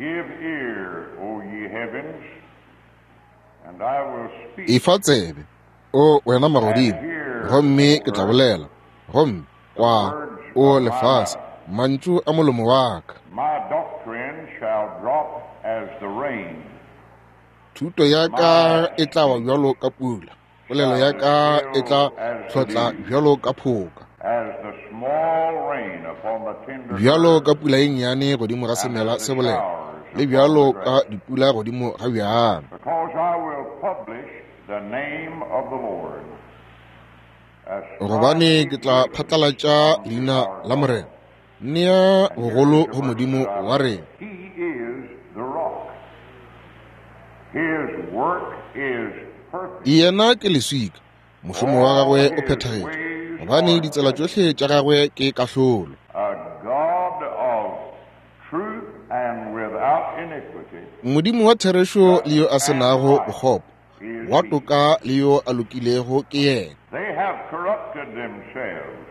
Give ear, O ye heavens, and I will speak. Efa tsebe, O wena magodimo, gomme ke tla bolela, gomme kwa, O lefase, mantšu a molomo wa ka. My doctrine shall drop as the rain. Thuto ya ka e tla wa bjalo ka pula, polelo ya ka e tla hlotla bjalo ka phoka. As the small rain upon the tender Bjalo herb, ka pula e nnyane godimo ga semela se bolela, le bjalo ka dipula godimo ga bjang. Because I will publish the name of the Lord. Ascribe Gobane ke tla ye phatlalatša unto leina our la God. Morena, nea And here bogolo is a go verse Modimo that I wa love. rena. He is the rock. His work is perfect. Yena ke leswika, mošomo wa All gagwe o his phethagetše, ways gobane are ditsela just. tšohle tša gagwe ke kahlolo. A God of truth and without iniquity, Modimo wa therešo le yo a just se and nago right bokgopo, is wa he. toka le yo a lokilego ke yena. They have corrupted themselves.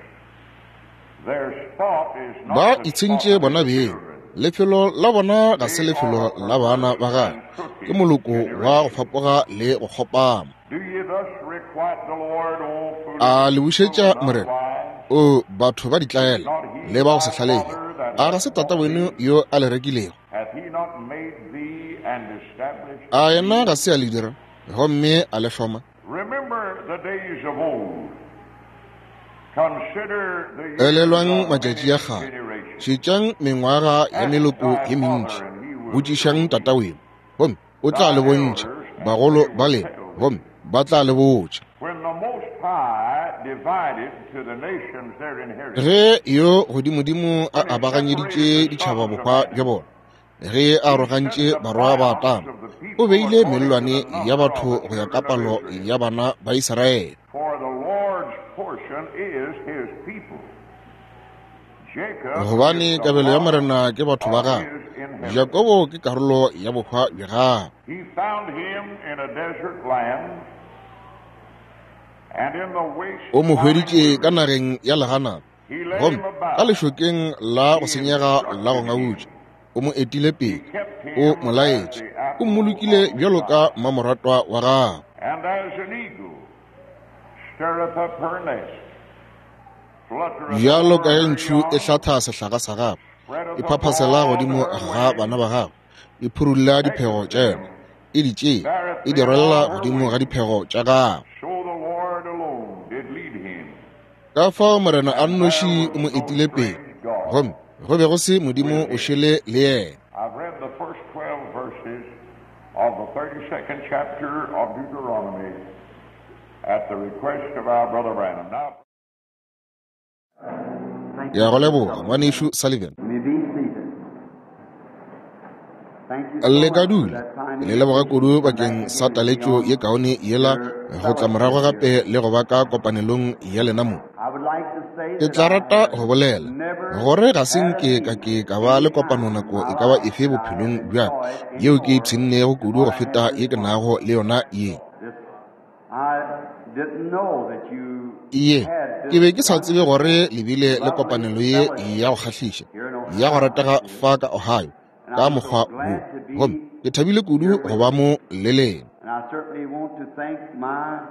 Their spot is Ba not the spot itshentše of bona his beng, children. lefelo la bona ga se They lefelo are a la bana perverse ba gagwe, and ke crooked moloko wa go generation. fapoga le go kgopama. Do ye thus requite the Lord, O foolish A le people bušetša and Morena, unwise? O batho ba Is ditlaela not he le ba go se thy hlalege? father that A ga hath se tata bought weno thee? yo a le rekilego? Hath he not made thee and established A yena thee? ga se a le dira gomme a le hloma? Remember the days of old. Consider the years Elelwang of matšatši many a kgale, generations. šetšang mengwaga ya Ask meloko thy ye mentši, father, and he will show botšišang thee, tataweno, gomme o tla thy le bontšha, elders, and bagolo they ba will lena, tell thee. gomme ba tla le botša. When the Most High divided to the nations their inheritance, Ge yo godimodimo a when he separated abaganyeditše the ditšhaba sons of bohwa bja man, bona, ge a he set arogantše the barwa ba bounds Adama, of the o people beile according to the mellwane ya number of batho the go ya ka children of palo Israel. ya bana ba Israele. For the Lord's portion is his people. Jacob is Gobane the kabelo ya lot Morena ke batho ba of gagwe, his inheritance. Jakobo ke karolo ya bohwa bja gagwe. He found him in a desert land and in the waste O mo pine hweditše ka wilderness. nageng ya leganata, He led gomme him ka about. lešokeng la go He senyega la go instructed ngautša. him. O mo etile He pele, kept o him mo as laetše, the o apple mmolokile of his bjalo ka eye. mmamoratwa wa gagwe. And as an eagle stirreth up her nest, fluttereth Bjalo over ka ge her ntšhu e young, hlatha sehlaga sa gagwe, e spreadeth phaphasela abroad godimo her ga wings, bana ba gagwe, e phurulla diphego taketh tša yona, them, e di tšee, beareth e di them rwalela on her godimo ga wings. diphego tša gagwe. So the Lord alone did lead him, Ka fao Morena a and there nnoši o was mo no etile pele, strange God gomme go be go se Modimo with o him. šele le yena. I've read the first 12 verses of the 32nd chapter of Deuteronomy at the request of our brother Branham. Now, Thank Ke you, a go Brother leboga, Sullivan. ngwanešu Sullivan. You may be seated. Thank you so Le ka much for dula. that kind Ke le leboga invitation kudu to come back bakeng sa again and be taletšo ye on kaone yela your go tla morago fellowship here. gape le go ba ka kopanelong ya lena mo. I would like to say Ke that tla I rata have go bolela never gore ga se had a nke ka meeting ke ka ba any le kopano time in nako my e ka ba life efe that I have bophelong bja ka enjoyed yeo ke any more ipshinnego than kudu go what I feta had ye this ke morning. nago le yona ye. This, I didn't know that you Ye, had ke be this ke sa tsebe wonderful, gore le bile le lovely kopanelo ye ya go fellowship kgahliša here in ya go Ohio ratega like this. fa ka Ohio And ka I'm so mokgwa wo, glad to gomme be ke thabile kudu here go with ba you. mo le lena. And I certainly want to thank my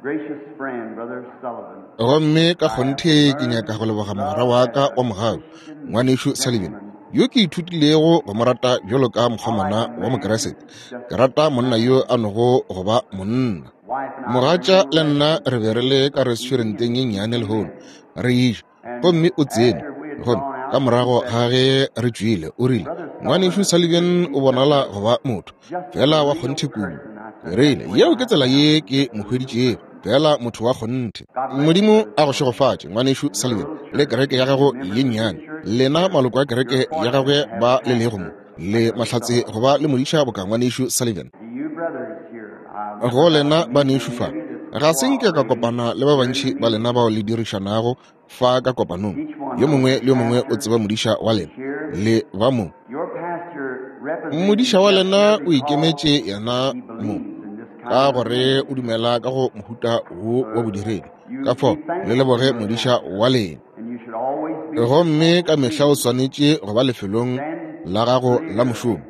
gracious friend, Brother Sullivan. Gomme ka I have kgonthe ke learned nyaka go to leboga mogwera love wa as ka a wa mogau, Christian ngwanešu Sullivan, gentleman. yo ke ithutilego go mo rata bjalo ka I like mokgomana a wa man Mokeresete. just Ke rata a monna man. yo a nogo go ba monna. Wife and I were in a Mogatša little le nna restaurant re be re le ka eating restauranteng ye and nnyane came lehono, in. re eja, And gomme o tsene. after we had Gomme gone ka out, she morago said, ga ge re tšwile, o rile, Brother ngwanešu Sullivan Sullivan appears to o be just bonala a go ba motho just a fela wa real kgonthe kudu. person. I Ke said, rile, that's the way yeo ke I tsela found ye him, ke just mo a real hweditšego, person. fela motho wa kgonthe. God bless you, Modimo Brother a go Sullivan, šegofatše, ngwanešu and your Sullivan, little le church, kereke ya and the gago members ye of your nnyane. church Lena here. maloko a You're kereke ya fortunate gagwe to have ba a le lego mo, pastor le like Brother mahlatse Sullivan. go ba le modiša boka ngwanešu Sullivan. To you brothers here, I've Go never got lena to meet banešu many fa, of you that's ga se nke ka cooperating kopana le ba here in the bantši ba meeting. lena bao le dirišanago fa ka kopanong. Each one Yo knows mongwe the le yo mongwe o pastor tseba modiša wa lena, here. le ba mo. Your pastor representing Modiša wa himself lena here o because ikemetše yena he mo, believes in this ka kind of gore ministry. o dumela ka go mohuta wo wa bodiredi. You Ka fao be le thankful for leboge your modiša pastor, wa lena. and you should always be Gomme ka at the mehla o meeting. swanetše go ba lefelong Stand la gago la mošomo.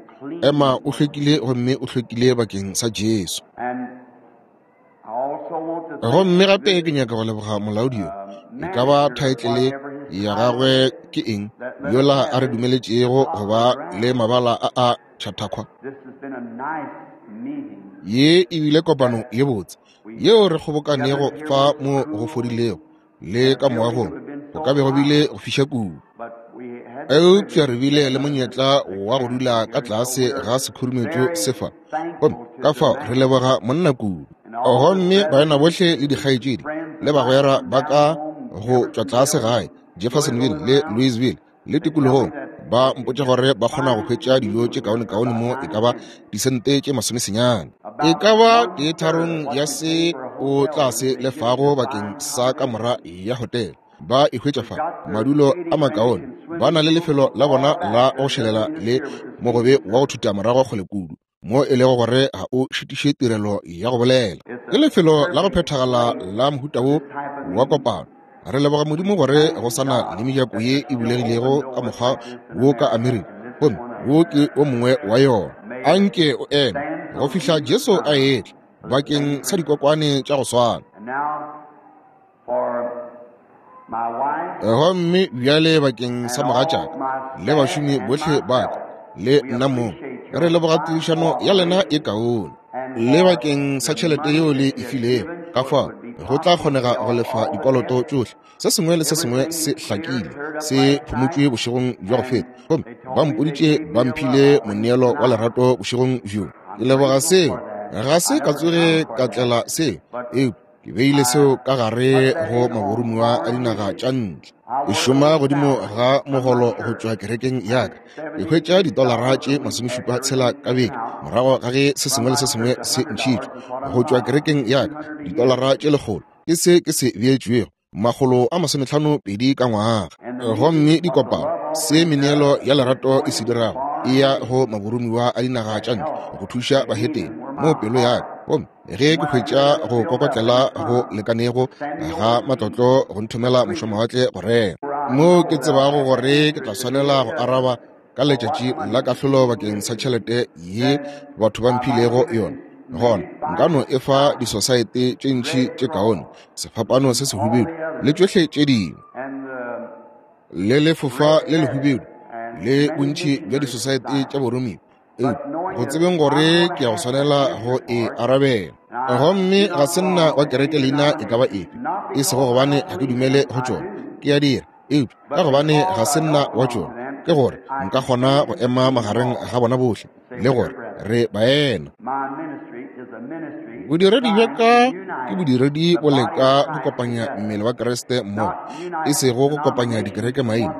Ema o hlwekile gomme o hlwekile bakeng sa Jesu. Gomme gape ke nyaka go leboga molaodi yo, e ka ba thaetlele ya gagwe ke eng, yola a re dumeletšego go ba le mabala a a Chautauqua. Ye e bile kopano ye botse yeo re kgobokanego fa mo go fodilego le ka moagong, go ka be go bile go fiša kudu. Eupša re bile le monyetla wa go dula ka tlase ga sekhurumetšo se fa, gomme ka fao re leboga monna kudu. Gomme baena bohle le dikgaetšedi le bagwera ba ka go tšwa tlase gae Jeffersonville le Louisville le tikologong ba mpotša gore ba kgona go hwetša dijo tše kaonekaone mo e ka ba disente tše 90, e ka ba 1/3 ya se o tla se lefago bakeng sa kamora ya hotele. Ba e hwetša fa madulo a makaone, ba na le lefelo la bona la go šelela le mogobe wa go thuta morago kgole kudu, mo e lego gore ga o šitiše tirelo ya go bolela. Ke lefelo la go phethagala la mohuta wo wa kopano. Re leboga Modimo gore go sa na le mejako ye e bulegilego ka mokgwa wo ka Amerika, gomme wo ke o mongwe wa yona. Anke o eme go fihla Jesu a etla bakeng sa dikokwane tša go swana. Gomme bjale bakeng sa mogatšaka le bašomi bohle ba ka le nna mong, re leboga tirišano ya lena e kaone, le bakeng sa tšhelete yeo le e filego. Ka fao go tla kgonega go lefa dikoloto tšohle. Se sengwe le se sengwe se hlakile, se phumotšwe bošegong bja go feta, gomme ba mpoditše ba mphile moneelo wa lerato bošegong bjo. Ke leboga seo. Ga se ka tsoge ka tlela seo, eupša ke beile seo ka gare go maborumiwa a dinaga tša ntle. Ke šoma godimo ga mogolo go tšwa kerekeng ya ka. Ke hwetša $76 ka beke morago ga ge se sengwe le se sengwe se ntšhitšwe go tšwa kerekeng ya ka, $100 ke se ke se beetšwego, 152 ka ngwaga. Gomme dikopano, se meneelo ya lerato e se dirago, e ya go maborumiwa a dinaga tša ntle go thuša bahetene mo pelo ya ka. Gomme ge ke hwetša go kokotlela go lekanego ga matlotlo go nthomela mošomawatle go rera, mo ke tsebago gore ke tla swanela go araba ka letšatši la kahlolo bakeng sa tšhelete ye batho ba mphilego yona, gona nka no e fa disosaete tše ntši tše kaone, sefapano se sehubedu le tšohle tše dingwe, le lefofa le lehubedu le bontši bja disosaete tša boromiwa, eupša go tsebeng gore ke ya go swanela go e arabela. Gomme ga se nna wa kereke leina e ka ba efe, e sego gobane ga ke dumele go tšona, ke a dira, eupša ka gobane ga se nna wa tšona, ke gore nka kgona go ema magareng ga bona bohle le gore re baena. Bodiredi bja ka ke bodiredi bo leka go kopanya mmele wa Kriste mmogo, e sego go kopanya dikereke maina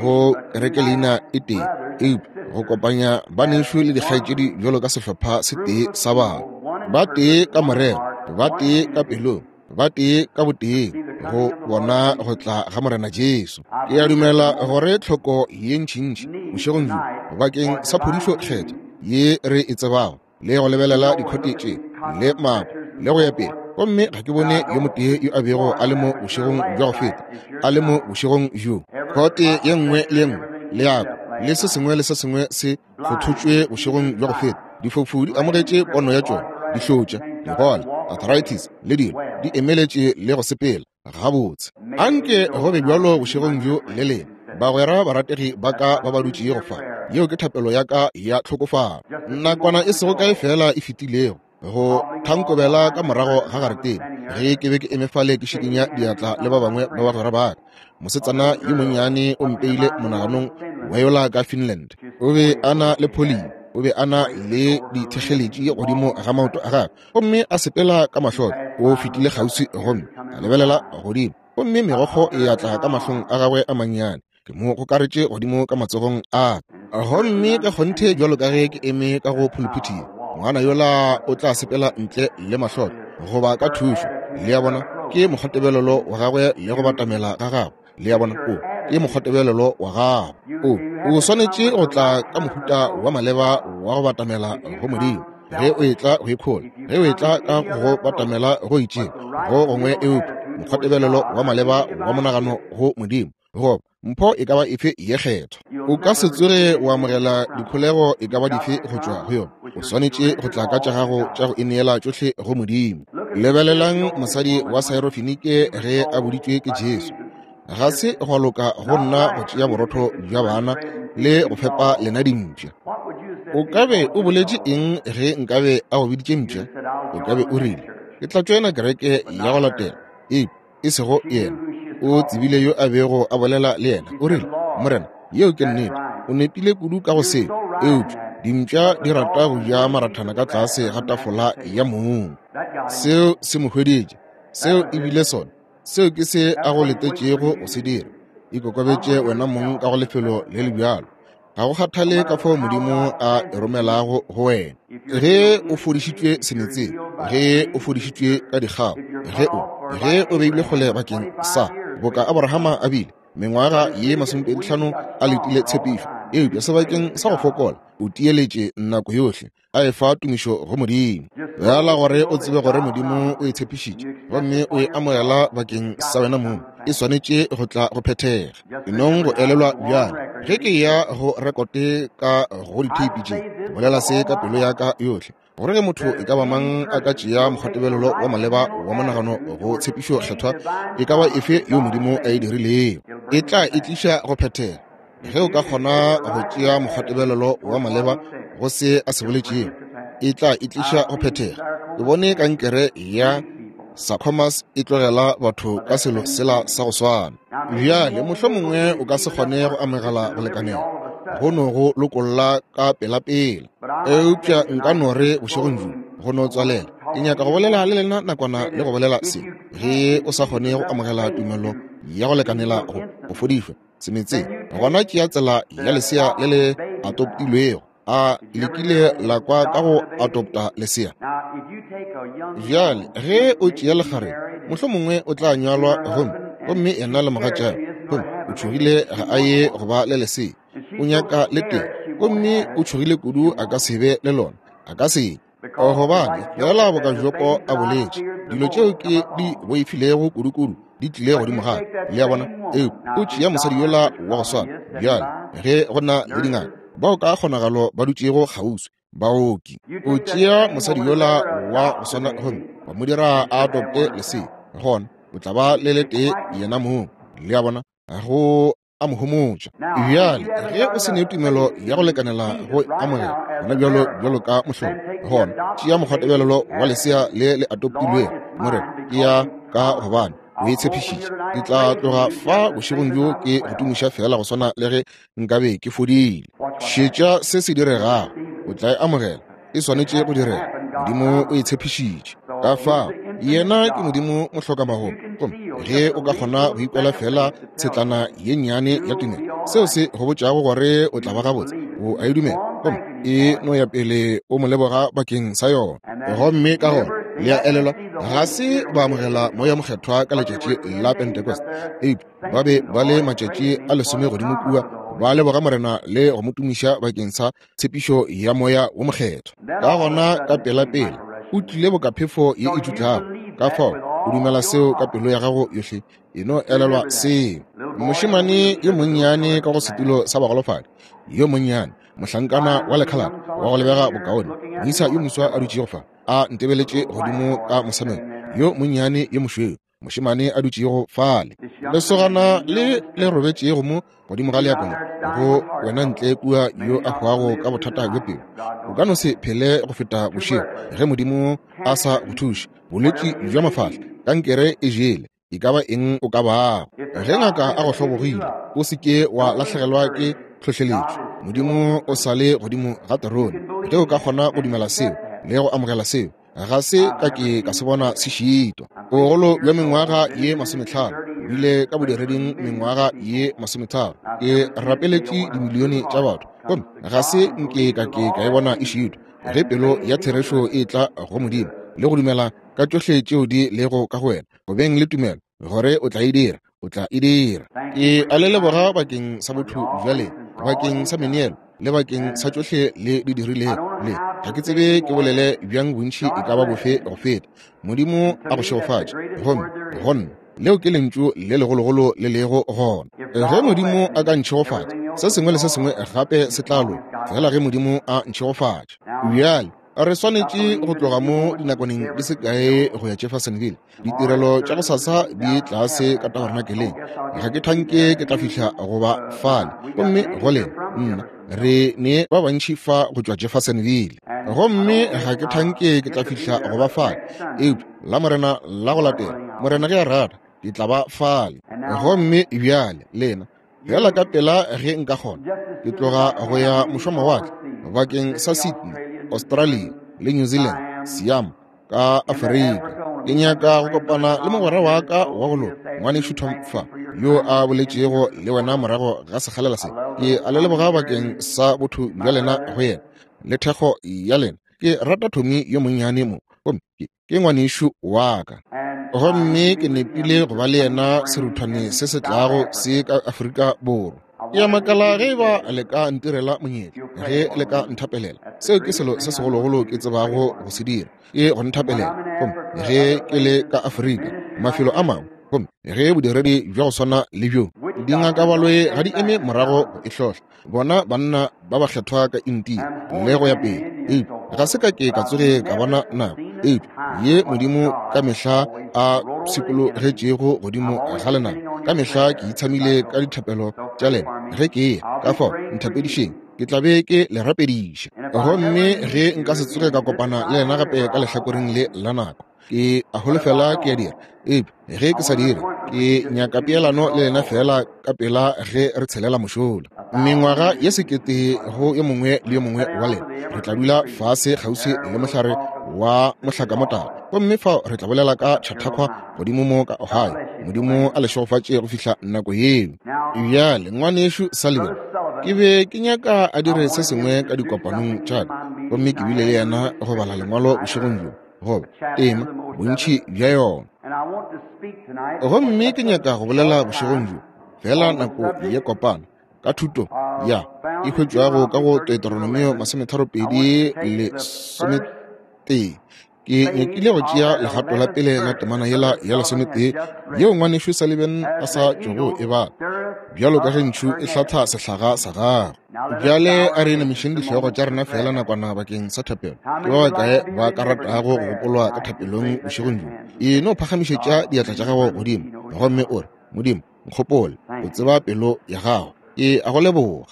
go kereke leina e tee, eupša go kopanya banešu le dikgaetšedi bjalo ka sehlopha se tee sa batho, ba tee ka morero, ba tee ka pelong, ba tee ka boteng, go bona go tla ga Morena Jesu. Ke a dumela gore tlhoko ye ntšintši bošegong bjo bakeng sa phodišo kgethwa ye re e tsebago, le go lebelela dikhote tše le mapo le go ya pele, gomme ga ke bone yo motee yo a bego a le mo bošegong bja go feta a le mo bošegong bjo. Khote ye nngwe le ye nngwe le yako le se sengwe le se sengwe se kgothotšwe bošegong bja go feta. Difofu di amogetše pono ya tšona, dihlotša, digole, arthritis le dilo di emeletše le go sepela gabotse. Anke go be bjalo bošegong bjo le lena, bagwera barategi ba ka ba ba dutšego fa. Yeo ke thapelo ya ka ya tlhokofalo. Nakwana e sego kae fela e fetilego, go thankobela ka morago ga garetene, ge ke be ke eme fale ke šikinya diatla le ba bangwe ba bagwera ba ka, mosetsana yo monnyane o mpeile monaganong wa yola ka Finland. O be a na le polio, o be a na le dithekgeletši godimo ga maoto a gagwe, gomme a sepela ka mahloko. O fetile kgauswi gomme a lebelela godimo, gomme megokgo e atla ka mahlong a gagwe a mannyane. Ke mo gokaretše godimo ka matsogong a ka, gomme ka kgonthe bjalo ka ge ke eme ka go phuluphuthing, ngwana yola o tla sepela ntle le mahloko goba ka thušo. Le a bona, ke mokgwatebelelo wa gagwe le go batamela ga gagwe. Le a bona, o ke mokgwatebelelo wa gago. O swanetše go tla ka mohuta wa maleba wa go batamela go Modimo. Ge o etla go ikhola, ge o etla ka go batamela go itšeng go gongwe, eupša mokgwatebelelo wa maleba wa monagano go Modimo. goba mpho e ka ba efe ye kgethwa. O ka se tsoge wa amogela dikholego e ka ba dife go tšwa go yona. O swanetše go tla ka tša gago tša go ineela tšohle go Modimo. Lebelelang mosadi wa Syrophenike ge a boditšwe ke Jesu, ga se gwa loka go nna go tšea borotho bja bana le go fepa lena dimpša. O ka be o boletše eng ge nkabe a go biditše mpša? O ka be o rile, ke tla tšoena kereke ya go latela. Eupša e sego yena. O tsebile yo a bego a bolela le yena. O rile, Morena, yeo ke nnete. O nepile kudu ka go seo. Eupša dimpša di rata go ja marathana ka tlase ga tafola ya mong. Seo se mo hweditše. Seo e bile sona. Seo ke se a go letetšego go se dira. Ikokobetše wena mong ka go lefelo le le bjalo. Ga go kgathale ka fao Modimo a e romelago go wena. Ge o fodišitšwe semetseng, ge o fodišitšwe ka dikgao, ge o beilwe kgole bakeng sa, boka Abrahama a bile, mengwaga ye 25 a letile tshepišo, eupša sebakeng sa go fokola, o tieletše nako yohle, a efa tumišo go Modimo. Bjala gore o tsebe gore Modimo o e tshepišitše gomme o e amogela bakeng sa wena mong, e swanetše go tla go phethega. E nong go elelwa bjale, ge ke ya go rekote ka go ditheipi tše, ke bolela se ka pelo ya ka yohle, gore ge motho e ka ba mang a ka tšea mokgwatebelelo wa maleba wa monagano go tshepišo kgethwa e ka ba efe yo Modimo a e dirilego, e tla e tliša go phethega. Ge o ka kgona go tšea mokgwatebelelo wa maleba go se a se boletšego, e tla e tliša go phethega. Ke bone kankere ya sarcomas e tlogela batho ka selo sela sa go swana. Bjale mohlomongwe o ka se kgone go amogela go lekanela go no go lokolla ka pelapela, eupša nka no re bošegong bjo go no tswalela, ke nyaka go bolela le lena nakwana le go bolela se. Ge o sa kgone go amogela tumelo ya go lekanela go fodišwa semetseng, gona tšea tsela ya lesea le le atoptilwego. A le kile la kwa ka go atopta lesea? Bjale ge o tšea lekgarebe, mohlomongwe o tla nyalwa gomme yena le mogatšagwe, gomme o tšhogile ga a ye go ba le lesea, o nyaka le tee, gomme o tšhogile kudu a ka se be le lona, a ka se. Gobane fela boka Jopo a boletše, dilo tšeo ke di boifilego kudukudu di tlile godimo ga ka. Le a bona? Eupša o tšea mosadi yola wa go swana. Bjale ge go na le dingaka bao ka kgonagalo ba dutšego kgauswi, baoki, o tšea mosadi yola wa go swana gomme wa mo dira a adopte lesea, gona o tla ba le letee yena mong. Le a bona? Go a mo homotša. Bjale ge o se ne tumelo ya go lekanela go amogela gona bjalo bjalo ka mohlolo, gona tšea mokgwatebelelo wa lesea le le atoptilwego. Morena, ke ya ka gobane o e tshepišitše. Ke tla tloga fa bošegong bjo ke go tumiša fela go swana le ge nkabe ke fodile. Šetša se se diregago, o tla e amogela. E swanetše go direga. Modimo o e tshepišitše. Ka fao yena ke Modimo mohlokamagomo. Gomme ge o ka kgona go ikwela fela tshetlana ye nnyane ya tumelo, seo se go botšago gore o tla ba gabotse, o a e dumela, gomme e no ya pele o mo leboga bakeng sa yona. Gomme ka gona le a elelwa, ga se ba amogela Moya Mokgethwa ka letšatši la Pentecost, eupša ba be ba le matšatši a 10 godimo kua ba leboga Morena le go mo tumiša bakeng sa tshepišo ya Moya wo Mokgethwa. Ka gona ka pelapela o tlile boka phefo ye e tšutlago. Ka fao o dumela seo ka pelo ya gago yohle, e no elelwa seo. Mošemane yo monnyane ka go setulo sa bagolofadi, yo monnyane mohlankana wa lekhalaba wa go lebega bokaone, moisa yo moswa a dutšego fa a ntebeletše godimo ka mosameng, yo monnyane yo mošweu, mošemane a dutšego fale, lesogana le le robetšego mo godimo ga leako le, go wena ntle kua yo a hwago ka bothata bjo pelo, o ka no se phele go feta bošego ge Modimo a sa go thuše. Bolwetši bja mafahla, kankere e jele, e ka ba eng o ka bago. Ge ngaka a go hlobogile, o se ke wa lahlegelwa ke tlhohleletšo. Modimo o sa le godimo ga terone. Ge o ka kgona go dumela seo le go amogela seo, ga se ka ke ka se bona se šitwa. Bogolo bja mengwaga ye 50, bile ka bodireding mengwaga ye 30, ke rapeletše dimilione tša batho, gomme ga se nke ka ke ka e bona e šitwa. Ge pelo ya therešo e tla go Modimo le go dumela ka tšohle tšeo di lego ka go wena, go beng le tumelo gore o tla e dira, o tla e dira. Ke a le leboga bakeng sa botho bja lena, bakeng sa meneelo le bakeng sa tšohle le di dirilego. Le ga ke tsebe ke bolele bjang bontši e ka ba bofe go feta. Modimo a go šegofatše. Gomme go nna. Leo ke lentšu le legologolo le lego gona. Ge Modimo a ka ntšhegofatša, se sengwe le se sengwe gape se tla loka, fela ge Modimo a ntšhegofatša. Bjale, re swanetše go tloga mo dinakwaneng di se kae go ya Jeffersonville. Ditirelo tša gosasa di tlase ka tabernakeleng. Ga ke thanke ke tla fihla go ba fale. Gomme go lena, nna, re ne ba bantši fa go tšwa Jeffersonville. Gomme ga ke thanke ke tla fihla go ba fale. Eupša la Morena la go latela, Morena ge a rata, ke tla ba fale. Gomme bjale lena, bjala ka pela ge nka kgona, ke tloga go ya mošomawatle bakeng sa Sydney, Australia le New Zealand, Siam ka Afrika. Ke nyaka go kopana le mogwera wa ka wa go loka, ngwanešu Tom fa, yo a boletšego le wena morago ga sekgalela se. Ke a le leboga bakeng sa botho bja lena go yena le thekgo ya lena. Ke rata Tommy yo monnyane mo, gomme ke ngwanešu wa ka. Gomme ke nepile go ba le yena seruthwane se se tlago se ka Afrika Borwa. Ke a makala ge e ba le ka ntirela monyetla, ge le ka nthapelela. Seo ke selo se segologolo ke tsebago go se dira, ke go nthapelela. Gomme ge ke le ka Afrika, mafelo a mangwe, gomme ge bodiredi bja go swana le bjo, dingakabaloe ga di eme morago go e hlohla. Bona banna ba ba kgethwa ka India le go ya pele, eupša ga se ka ke ka tsoge ka bona nako eupša ye Modimo ka mehla a pshikologetšego godimo ga lenaba. Ka mehla ke itshamile ka dithapelo tša lena ge ke ya ka fao. Nthapedišeng, ke tla be ke le rapediša. Gomme ge nka se tsoge ka kopana le lena gape ka lehlakoreng le la nako, ke a holofela ke a dira, eupša ge ke sa dire, ke nyaka peelano le lena fela ka pela ge re tshelela mošola. Mengwaga ye sekete go yo mongwe le yo mongwe wa lena, re tla dula fase kgauswi le mohlare wa mohlakamotala, gomme fao re tla bolela ka Chautauqua godimo mo ka Ohio. Modimo a le šegofatše go fihla nako yeo. Bjale, ngwanešu Sullivan, ke be ke nyaka a dire se sengwe ka dikopanong tša ka, gomme ke bile le yena go bala lengwalo bošegong bjo, goba tema bontši bja yona. Gomme ke nyaka go bolela bošegong bjo, fela nako ye kopana, ka thuto ya e hwetšwago ka go Deuteronomio 32 11. Ke nyakile go tšea legato la pele la temana yela ya 11 yeo ngwanešu Sullivan a sa tšogo e bala, bjalo ka ge ntšhu e hlatha sehlaga sa gagwe. Bjale a re inamišeng dihlogo tša rena fela nakwana bakeng sa thapelo. Ke ba bakae ba ka ratago go gopolwa ka thapelong bošegong bjo? E no phagamišetša diatla tša gago godimo gomme o re, Modimo, nkgopole, o tseba pelo ya gago. Ke a go leboga.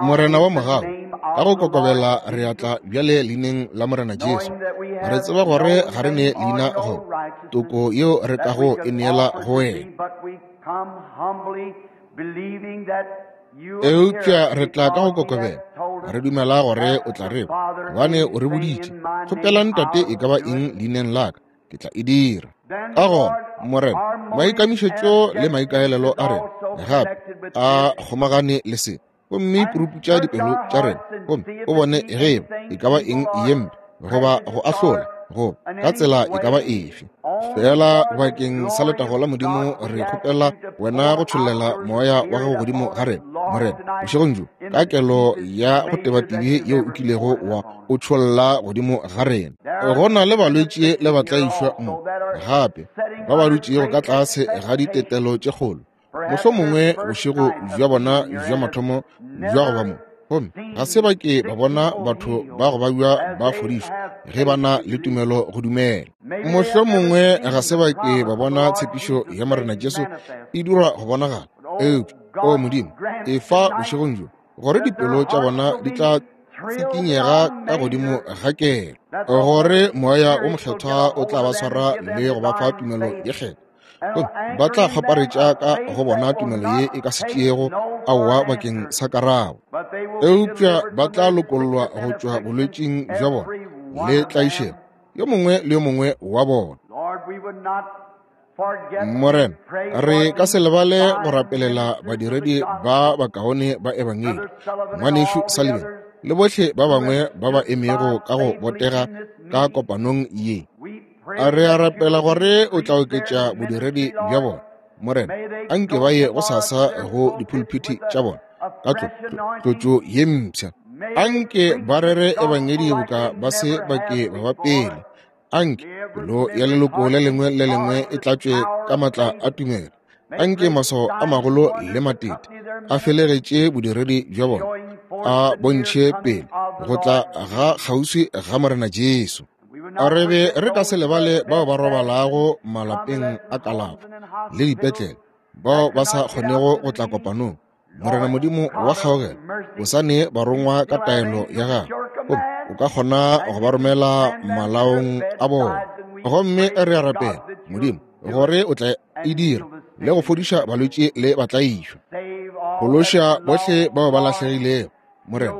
Morena wa mogau, ka go kokobela re atla bjale leineng la Morena Jesu. Re tseba gore ga re ne leina go toko yeo re kago e neela go wena. Eupša re tla ka go kokobela, re dumela gore o tla re kwa, gobane o re boditše, kgopelang Tate e ka ba eng leineng la ka, ke tla e dira. Ka gona, Morena, maikamišetšo le maikaelelo a rena gape a kgomagane le se, gomme puruputša dipelo tša rena, gomme o bone ge eba e ka ba eng ye mpe goba go ahlola goba ka tsela e ka ba efe. Fela bakeng sa letago la Modimo re kgopela wena go tšhollela moya wa gago godimo ga rena, Morena, bošegong bjo, ka kelo ya go tebatibe yeo o kilego wa o tšholla godimo ga rena. Go na le balwetši le batlaišwa mo gape ba ba dutšego ka tlase ga ditetelo tše kgolo, mohlomongwe bošego bja bona bja mathomo bja go ba mo, gomme ga se ba ke ba bona batho ba go babja ba fodišwa ge ba na le tumelo go dumela. Mohlomongwe ga se ba ke ba bona tshepišo ya Morena Jesu e dirwa go bonagala. Eupša, o Modimo, efa bošegong bjo gore dipelo tša bona di tla tsikinyega ka godimo ga kelo, gore moya o mokgethwa o tla ba swara le go ba fa tumelo ye kgethwa, gomme ba tla kgaparetša ka go bona tumelo ye e ka se tšeego aowa bakeng sa karabo, eupša ba tla lokollwa go tšwa bolwetšing bja bona le tlaišego, yo mongwe le yo mongwe wa bona. Morena, re ka se lebale go rapelela badiredi ba bakaone ba ebangedi, ngwanešu Sullivan le bohle ba bangwe ba ba emego ka go botega ka kopanong ye. A re a rapela gore o tla oketša bodiredi bja bona. Morena, a nke ba ye go sasa go dipulpiti tša bona ka tlotšo ye mpsha. A nke ba rere ebangedi boka ba se ba ke ba ba pele. Anke pelo ya leloko le lengwe le lengwe e tlatšwe ka matla a tumelo. Anke maswao a magolo le matete a felegetše bodiredi bja bona, a bontšhe pele go tla ga kgauswi ga Morena Jesu. A re be re ka se lebale bao ba robalago malapeng a kalafo le dipetlele, bao ba sa kgonego go tla kopanong. Morena Modimo wa kgaogelo, o sa ne barongwa ka taelo ya gago, gomme o ka kgona go ba romela malaong a bona. Gomme re a rapela, Modimo, gore o tla e dira le go fodiša balwetši le batlaišwa. Phološa bohle bao ba lahlegilego, Morena.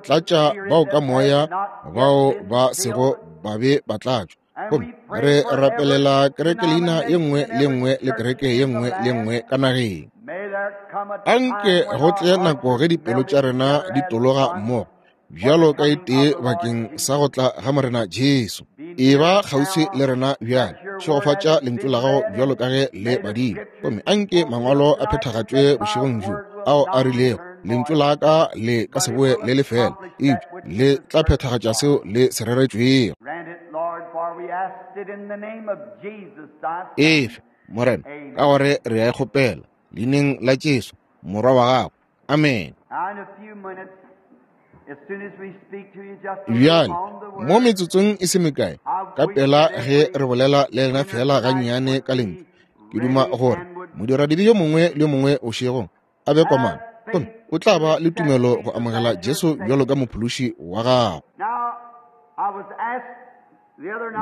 Tlatša bao ka moya bao ba sego ba be ba tlatšwa. Gomme re rapelela kereke leina ye nngwe le nngwe le kereke ye nngwe le nngwe ka nageng. Anke go tle nako ge dipelo tša rena di tologa mmogo bjalo ka e tee bakeng sa go tla ga Morena Jesu. E ba kgauswi le rena bjale. Šegofatša lentšu la gago bjalo ka ge le badile. Gomme anke mangwalo a phethagatšwe bošegong bjo ao a rilego, lentšu la ka le ka se boe le le fela, eupša le tla phethagatša seo le se reretšwego. Efe, Morena, ka gore re a e kgopela leineng la Jesu, Morwa wa gago. Amen. Bjale, mo metsotsong e se mekae, ka pela ge re bolela le lena fela gannyane ka lentšu, ke duma gore modiradibe yo mongwe le yo mongwe bošegong a be komana, gomme o tla ba le tumelo go amogela Jesu bjalo ka mophološi wa gago.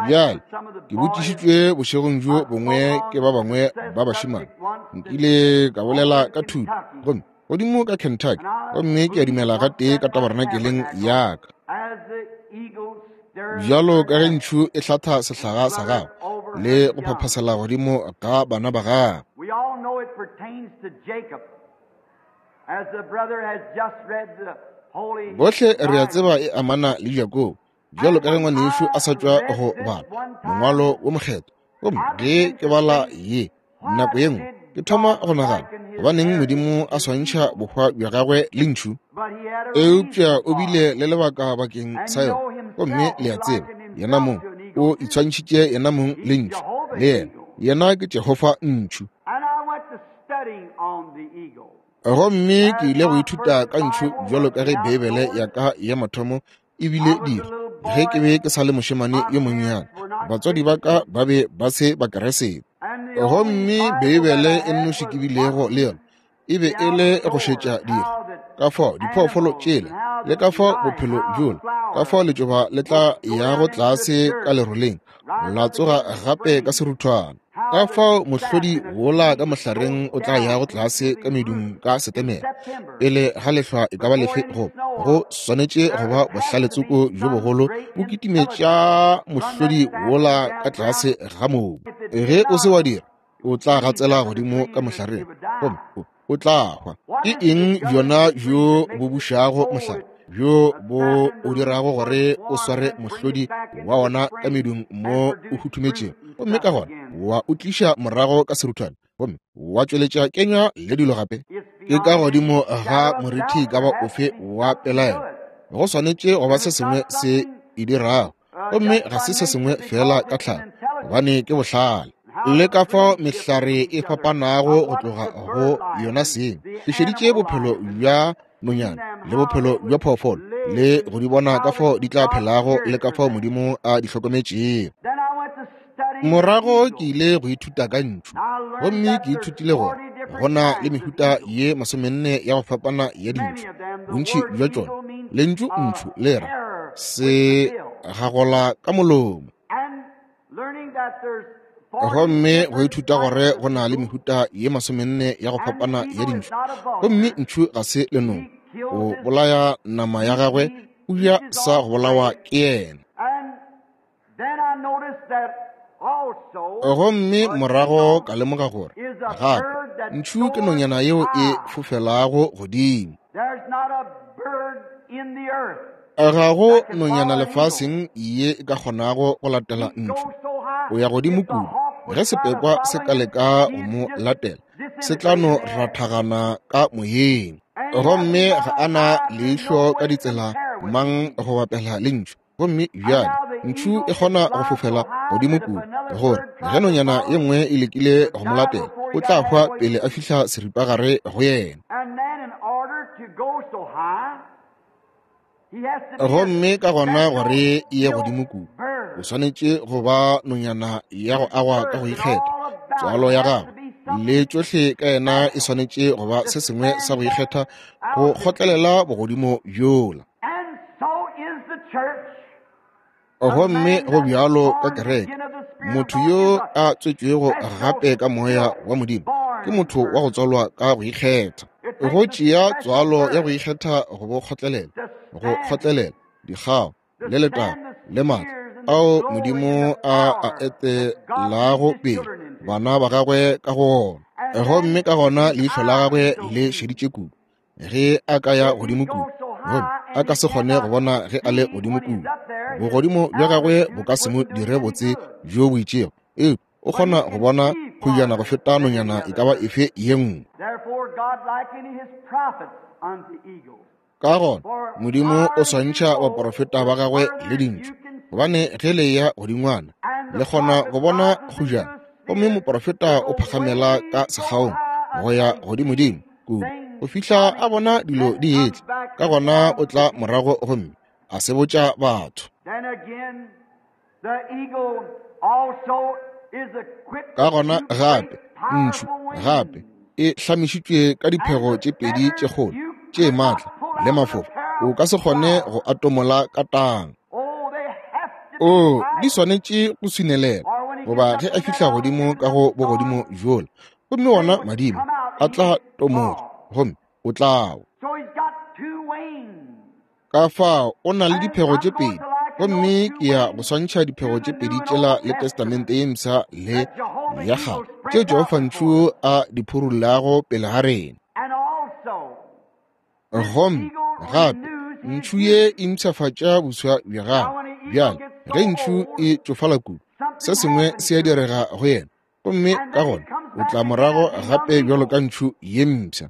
Bjale, ke botšišitšwe bošegong bjo bongwe ke ba bangwe ba bašemane. Nkile ka bolela ka thuto, gomme godimo ka Kentucky, gomme ke a dumela gatee ka tabarenakeleng ya ka. Bjalo ka ge ntšhu e hlatha sehlaga sa gagwe le go phaphasela godimo ga bana ba gagwe. Bohle re a tseba e amana le Jakobo, bjalo ka ge ngwanešu a sa tšwa go bala mongwalo wo mokgethwa. Gomme ge ke bala ye nako ye nngwe, ke thoma go nagana gobaneng Modimo a swantšha bohwa bja gagwe le ntšhu, eupša o bile le lebaka bakeng sa yona. Gomme le a tseba, yena mong o itshwantšhitše yena mong le ntšhu, le yena yena ke Jehofa ntšhu. Gomme ke ile go ithuta ka ntšhu bjalo ka ge Beibele ya ka ya mathomo e bile dira ge ke be ke sa le mošemane yo monnyane. Batswadi ba ka ba be ba se Bakeresete, gomme Beibele e nnoši ke bilego le yona e be e le go šetša dikgwa, ka fao diphoofolo tšela le ka fao bophelo bjola, ka fao letšoba le tla yago tlase ka leroleng la tsoga gape ka seruthwana, ka fao mohlodi wola ka mohlareng o tla yago tlase ka medung ka Setemere pele ga lehlwa e ka ba lefe. Go go swanetše go ba bohlaletsoko bjo bogolo bo kitimetša mohlodi wola ka tlase ga mobu. Ge o se wa dira, o tla gatsela godimo ka mohlareng gomme o tla hwa. Ke eng bjona bjo bo bušago mohlare, bjo bo o dirago gore o sware mohlodi wa wona ka medung mo o huthumetšego, gomme ka gona wa o tliša morago ka seruthwane gomme wa tšweletša kenywa le dilo gape? Ke ka godimo ga morithi ka ba ofe wa pelaelo, go swanetše go ba se sengwe se e dirago, gomme ga se se sengwe fela ka tlhago, gobane ke bohlale. Le ka fao mehlare e fapanago go tloga go yona seng. Ke šeditše bophelo bja nonyana le bophelo bja phoofolo le go di bona ka fao di tla phelago le ka fao Modimo a di hlokometšego. Morago ke ile go ithuta ka ntšhu, gomme ke ithutile gore go na le mehuta ye 40 ya go fapana ya dintšhu. Bontši bja tšona, lentšu ntšhu le ra se gagola ka molomo. Gomme go ithuta gore go na le mehuta ye 40 ya go fapana ya dintšhu, gomme ntšhu ga se lenong, o bolaya nama ya gagwe, o ja sa go bolawa ke yena. Gomme morago ka lemoga gore gape ntšhu ke nonyana yeo e fofelago godimo. Ga go nonyana lefaseng ye e ka kgonago go latela ntšhu. O ya godimo kudu. Ge sepekwa se ka leka go mo latela, se tla no rathagana ka moyeng. Gomme ga a na leihlo ka ditsela mang go bapela le ntšhu. Gomme bjale ntšhu e kgona go fofela godimo kudu, gore ge nonyana ye nngwe e lekile go mo latela, o tla hwa pele a fihla seripagare go yena. Gomme ka gona gore e ye godimo kudu, o swanetše go ba nonyana ya go agwa ka go ikgetha. Tswalo ya gagwe le tšohle ka yena e swanetše go ba se sengwe sa go ikgetha go kgotlelela bogodimo bjola. Gomme go bjalo ka kereke, motho yo a tswetšwego gape ka moya wa Modimo ke motho wa go tswalwa ka go ikgetha. Go tšea tswalo ya go ikgetha go bo kgotlelela, go kgotlelela dikgao le letago le maatla ao Modimo a a etelago pele bana ba gagwe ka go ona. Gomme ka gona leihlo la gagwe le šeditše kudu ge a ka ya godimo kudu, gomme a ka se kgone go bona ge a le godimo kudu. Bogodimo bja gagwe bo ka se mo dire botse bjo bo itšego, eupša o kgona go bona kgojana go feta nonyana e ka ba efe ye nngwe. Ka gona Modimo o swantšha baporofeta ba gagwe le dintšhu, gobane ge le ya godingwana le kgona go bona kgojana, gomme moporofeta o phakgamela ka sekgaong go ya godimodimo kudu go fihla a bona dilo di etla. Ka gona o tla morago gomme a se botša batho. Ka gona gape ntšhu gape e hlamišitšwe ka diphego tše pedi tše kgolo tše maatla le mafofa, o ka se kgone go atomola ka tang. O di swanetše go swinelela, goba ge a fihla godimo ka go bogodimo bjola, gomme wona madimo a tla tomoga gomme o tla wa. Ka fao o na le diphego tše pedi, gomme ke ya go swantšha diphego tše pedi tšela le Testamente ye Mpsha le ya Kgale tše Jehofa ntšhu a di phurullago pele ga rena. Gomme gape ntšhu ye e mpshafatša boswa bja gagwe. Bjale ge ntšhu e tšofala kudu, se sengwe se a direga go yena, gomme ka gona o tla morago gape bjalo ka ntšhu ye mpsha.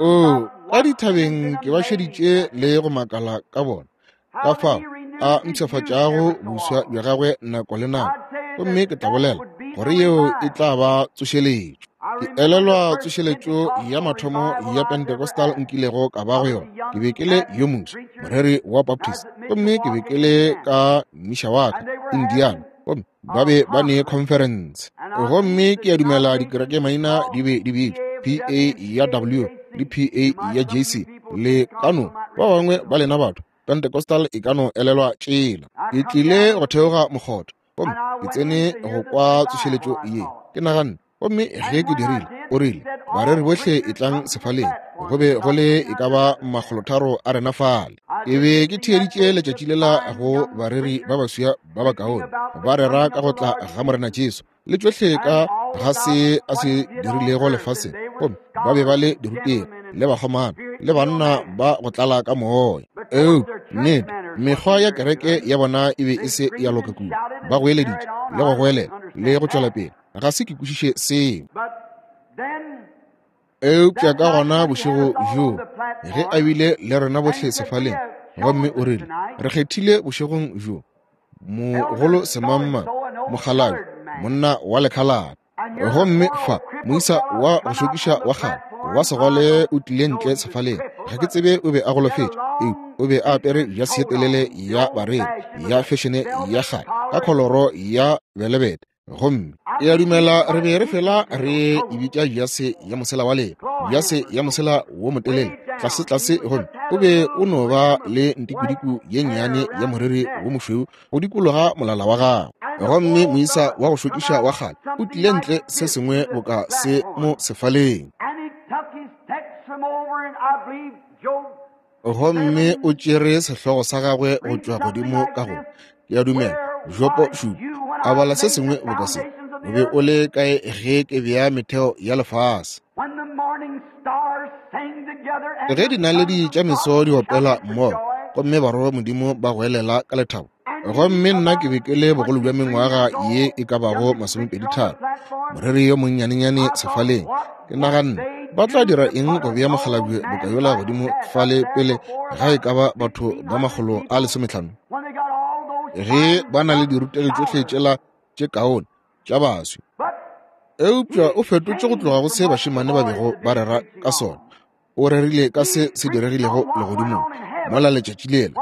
O ka dithabeng ke ba šeditše le go makala ka bona, ka fao a mpshafatšago boswa bja gagwe nako le nako, gomme ke tla bolela gore yeo e tla ba tsošeletšo. Ke elelwa tsošeletšo ya mathomo ya Pentecostal nkilego ka ba go yona. Ke be ke le yo moswa, moreri wa Baptist, gomme ke be ke le ka Mishawaka, Indiana, gomme ba be ba ne conference. Gomme ke a dumela dikereke maina di be di bitšwa PA ya W le PA ya JC le kano ba bangwe ba lena batho Pentecostal e ka no elelwa tšela. Ke tlile go theoga mokgotho gomme ke tsene go kwa tsošeletšo ye. Ke naganne, gomme ge ke dirile, o rile, bareri bohle e tlang sefaleng. Go be go le e ka ba 300 a rena fale. Ke be ke theeditše letšatši lela go bareri ba baswa ba bakaone ba rera ka go tla ga Morena Jesu le tšohle ka ga se a se dirilego lefaseng, gomme ba be ba le dirutegi le bakgomana le banna ba go tlala ka moya. Eupša nnete mekgwa ya kereke ya bona e be e se ya loka kudu. Ba goeleditše le go goelela le go tšwela pele. Ga se ke kwešiše seo. Eupša ka gona bošego bjoo ge a bile le rena bohle sefaleng, gomme o rile, re kgethile bošegong bjo mogolo semangmang, mokgalabje, monna wa lekhalate. Gomme fa moisa wa go šokiša wa kgale wa segole o tlile ntle sefaleng. Ga ke tsebe o be a golofetše, eupša o be a apere jase ye telele ya bareri ya fešene ya kgale ka kholoro ya belebete. Gomme ke a dumela re be re fela re e bitša jase ya mosela wa leba, jase ya mosela wo motelele tlase tlase, gomme o be o no ba le ntikudiku ye nnyane ya moriri wo mošweu go dikologa molala wa gagwe. Gomme moisa wa go šokiša wa kgale o tlile ntle se sengwe boka se mo sefaleng. Gomme o tšere sehlogo sa gagwe go tšwa godimo ka go, ke a dumela, Jopo 7, a bala se sengwe boka se, o be o le kae ge ke bea metheo ya lefase? Ge dinaledi tša meso di opela mmogo, gomme barwa ba Modimo ba goelela ka lethabo. Gomme nna ke be ke le bogolo bja mengwaga ye e ka bago 23, moreri yo monnyanenyane sefaleng. Ke naganne, Ba tla dira eng go bea mokgalabje boka yola godimo fale pele ga e ka ba batho ba 150? Ge ba na le dirutegi tšohle tšela tše kaone tša baswi. Eupša o fetotše go tloga go se bašemane ba bego ba rera ka sona. O rerile ka se se diregilego legodimong, mola letšatši lela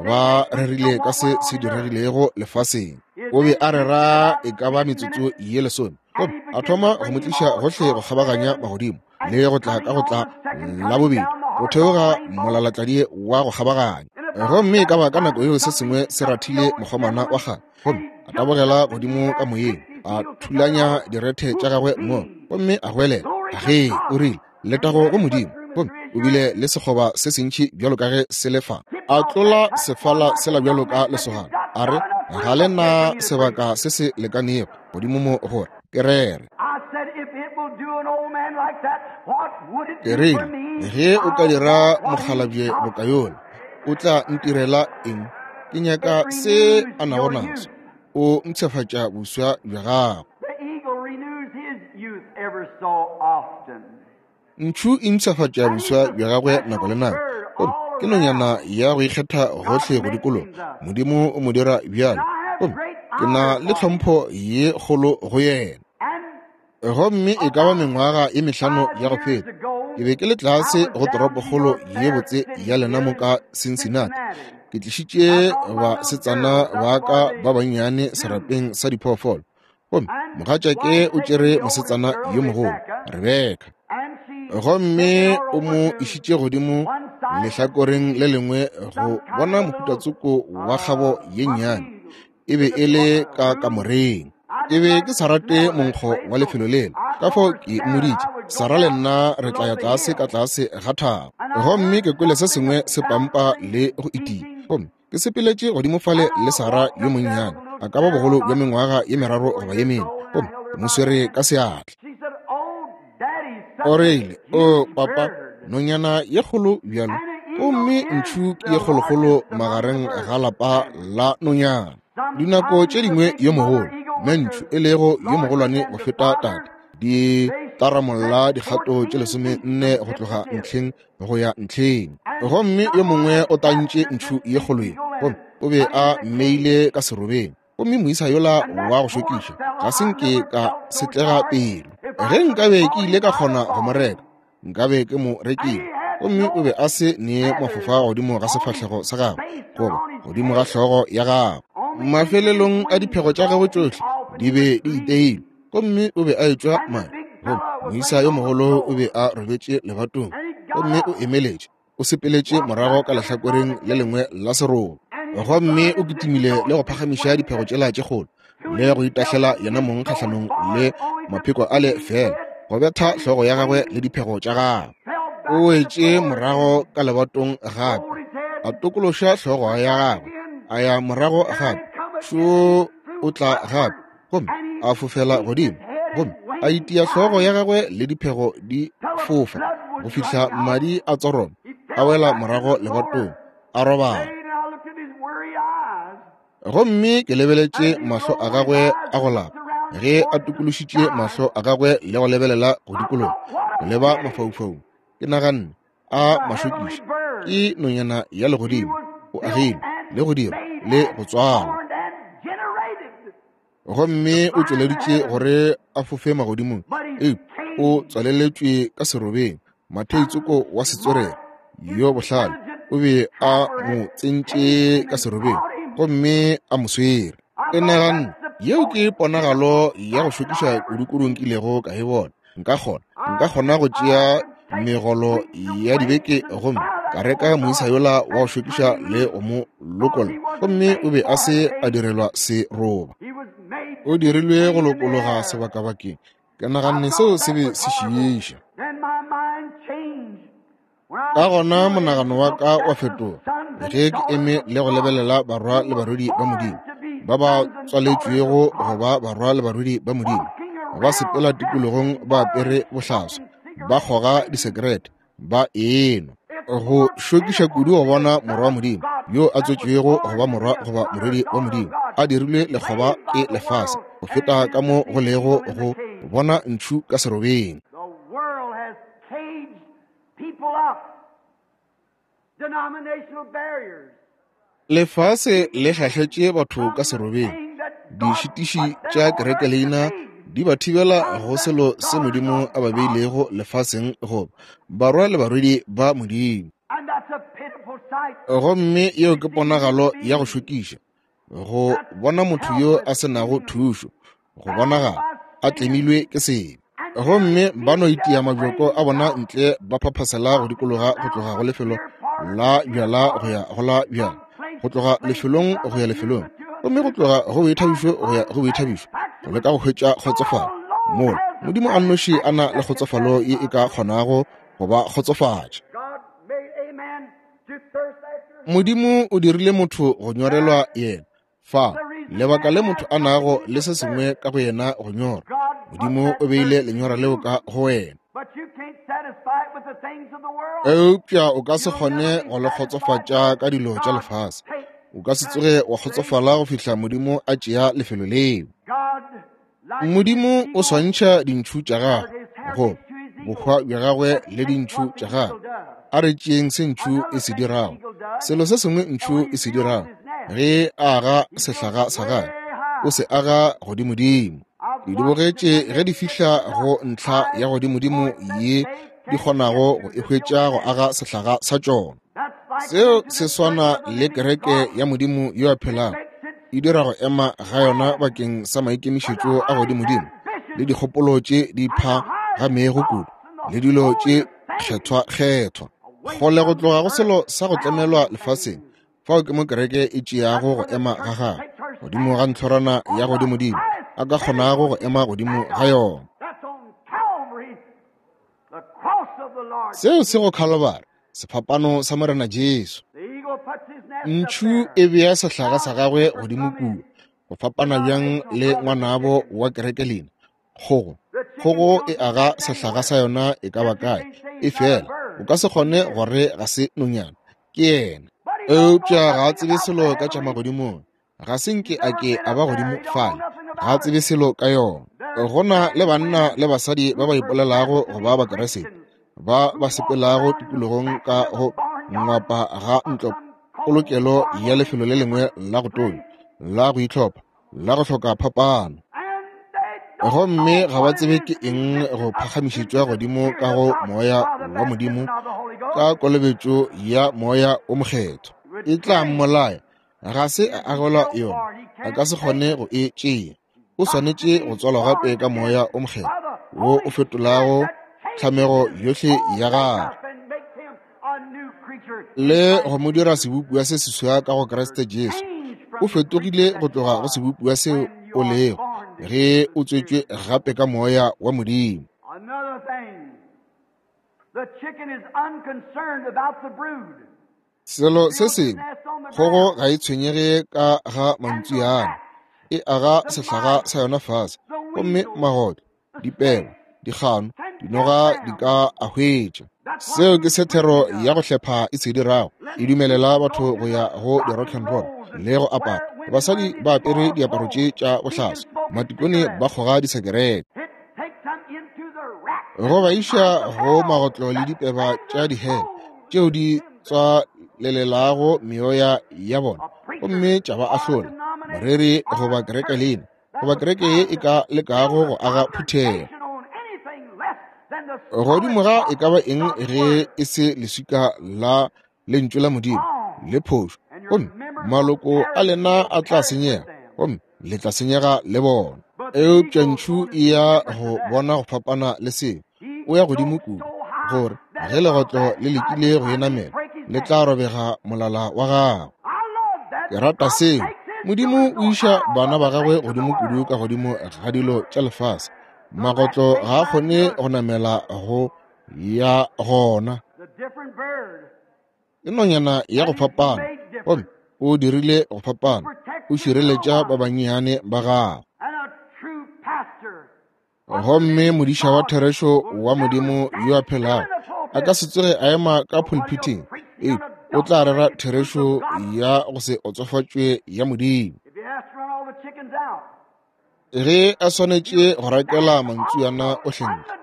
ba rerile ka se se diregilego lefaseng. O be a rera e ka ba metsotso ye 10, gomme a thoma go mo tliša gohle go kgabaganya magodimo le go tla ka go tla la bobedi go theoga molalatladi wa go kgabaganya. Gomme e ka ba ka nako yeo se sengwe se rathile mokgomana wa kgale, gomme a tabogela godimo ka moyeng, a thulanya direthe tša gagwe mo, gomme a goelela, Ge, o rile, letago go Modimo. Gomme o bile le sekgoba se sentši bjalo ka ge se le fa. A tlola sefala sela bjalo ka lesogana, a re, Ga le na sebaka se se lekanego godimo mo gore ke rere. Ke rile, Ge o ka dira mokgalabje boka yola, o tla ntirela eng? Ke nyaka se a nago naso. O mpshafatša boswa bja gago. Ntšhu e mpshafatša boswa bja gagwe nako le nako. Gomme ke nonyana ya go ikgetha gohle go dikologa. Modimo o mo dira bjalo. Gomme ke na le tlhompho ye kgolo go yena. Gomme e ka ba mengwaga ye 5 ya go feta, ke be ke le tlase go toropokgolo ye botse ya lena mo ka Cincinnati. Ke tlišitše basetsana ba ka ba bannyane serapeng sa diphoofolo. Gomme mogatšake o tšere mosetsana yo mogolo, Rebeka, gomme o mo išitše godimo lehlakoreng le lengwe go bona mohutatsoko wa kgabo ye nnyane. E be e le ka kamoreng. Ke be ke sa rate monkgo wa lefelo lela, ka fao ke mmoditše, Sara le nna re tla ya tlase ka tlase ga thaba. Gomme ke kwele se sengwe se pampa le go itia, gomme ke sepeletše godimo fale le Sara yo monnyane, a ka ba bogolo bja mengwaga ye 3 goba ye 4, gomme ke mo swere ka seatla. O rile, O papa, nonyana ye kgolo bjalo, gomme ntšhu ke ye kgolokgolo magareng ga lapa la nonyana. Dinako tše dingwe yo mogolo, mme ntšhu e lego yo mogolwane go feta tate, di taramolla dikgato tše 14 go tloga ntlheng go ya ntlheng. Gomme yo mongwe o tantše ntšhu ye kgolo ye, gomme o be a mmeile ka serobeng. Gomme moisa yola wa go šokiša, ga se nke ka setlega pelo. Ge nkabe ke ile ka kgona go mo reka, nkabe ke mo rekile. Gomme o be a se ne mafofa godimo ga sefahlego sa gagwe goba godimo ga hlogo ya gagwe. Mafelelong a diphego tša gagwe tšohle di be di iteilwe, gomme o be a etšwa madi. Gomme moisa yo mogolo o be a robetše lebatong, gomme o emeletše, o sepeletše morago ka lehlakoreng le lengwe la seroba, gomme o kitimile le go phagamiša diphego tšela tše kgolo le go itahlela yena mong kgahlanong le mapheko a le fela go betha hlogo ya gagwe le diphego tša gagwe. O wetše morago ka lebatong gape, a tokološa hlogo ya gagwe, a ya morago gape, šo o tla gape, gomme a fofela godimo, gomme a itia hlogo ya gagwe le diphego di fofa go fihla madi a tsoroma, a wela morago lebatong, a robala. Gomme ke lebeletše mahlo a gagwe a go lapa ge a tokološitše mahlo a gagwe le go lebelela go dikologa go leba mafaufaung. Ke naganne, a mašokiša, ke nonyana ya legodimo, o agilwe le go dirwa le go tswalwa. Gomme o tšweleditše gore a fofe magodimong, eupša o tswaleletšwe ka serobeng. Matheitsoko wa setswerere yo bohlale o be a mo tsentše ka serobeng gomme a mo swere. Ke naganne, yeo ke ponagalo ya go šokiša kudu-kudu nkilego ka e bona. Nka kgona go tšea megolo ya dibeke gomme ka reka moisa yola wa go šokiša le go mo lokolla. Gomme o be a se a direlwa seroba, o dirilwe go lokologa sebakabakeng. Ke naganne seo se be se šiiša. Ka gona monagano wa ka wa fetoga ge ke eme le go lebelela barwa le barwedi ba Modimo ba ba tswaletšwego go ba barwa le barwedi ba Modimo, ba sepela tikologong ba apere bohlaswa, ba kgoga disekerete, ba enwa. Go šokiša kudu go bona morwa wa Modimo yo a tswetšwego go ba morwa goba morwedi wa Modimo a dirilwe lekgoba ke lefase go feta ka mo go lego go bona ntšhu ka serobeng. Lefase le hlahletše batho ka serobeng. Dišitiši tša kerekeleina di ba thibela go selo se Modimo a ba beilego lefaseng goba barwa le barwedi ba Modimo. Gomme yeo ke ponagalo ya go šokiša, go bona motho yo a se nago thušo, go bonagala a tlemilwe ke sebe. Gomme ba no itia mabjoko a bona ntle, ba phaphasela go dikologa go tloga go lefelo la bjala go ya go la bjala, go tloga lefelong go ya lefelong, gomme go tloga go boithabišo go ya go boithabišo, go leka go hwetša kgotsofalo. Mola Modimo a nnoši a na le kgotsofalo ye e ka kgonago go ba kgotsofatša. Modimo o dirile motho go nyorelwa yena. Fa lebaka le motho a nago le se sengwe ka go yena go nyora, Modimo o beile lenyora leo ka go wena. Eupša o ka se kgone go le kgotsofatša ka dilo tša lefase. O ka se tsoge wa kgotsofala go fihla Modimo a tšea lefelo leo. Modimo o swantšha dintšhu tša gagwe go bohwa bja gagwe le dintšhu tša gagwe. A re tšeeng se ntšhu e se dirago. Selo se sengwe ntšhu e se dirago ge a aga sehlaga sa gagwe, o se aga godimodimo. Ke di bogetše ge di fihla go ntlha ya godimodimo ye di kgonago go e hwetša go aga sehlaga sa tšona. Seo se swana le kereke ya Modimo yo a phelago, e dira go ema ga yona bakeng sa maikemišetšo a godimodimo le dikgopolo tše di phagamego kudu le dilo tše kgethwa-kgethwa. Kgole go tloga go selo sa go tlemelwa lefaseng, fao ke mo kereke e tšeago go ema ga gagwe godimo ga ntlhorana ya godimodimo a ka kgonago go ema godimo ga yona. Seo se go Khalobari, sefapano sa Morena Jesu. Ntšhu e bea sehlaga sa gagwe godimo kua, go fapana bjang le ngwanabo wa kereke lena, kgogo. Kgogo e aga sehlaga sa yona e ka ba kae, e fela o ka se kgone gore ga se nonyana, ke yena. Eupša ga a tsebe selo ka tša magodimong, ga se nke a ke a ba godimo fale, ga a tsebe selo ka yona. Go na le banna le basadi ba ba ipolelago go ba Bakeresete, ba ba sepelago tikologong ka go ngwapa ga ntlo polokelo ya lefelo le lengwe la go tonya, la go itlhopha, la go hloka phapano, gomme ga ba tsebe ke eng go phagamišetšwa godimo ka go moya wa Modimo ka kolobetšo ya Moya o Mokgethwa. E tla mmolaya. Ga se a agelwa yona, a ka se kgone go e tšea. O swanetše go tswalwa gape ka Moya o Mokgethwa wo o fetolago tlhamego yohle ya gagwe le go mo dira sebopiwa se seswa ka go Kriste Jesu. O fetogile go tloga go sebopiwa seo o lego ge o tswetšwe gape ka Moya wa Modimo. Selo se sengwe, kgogo ga e tshwenyege ka ga mantsuana, e aga sehlaga sa yona fase, gomme magotlo, dipeba, dikgano, dinoga di ka a hwetša. Seo ke se thero ya go hlepha e se dirago, e dumelela batho go ya go di-rock and roll le go apara. Basadi ba apere diaparo tše tša bohlaswa, matikone ba kgoga disekerete. Go ba iša go magotlo le dipeba tša dihele tšeo di tswalelelago meoya ya bona gomme tša ba ahlola. Moreri goba kereke lena goba kereke ye e ka lekago go aga phuthego godimo ga e ka ba eng ge e se leswika la lentšu la Modimo le phošo, gomme maloko a lena a tla senyega, gomme le tla senyega le bona. Eupša ntšhu e ya go bona go fapana le seo. O ya godimo kudu gore ge legotlo le lekile go e namela, le tla robega molala wa gagwe. Ke rata seo. Modimo o iša bana ba gagwe godimo kudu ka godimo ga dilo tša lefase. Magotlo ga a kgone go namela go ya gona. Ke nonyana ya go fapana, gomme o dirile go fapana. O šireletša ba bannyane ba gagwe. Gomme modiša wa therešo wa Modimo yo a phelago a ka se tsoge a ema ka pulpiting, ee, o tla rera therešo ya go se otsofatšwe ya Modimo. Ge a swanetše go rakela mantsuana ohle ntle,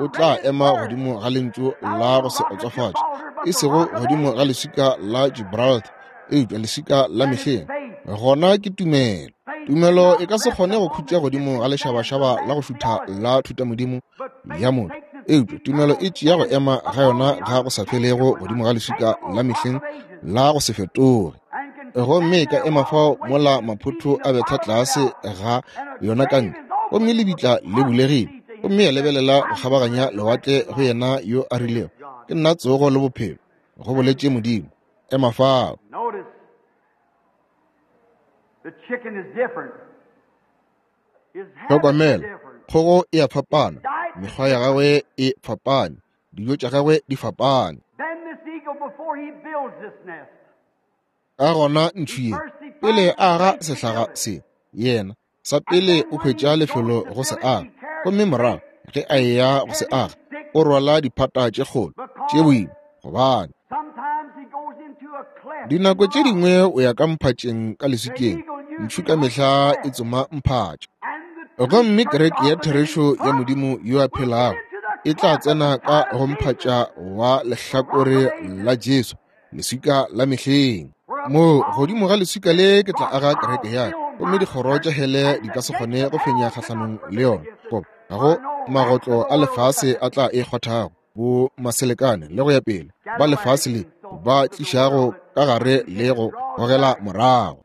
O tla ema godimo ga lentšu la go se otsofatše, e sego godimo ga leswika la Gibraltar, eupša leswika la mehleng. Gona ke tumelo. Tumelo e ka se kgone go khutša godimo ga lešabašaba la go šutha la thutamodimo ya motho, eupša tumelo e tšea go ema ga yona ga go sa felego godimo ga leswika la mehleng la go se fetoge. Gomme e ka ema fao mola maphotho a betha tlase ga yona ka ntle, gomme lebitla le bulegile, gomme ya lebelela go kgabaganya lewatle go yena yo a rilego, Ke nna tsogo le bophelo, go boletše Modimo. Ema fao. Hlokomela, kgogo e a fapana, mekgwa ya gagwe e fapane, dijo tša gagwe di fapane. Ka gona ntšhu ye, pele a aga sehlaga se, yena sa pele o hwetša lefelo go se aga, gomme morago ge a eya go se aga, o rwala diphata tše kgolo tše boima, gobane dinako tše dingwe o ya ka mphatšeng ka leswikeng. Ntšhu ka mehla e tsoma mphatša. Gomme kereke ya therešo ya Modimo yo a phelago e tla tsena ka go mphatša wa lehlakore la Jesu, leswika la mehleng. Moo godimo ga leswika le ke tla aga kereke ya ka, gomme dikgoro tša hele di ka se kgone go fenya kgahlanong le yona. Goba ga go magotlo a lefase a tla e kgwathago, bo maselekane le go ya pele, ba lefase le ba tlišago ka gare le go gogela morago.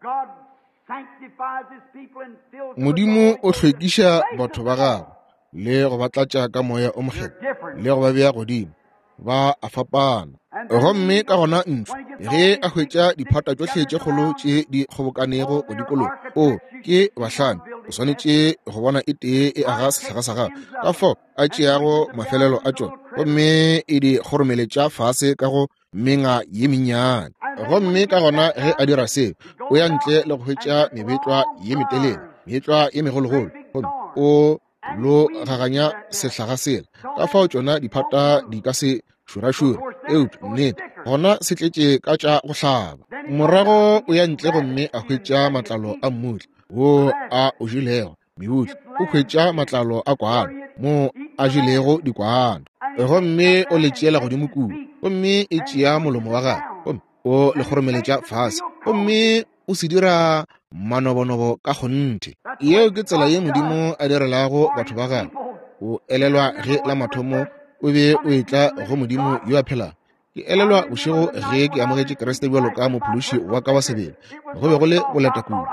Modimo o hlwekiša batho ba gagwe le go ba tlatša ka moya o mokgethwa le go ba bea godimo. Ba a fapana. Gomme ka gona ntšhu ge a hwetša diphata tšohle tše kgolo tše di kgobokanego go dikologa, o ke bahlami, o swanetše go bona e tee e aga sehlaga sa gagwe, ka fao a tšeago mafelelo a tšona gomme e di kgoromeletša fase ka go menga ye mennyane. Gomme ka gona ge a dira seo, o ya ntle le go hwetša mebetlwa ye metelele, meetlwa ye megologolo, gomme o lo gaganya sehlaga sela, ka fao tšona diphata di ka se šurašure, eupša nnete gona se tletše ka tša go hlaba. Morago o ya ntle gomme a hwetša matlalo a mmutla wo a o jelego, mebutla o hwetša matlalo a kwana mo a jelego dikwana, gomme o le tšeela godimo kua, gomme e tšea molomo wa gagwe gomme o le kgoromeletša fase, gomme o se dira manobonobo ka kgonthe. Yeo ke tsela ye Modimo a direlago batho ba gagwe. O elelwa ge la mathomo o be o etla go Modimo yo a phelago. Ke elelwa bošego ge ke amogetše Kriste bjalo ka mophološi wa ka wa sebele. Go be go le boleta kudu.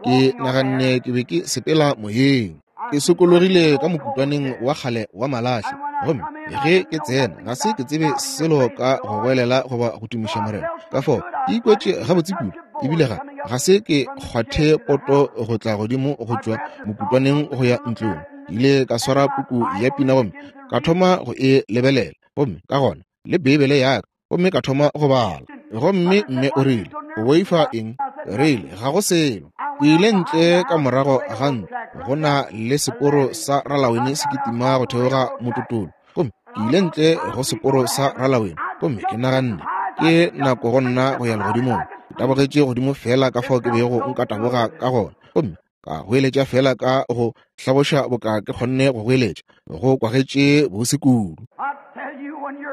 Ke naganne ke be ke sepela moyeng. Ke sokologile ka mokutwaneng wa kgale wa malahle, gomme ge ke tsena ga se ke tsebe selo ka go goelela goba go tumiša Morena. Ka fao ke ikwetše gabotse kudu, ebile ga se ke kgwathe poto go tla godimo go tšwa mokutwaneng go ya ntlong. Ke ile ka swara puku ya pina gomme ka thoma go e lebelela, gomme ka gona le Beibele ya ka, gomme ka thoma go bala. Gomme mme o rile, O boifa eng? Rile, Ga go selo. Ke ile ntle ka morago ga ntlo, go na le seporo sa ralawene se kitima go theoga mototolo. Gomme ke ile ntle go seporo sa ralawene, gomme ke naganne, Ke nako go nna go ya legodimong. Ke tabogetše godimo feela ka fao ke bego nka taboga ka gona, gomme ka goeletša feela ka go hlaboša boka ke kgonne go goeletša, go kwagetše bose kudu.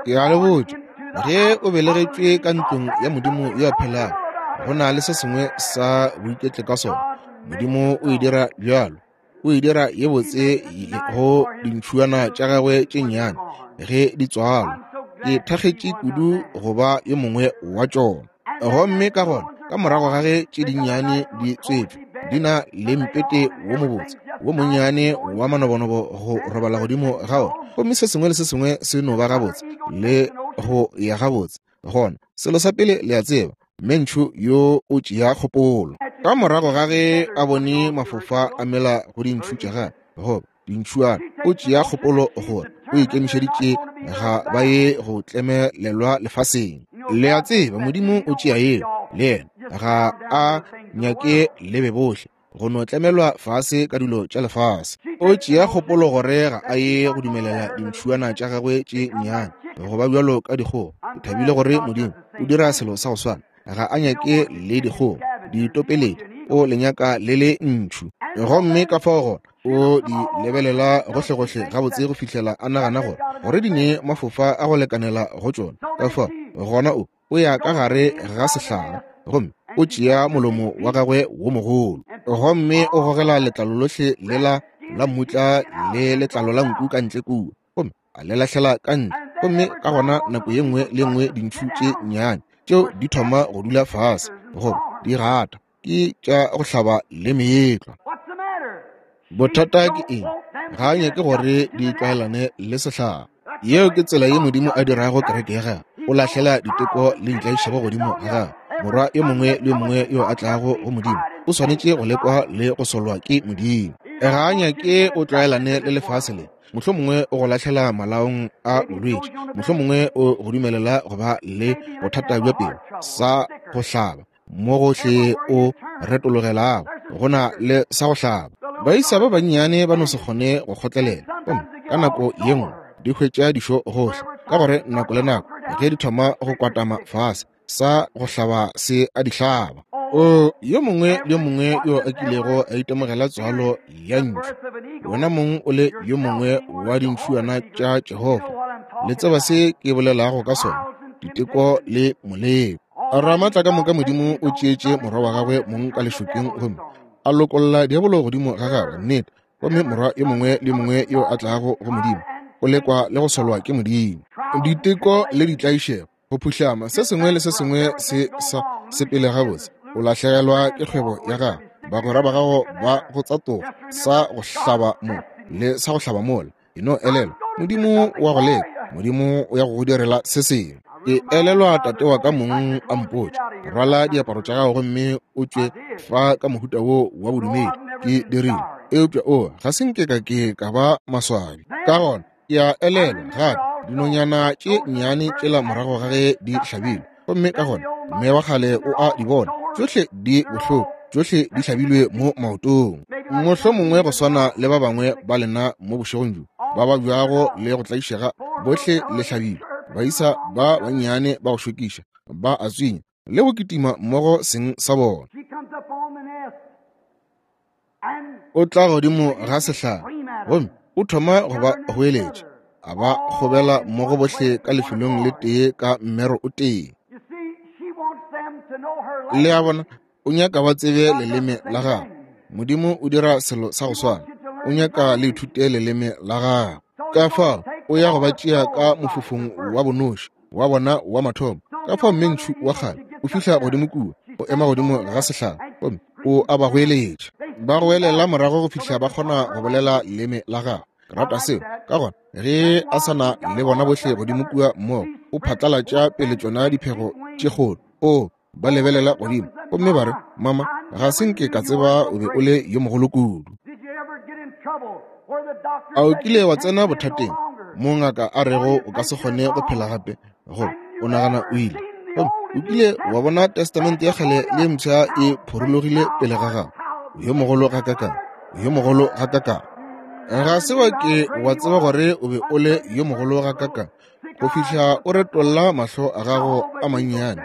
Ke a le botša, ge o belegetšwe ka ntlong ya Modimo yo a phelago, go na le se sengwe sa boiketle ka sona. Modimo o e dira bjalo, o e dira ye botse go dintšhuana tša gagwe tše nnyane ge di tswalwa. Ke thakgetše kudu go ba yo mongwe wa tšona. Gomme ka gona ka morago ga ge tše dinnyane di tswetšwe, di na le mpete wo mobotse wo monnyane wa manobonobo go robala godimo ga ona, gomme se sengwe le se sengwe se no ba gabotse le go ya gabotse. Gona selo sa pele le a tseba, Mentšhu yo o tšea kgopolo. Ka morago ga ge a bone mafofa a mela go dintšhu tša gagwe, goba dintšhuana, o tšea kgopolo gore o ikemišeditše ga ba ye go tlemelelwa lefaseng. Le a tseba, Modimo o tšea yeo, le yena. Ga a nyake le be bohle go no tlemelwa fase ka dilo tša lefase. O tšea kgopolo gore ga a ye go dumelela dintšhuana tša gagwe tše nnyane go ba bjalo ka dikgogo. Ke thabile gore Modimo o dira selo sa go swana. Ga a nyake le dikgogo ditopeledi, o le nyaka le le ntšhu. Gomme ka fao gona O di lebelela gohlegohle gabotse go fihlela a nagana gore gore di ne mafofa a go lekanela go tšona. Ka fao gona o ya ka gare ga sehlare gomme o tšea molomo wa gagwe wo mogolo gomme o gogela letlalo lohle lela la mmutla le letlalo la nku ka ntle kua, gomme a le lahlela ka ntle. Gomme ka gona nako ye nngwe le nngwe dintšhu tše nnyane tšeo di thoma go dula fase goba di gata ke tša go hlaba le meetlwa. Bothata ke eng? Ga a nyake gore di tlwaelane le sehlare. Yeo ke tsela ye Modimo a dirago kereke ya gagwe. O lahlela diteko le ditlaišego godimo ga gagwe. Morwa yo mongwe le yo mongwe yo a tlago go Modimo o swanetše go lekwa le go solwa ke Modimo. Ga a nyake o tlwaelane le lefase le. Mohlomongwe o go lahlela malaong a bolwetši, mohlomongwe o go dumelela go ba le bothata bja pelo sa go hlaba mo gohle o retologelago go na le sa go hlaba. Baisa ba bannyane ba no se kgone go kgotlelela, gomme ka nako ye nngwe di hwetša dišo gohle, ka gore nako le nako ge di thoma go kwatama fase, sa go hlaba se a di hlaba. O yo mongwe le yo mongwe yo a kilego a itemogela tswalo ya ntšhu, wena mong o le yo mongwe wa dintšhuana tša Jehofa, le tseba se ke bolelago ka sona, diteko le moleko. Ramatla ka moka Modimo o tšeetše morwa wa gagwe mong ka lešokeng gomme a lokolla diabolo godimo ga gagwe. Nnete. Gomme morwa yo mongwe le yo mongwe yo a tlago go Modimo o lekwa le go solwa ke Modimo. Diteko le ditlaišego, go phuhlama, se sengwe le se sengwe se sa sepele gabotse, o lahlegelwa ke kgwebo ya gago, bagwera ba gago ba go tsatoga, sa go hlaba mo le sa go hlaba mola. E no elelwa, Modimo wa go leka, Modimo o ya go go direla se sengwe. Ke elelwa tate wa ka mong a mpotša, rwala diaparo tša gago gomme o tšwe fa ka mohuta wo wa bodumedi. Ke dirile, eupša o ga se nke ka ke ka ba maswabi. Ka gona ke a elelwa gape dinonyana tše nnyane tšela morago ga ge di hlabilwe, gomme ka gona mme wa kgale o a di bona, tšohle di bohloko, tšohle di hlabilwe mo maotong. Mohlomongwe go swana le ba bangwe ba lena mo bošegong bjo ba babjago le go tlaišega, bohle le hlabilwe. Baisa ba bannyane ba go šokiša ba a tswinya le go kitima mmogo seng sa bona. O tla godimo ga sehlare gomme o thoma go ba goeletša, a ba kgobela mmogo bohle ka lefelong le tee ka mmero o tee. Le a bona, o nyaka ba tsebe leleme la gagwe. Modimo o dira selo sa go swana, o nyaka le ithute leleme la gagwe. Ka fao o ya go ba tšea ka mofofong wa bonoši wa bona wa mathomo. Ka fao mmentšhu wa kgale o fihla godimo kua, o ema godimo ga sehlare gomme o a ba goeletša. Ba goelela morago go fihla ba kgona go bolela leleme la gagwe. Ke rata seo. Ka gona ge a sa na le bona bohle godimo kua mmogo, o phatlalatša pele tšona diphego tše kgolo. O ba lebelela godimo gomme ba re, Mama, ga se nke ka tseba o be o le yo mogolo kudu. A o kile wa tsena bothateng mo ngaka a rego o ka se kgone go phela gape, goba o nagana o ile? Gomme o kile wa bona Testamente ya kgale le mpsha e phorologile pele ga gago? Yo mogolo gakakang, yo mogolo gakakang. Ga se wa ke wa tseba gore o be o le yo mogolo gakakang go fihla o retolla mahlo a gago a mannyane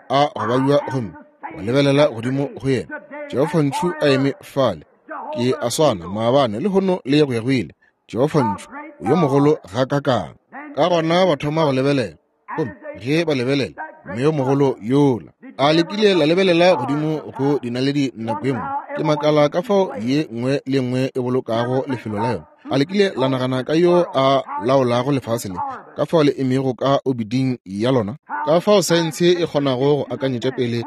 a go babja gomme wa lebelela godimo go yena. Jehofa ntšhu a eme fale, ke a swana maabane le hono le go ya go ile. Jehofa ntšhu o yo mogolo gakakang. Ka gona ba thoma go lebelela, gomme ge ba lebelela mme yo mogolo yola a lekile la lebelela godimo go dinaledi nako e nngwe, ke makala ka fao ye nngwe le nngwe e bolokago lefelo la yona. A lekile la nagana ka yo a laolago lefase le, ka fao le emego ka obiding ya lona, ka fao saense e kgonago go akanyetša pele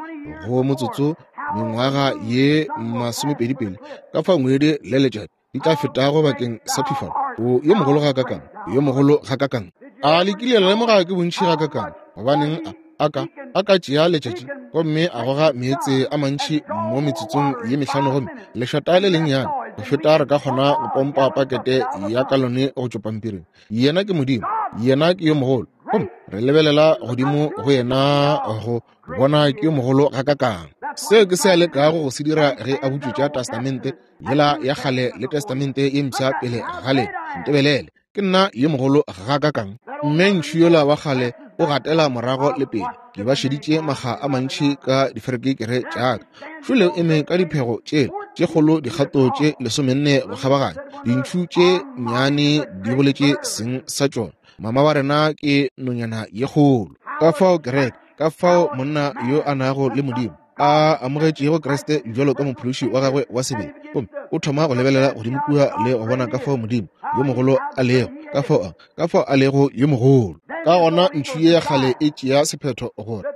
go motsotso mengwaga ye 20 pele, ka fao ngwedi le letšatši di tla fetago bakeng sa phifalo. O yo mogolo gakakang, yo mogolo gakakang. A lekile la lemoga ke bontši gakakang, gobaneng a ka tšea letšatši gomme a goga meetse a mantši mo metsotsong ye mehlano gomme lešata le lennyane go feta re ka kgona go pompa pakete ya kalone go tšwa pampiring. Yena ke Modimo, yena ke yo mogolo, gomme re lebelela godimo go yena go bona ke yo mogolo gakakang. Seo ke se a lekago go se dira ge a butšwetša Testamente yela ya kgale le Testamente ye mpsha pele ga le. Ntebelele, ke nna yo mogolo gakakang. Mme ntšhu yola wa kgale O gatela morago le pele. Ke ba šeditše makga a mantši ka diferekekere tša ka. Šole o eme ka diphego tšela tše kgolo, dikgato tše 14 go kgabaganya. Dintšhu tše nnyane di boletše seng sa tšona. Mama wa rena ke nonyana ye kgolo. Ka fao kereke, ka fao monna yo a nago le Modimo, a amogetšego Kriste bjalo ka mophološi wa gagwe wa sebele, gomme o thoma go lebelela godimo kua le go bona ka fao Modimo yo mogolo a lego, ka fao a lego yo mogolo. Ka gona ntšhu ye ya kgale e tšea sephetho gore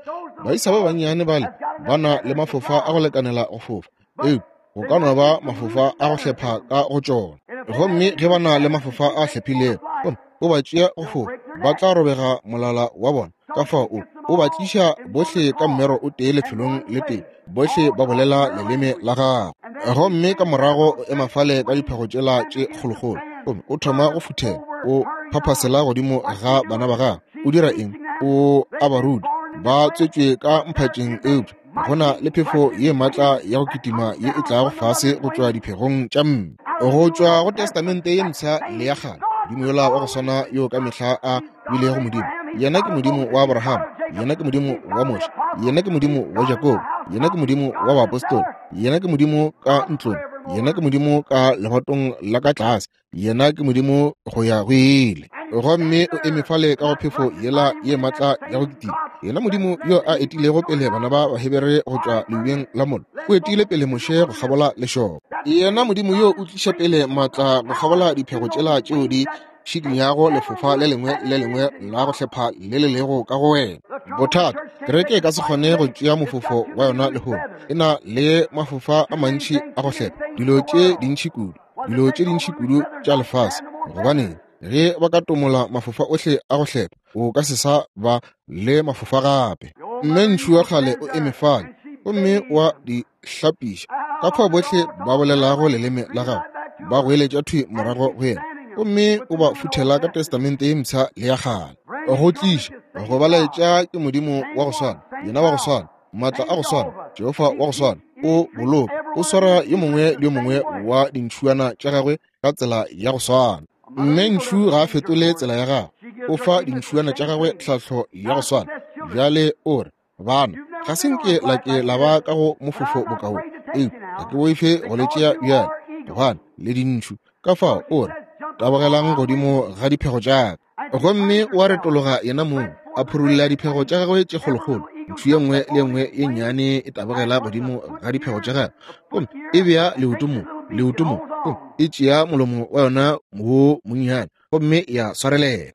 baisa ba bannyane bale ba na le mafofa a go lekanela go fofa, eupša go ka no ba mafofa a go hlepha ka go tšona. Gomme ge ba na le mafofa a hlephilego, gomme o ba tšea go fofa, ba tla robega molala wa bona. Ka fao o ba tliša bohle ka mmero o tee lefelong le tee, bohle ba bolela leleme la gagwe. Gomme ka morago o ema fale ka diphego tšela tše kgolokgolo, gomme o thoma go futhela, o phaphasela godimo ga bana ba gagwe. O dira eng? O a ba ruta. Ba tswetšwe ka mphatšeng, eupša go na le phefo ye maatla ya go kitima ye e tlago fase go tšwa diphegong tša mme, go tšwa go Testamente ye Mpsha le ya Kgale. Modimo yola wa go swana yo ka mehla a bilego Modimo, yena ke Modimo wa Abraham, yena ke Modimo wa Moshe, yena ke Modimo wa Jakobo, yena ke Modimo wa baapostola, yena ke Modimo ka ntlong, yena ke Modimo ka lebatong la ka tlase, yena ke Modimo go ya go ile. Gomme o eme fale ka go phefo yela ye maatla ya go kitima. Yena Modimo yo a etilego pele bana ba Bahebere go tšwa leubeng la mollo, o etile pele Moshe go kgabola lešoba. Yena Modimo yo o tliša pele maatla go kgabola diphego tšela tšeo di šikinyago lefofa le lengwe le lengwe la go hlepha le le lego ka go wena. Bothata, kereke e ka se kgone go tšea mofofo wa yona lehono. E na le mafofa a mantši a go hlepha, dilo tše dintši kudu, dilo tše dintši kudu tša lefase. Gobaneng, ge ba ka tomola mafofa ohle a go hlepha, o ka se sa ba le mafofa gape. Mme ntšhu wa kgale o eme fale gomme wa di hlapiša. Ka fao bohle ba bolelago leleme la gagwe ba goeletša thwi morago go yena, gomme o ba futhela ka Testamente ye Mpsha le ya Kgale. Go tliša go ba laetša ke Modimo wa go swana, yena wa go swana, maatla a go swana, Jehofa wa go swana. O boloka, o swara yo mongwe le yo mongwe wa dintšhuana tša gagwe ka tsela ya go swana. Mme ntšhu ga a fetole tsela ya gagwe, o fa dintšhuana tša gagwe tlhahlo ya go swana. Bjale o re, Bana, ga se nke la ke la ba ka go mofofo bokaone, eupša ga ke boife go le tšea bjale, gobane le dintšhu. Ka fao o re, tabogelang godimo ga diphego tša ka. Gomme o a retologa yena mong, a phurulla diphego tša gagwe tše kgolokgolo. Ntšhu ye nngwe le ye nngwe ye nnyane e tabogela godimo ga diphego tša gagwe, gomme e bea leoto mo, leoto mo, gomme e tšea molomo wa yona wo monnyane gomme ya swarelela.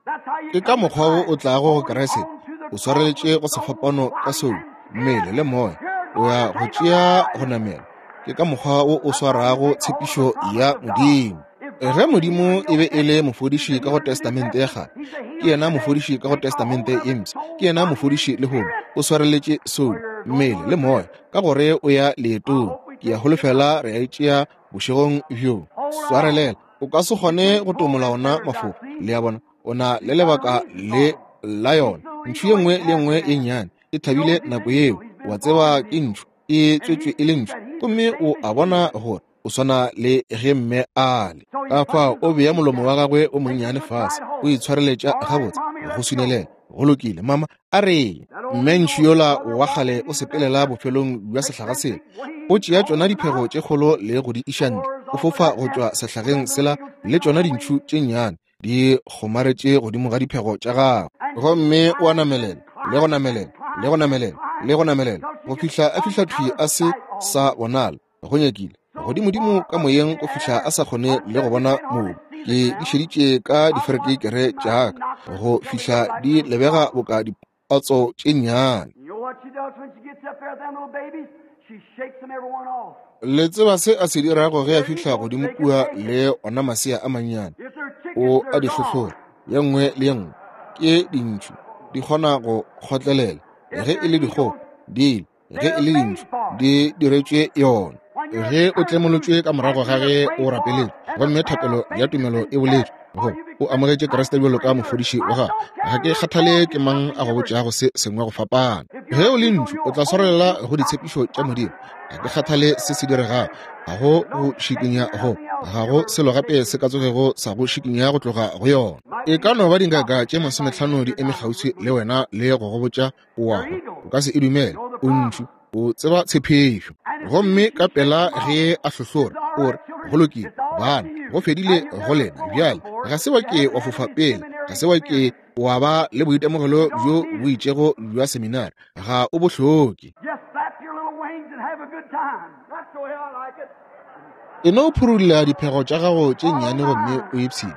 Ke ka mokgwa wo o tlago go Kriste, o swareletše go sefapano ka soulo, mmele le moya, o ya go tšea go namela. Ke ka mokgwa wo o swarago tshepišo ya Modimo. Ge Modimo e be e le mofodiši ka go Testamente ya Kgale, ke yena mofodiši ka go Testamente ye Mpsha, ke yena mofodiši lehono. O swareletše soulo, mmele le moya, ka gore o ya leetong. Ke a holofela re a e tšea bošegong bjo. Swarelela. O ka se kgone go tomola ona mafoko. Le a bona, o na le lebaka le la yona. Ntšhu ye nngwe le ye nngwe ye nnyane e thabile nako yeo. Wa tseba ke ntšhu, e tswetšwe e le ntšhu, gomme o a bona gore o swana le ge mme a le. Ka fao o bea molomo wa gagwe o monnyane fase, o itshwareletša gabotse go swinelela. Go lokile, mama, a re mme ntšhu yola wa kgale o sepelela bofelong bja sehlaga sela, o tšea tšona diphego tše kgolo le go di iša ntle, o fofa go tšwa sehlageng sela le tšona dintšhu tše nnyane di kgomaretše godimo ga diphego tša gagwe, gomme o a namelela le go namelela le go namelela le go namelela go fihla a fihla thwi a se sa bonala go nyakile godimodimo ka moyeng go fihla a sa kgone le go bona mobu. Ke di šeditše ka diferekekere tša ka go fihla di lebega boka dipatso tše nnyane. Le tseba se a se dirago ge a fihla godimo kua le ona masea a mannyane? O a di hlohlora, ye nngwe le ye nngwe. Ke dintšhu, di kgona go kgotlelela. Ge e le dikgogo, di ile. Ge e le dintšhu, di diretšwe yona. Ge o tlemolotšwe ka morago ga ge o rapeletšwe, gomme thapelo ya tumelo e boletšwe, go o amogetše Kriste bjalo ka mofodiši wa gago, ga ke kgathale ke mang a go botšago se sengwe go fapana. Ge o le ntšhu, o tla swarelela go ditshepišo tša Modimo. Ga ke kgathale se se diregago, ga go go šikinya go, ga go selo gape se ka tsogego sa go šikinya go tloga go yona. E ka no ba dingaka tše 50 di eme kgauswi le wena le go go botša o a hwa, o ka se e dumele. O ntšu, o tseba tshepišo. Gomme ka pela ge a hlohlora, o re, Go lokile, bana, go fedile go lena bjale. Ga se wa ke wa fofa pele, ga se wa ke wa ba le boitemogelo bjo bo itšego bja seminari, ga o bo hloke. E no phurulla diphego tša gago tše nnyane gomme o ipshine.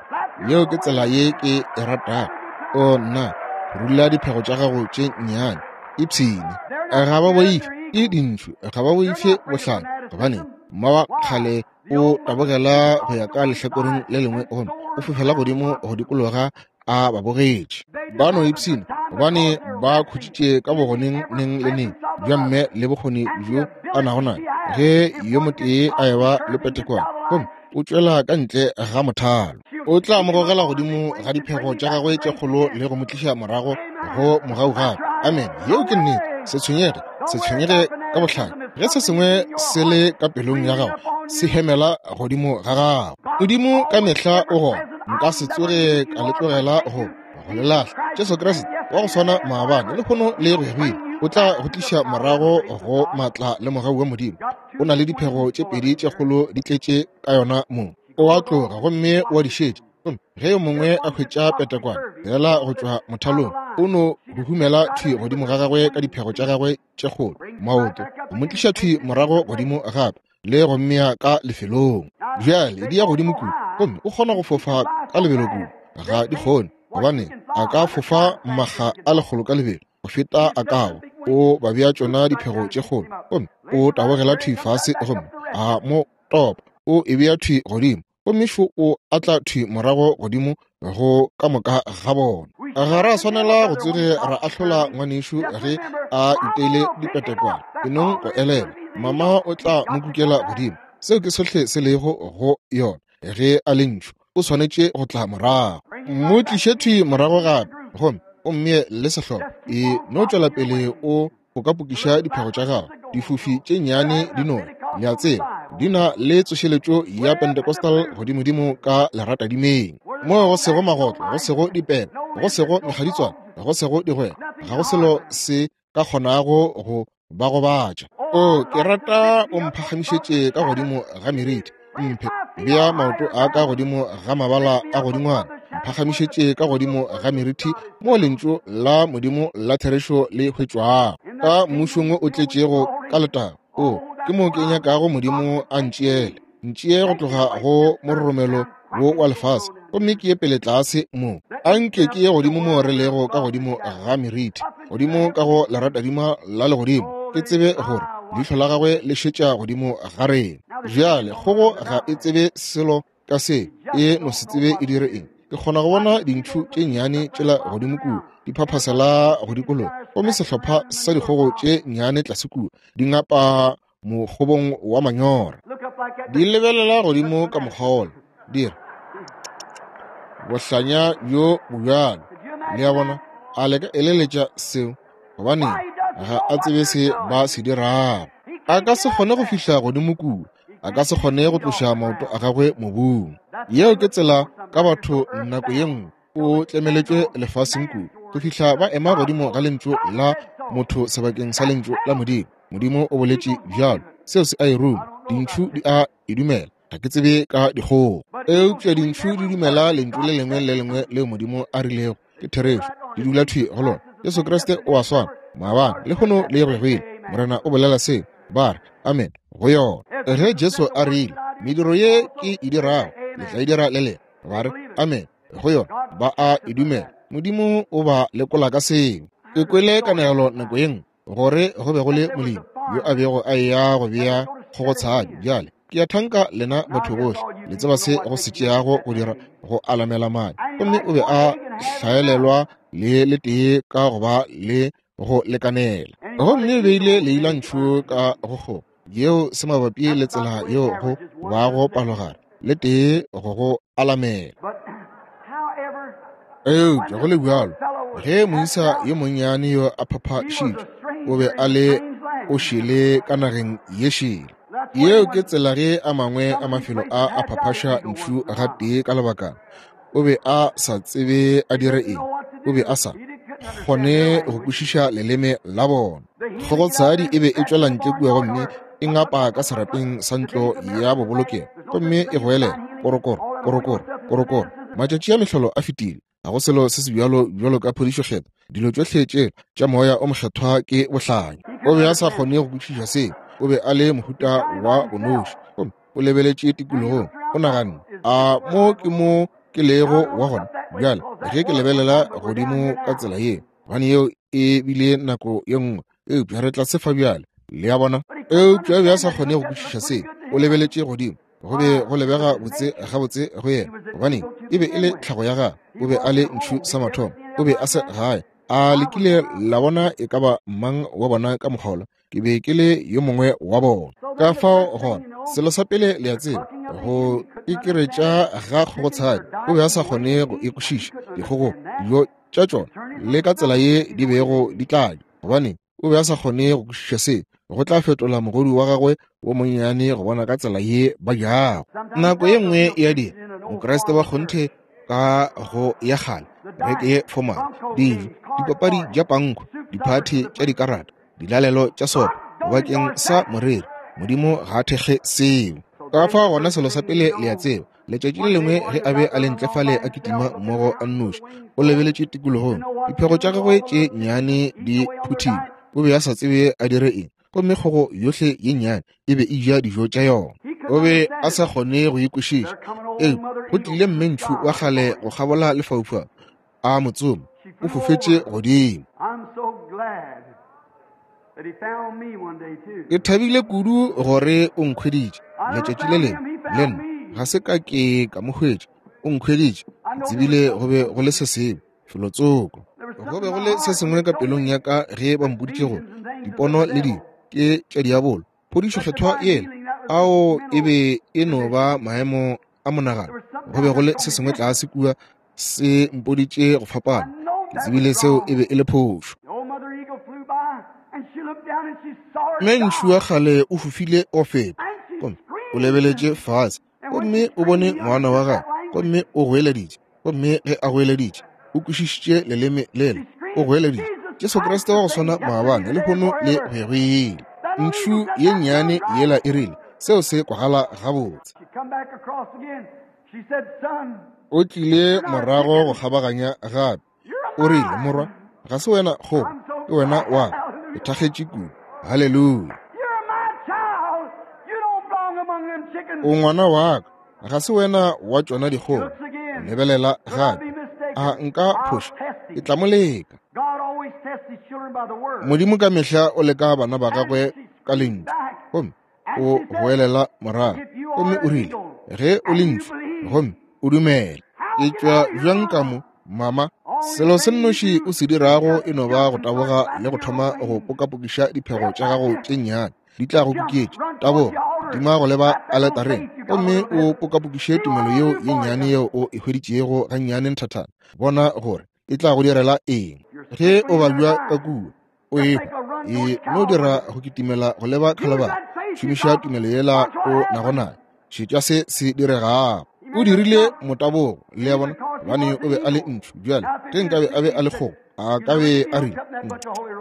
Yeo ke tsela ye ke e ratago. O nna, phurulla diphego tša gago tše nnyane, ipshine. Ga ba boife ke dintšhu, ga ba boife bohlale, gobane mma wa kgale o tabogela go ya ka lehlakoreng le lengwe gomme o fofela godimo go dikologa a ba bogetše. Ba no ipshina gobane ba khutšitše ka bogoneng neng le neng bja mme le bokgoni bjo a nago nayo. Ge yo motee a eba le petekwane gomme o tšwela ka ntle ga mothalo, o tla mo gogela godimo ga diphego tša gagwe tše kgolo le go mo tliša morago go mogau gape. Amen. Yeo ke nnete. Se tshwenyege, se tshwenyege ka bohlale. Ge se sengwe se le ka pelong ya gago, se hemela godimo ga gago. Modimo ka mehla o gona. Nka se tsoge ka le tlogela go go le lahla. Jesu Kriste wa go swana maabane, lehono le go ya go ile, o tla go tliša morago go maatla le mogau wa Modimo. O na le diphego tše pedi tše kgolo di tletše ka yona mong. O a tloga gomme o a di šetša. Gomme ge yo mongwe a hwetša petekwana fela go tšwa mothalong, o no huhumela thwi godimo ga gagwe ka diphego tša gagwe tše kgolo, maoto, go mo tliša thwi morago godimo gape le go mmea ka lefelong. Bjale di ya godimo kudu, gomme o kgona go fofa ka lebelo kudu. Ga di kgone, gobane a ka fofa makga a 100 ka lebelo go feta a kago. O ba bea tšona diphego tše kgolo, gomme o tabogela thwi fase gomme a mo topa, o e bea thwi godimo, gomme šo o atla thwi morago godimo go ka moka ga bona. Ga ra swanela go tsoge ra ahlola ngwanešu ge a iteile dipetekwana. E nong go elelwa, mama o tla mo kukela godimo. Seo ke sohle se lego go yona. Ge a le ntšhu, o swanetše go tla morago. Mo tliše thwi morago gape, gomme o mmee le sehlopa. E no tšwela pele o o ka pokiša diphego tša gago. Difofi tše nnyane di no, le a tseba, di na le tsošeletšo ya Pentecostal godimodimo ka leratadimeng, moo go sego magotlo, go sego dipeba, go sego mekgaditswana, go sego digwegwe, ga go selo se ka kgonago go ba gobatša. O, ke rata o mphagamišetše ka godimo ga meriti, mphe bea maoto a ka godimo ga mabala a godingwana, mphagamišetše ka godimo ga meriti mo lentšu la Modimo la therešo le hwetšwago ka mmušong o tletšego ka letago. O, ke mo ke nyakago Modimo a ntšeele, ntšee go tloga go mororomelo wo wa lefase, gomme ke ye pele tlase mo. A nke ke ye godimo mo re lego ka godimo ga meriti, godimo ka go leratadima la legodimo, ke tsebe gore leihlo la gagwe le šetša godimo ga rena. Bjale kgogo ga e tsebe selo ka se, e no se tsebe e dire eng. Ke kgona go bona dintšhu tše nnyane tšela godimo kua di phaphasela go dikologa, gomme sehlopha sa dikgogo tše nnyane tlase kua di ngapa mokgobong wa manyora, di lebelela godimo ka mokgwa wola, di re, Bohlanya bjo bobjalo. Le a bona? A le ka eleletša seo? Gobaneng, ga a tsebe se ba se dirago. A ka se kgone go fihla godimo kua. A ka se kgone go tloša maoto a gagwe mobung. Yeo ke tsela ka batho nako ye nngwe. O tlemeletšwe lefaseng kudu go fihla ba ema godimo ga lentšu la motho sebakeng sa lentšu la Modimo. Modimo o boletše bjalo. Seo se a e ruma. Dintšhu di a e dumela. Ga ke tsebe ka dikgogo, eupša dintšhu di dumela lentšu le lengwe le lengwe leo Modimo a rilego ke therešo. Di dula thwi go lona. Jesu Kriste o a swana maabane, lehono le go ya go ile. Morena o bolela seo. Ba re amen go yona. Ge Jesu a rile, mediro ye ke e dirago le tla e dira le lena, ba re amen go yona, ba a e dumela. Modimo o ba lekola ka seo. Ke kwele kanegelo nako ye nngwe gore go be go le molemi yo a bego a eya go bea kgogotshadi. Bjale ke a thanka lena batho bohle le tseba se go se tšeago go dira go alamela madi, gomme o be a hlaelelwa le letee ka go ba le go lekanela, gomme o beile leilantšhu ka go kgogo yeo se mabapi le tsela yeo go bago palogare le tee go go alamela. Eupša go le bjalo, ge moisa yo monnyane yo a phaphašitšwe, o be a le, o šele ka nageng ye šele. Yeo ke tsela ge a mangwe a mafelo a a phaphaša ntšhu gatee ka lebakana. O be a sa tsebe a dire eng. O be a sa kgone go kwešiša leleme la bona. Kgogotshadi e be e tšwela ntle kua gomme e ngapa ka serapeng sa ntlo ya bobolokelo gomme e goelela korokoro, korokoro, korokoro. Matšatši a mehlolo a fetile. Ga go selo se se bjalo bjalo ka phodišo kgethwa. Dilo tšohle tše tša Moya o Mokgethwa ke bohlanya. O be a sa kgone go kwešiša seo. O be a le mohuta wa bonoši. Gomme o lebeletše tikologong. O naganne, A mo ke mo ke lego wa gona bjale ge ke lebelela godimo ka tsela ye? Gobane yeo e bile nako ye nngwe, eupša re tlase fa bjale. Le a bona? Eupša o be a sa kgone go kwešiša seo. O lebeletše godimo. Go be go lebega botse gabotse go yena, gobaneng e be e le tlhago ya gagwe. O be a le ntšhu sa mathomo. O be a se gae. A le kile la bona e ka ba mang wa bona ka mokgwa wola? Ke be ke le yo mongwe wa bona. Ka fao gona, selo sa pele le a tseba, go ikeretša ga kgogotshadi, o be a sa kgone go e kwešiša, dikgogo, dijo tša tšona, le ka tsela ye di bego di tla ja, gobaneng o be a sa kgone go kwešiša se. Go tla fetola mogodu wa gagwe wo monnyane go bona ka tsela ye ba jago. Nako ye nngwe ya dira Mokriste wa kgonthe ka go ya kgale, reke ye formal, dijo, dipapadi tša pankho, diphathi tša dikarata, dilalelo tša sopo bakeng sa moreri. Modimo ga a thekge seo. Ka fao gona selo sa pele le a tseba, letšatši le lengwe ge a be a le ntle fale a kitima mmogo a nnoši, o lebeletše tikologong, diphego tša gagwe tše nnyane di phuthilwe, o be a sa tsebe a dire eng, gomme kgogo yohle ye nnyane e be e ja dijo tša yona. O be a sa kgone go e kwešiša. Eupša go tlile mme ntšhu wa kgale go kgabola lefaufau, a mo tsoma, o fofetše godimo. Ke thabile kudu gore o nkhweditše letšatši le lengwe le nna. Ga se ka ke ka mo hwetša, o nkhweditše. Ke tsebile go be go le se sengwe felotsoko. Go be go le se sengwe ka pelong ya ka ge ba mpoditše gore dipono le dilo ke tša diabolo. Phodišo kgethwa yela, ao e be e no ba maemo a monagano. Go be go le se sengwe tlase kua se mpoditše go fapana. Ke tsebile seo e be e le phošo. Mme ntšhu wa kgale o fofile go feta, gomme o lebeletše fase, gomme o bone ngwana wa gagwe, gomme o goeleditše. Gomme ge a goeleditše, o kwešišitše leleme lela. O goeleditše, Jesu Kriste wa go swana maabane, lehono le go ya go ile. Ntšhu ye nnyane yela e rile, Seo se kwagala gabotse. O tlile morago go kgabaganya gape. O rile, Morwa, ga se wena kgogo, ke wena wa ka. Ke thakgetše kudu. Haleluya. O ngwana wa ka, ga se wena wa tšona dikgogo. O lebelela gape. A nka phoša? Ke tla mo leka. Modimo ka mehla o leka bana ba gagwe ka lentšu. Gomme o goelela morago, gomme o rile, Ge o le ntšhu gomme o dumela, ke tšwa bjang ka mo, mama? Selo se nnoši o se dirago e no ba go taboga le go thoma go pokapokiša diphego tša gago tše nnyane, di tla go kuketša. Taboga dima go leba aletareng gomme o pokapokiše tumelo yeo ye nnyane yeo o e hweditšego gannyane nthathana, bona gore e tla go direla eng. Ge o babja ka kua, o ehwa, e no dira go kitimela go leba Khalabari. Šomiša tumelo yela o nago nayo, šetša se se diregago. O dirile motabogo, le a bona, gobane o be a le ntšhu. Bjale ge nkabe a be a le kgogo, a ka be a rile,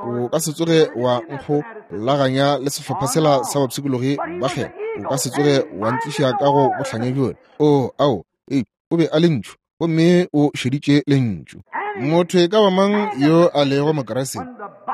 O ka se tsoge wa nkgolaganya le sehlopha sela sa bapshikologi ba kgethwa. O ka se tsoge wa ntliša ka go bohlanya bjola. Oo, ao, ee, o be a le ntšhu, gomme o šeditše lentšu. Motho e ka ba mang yo a lego Mokriste,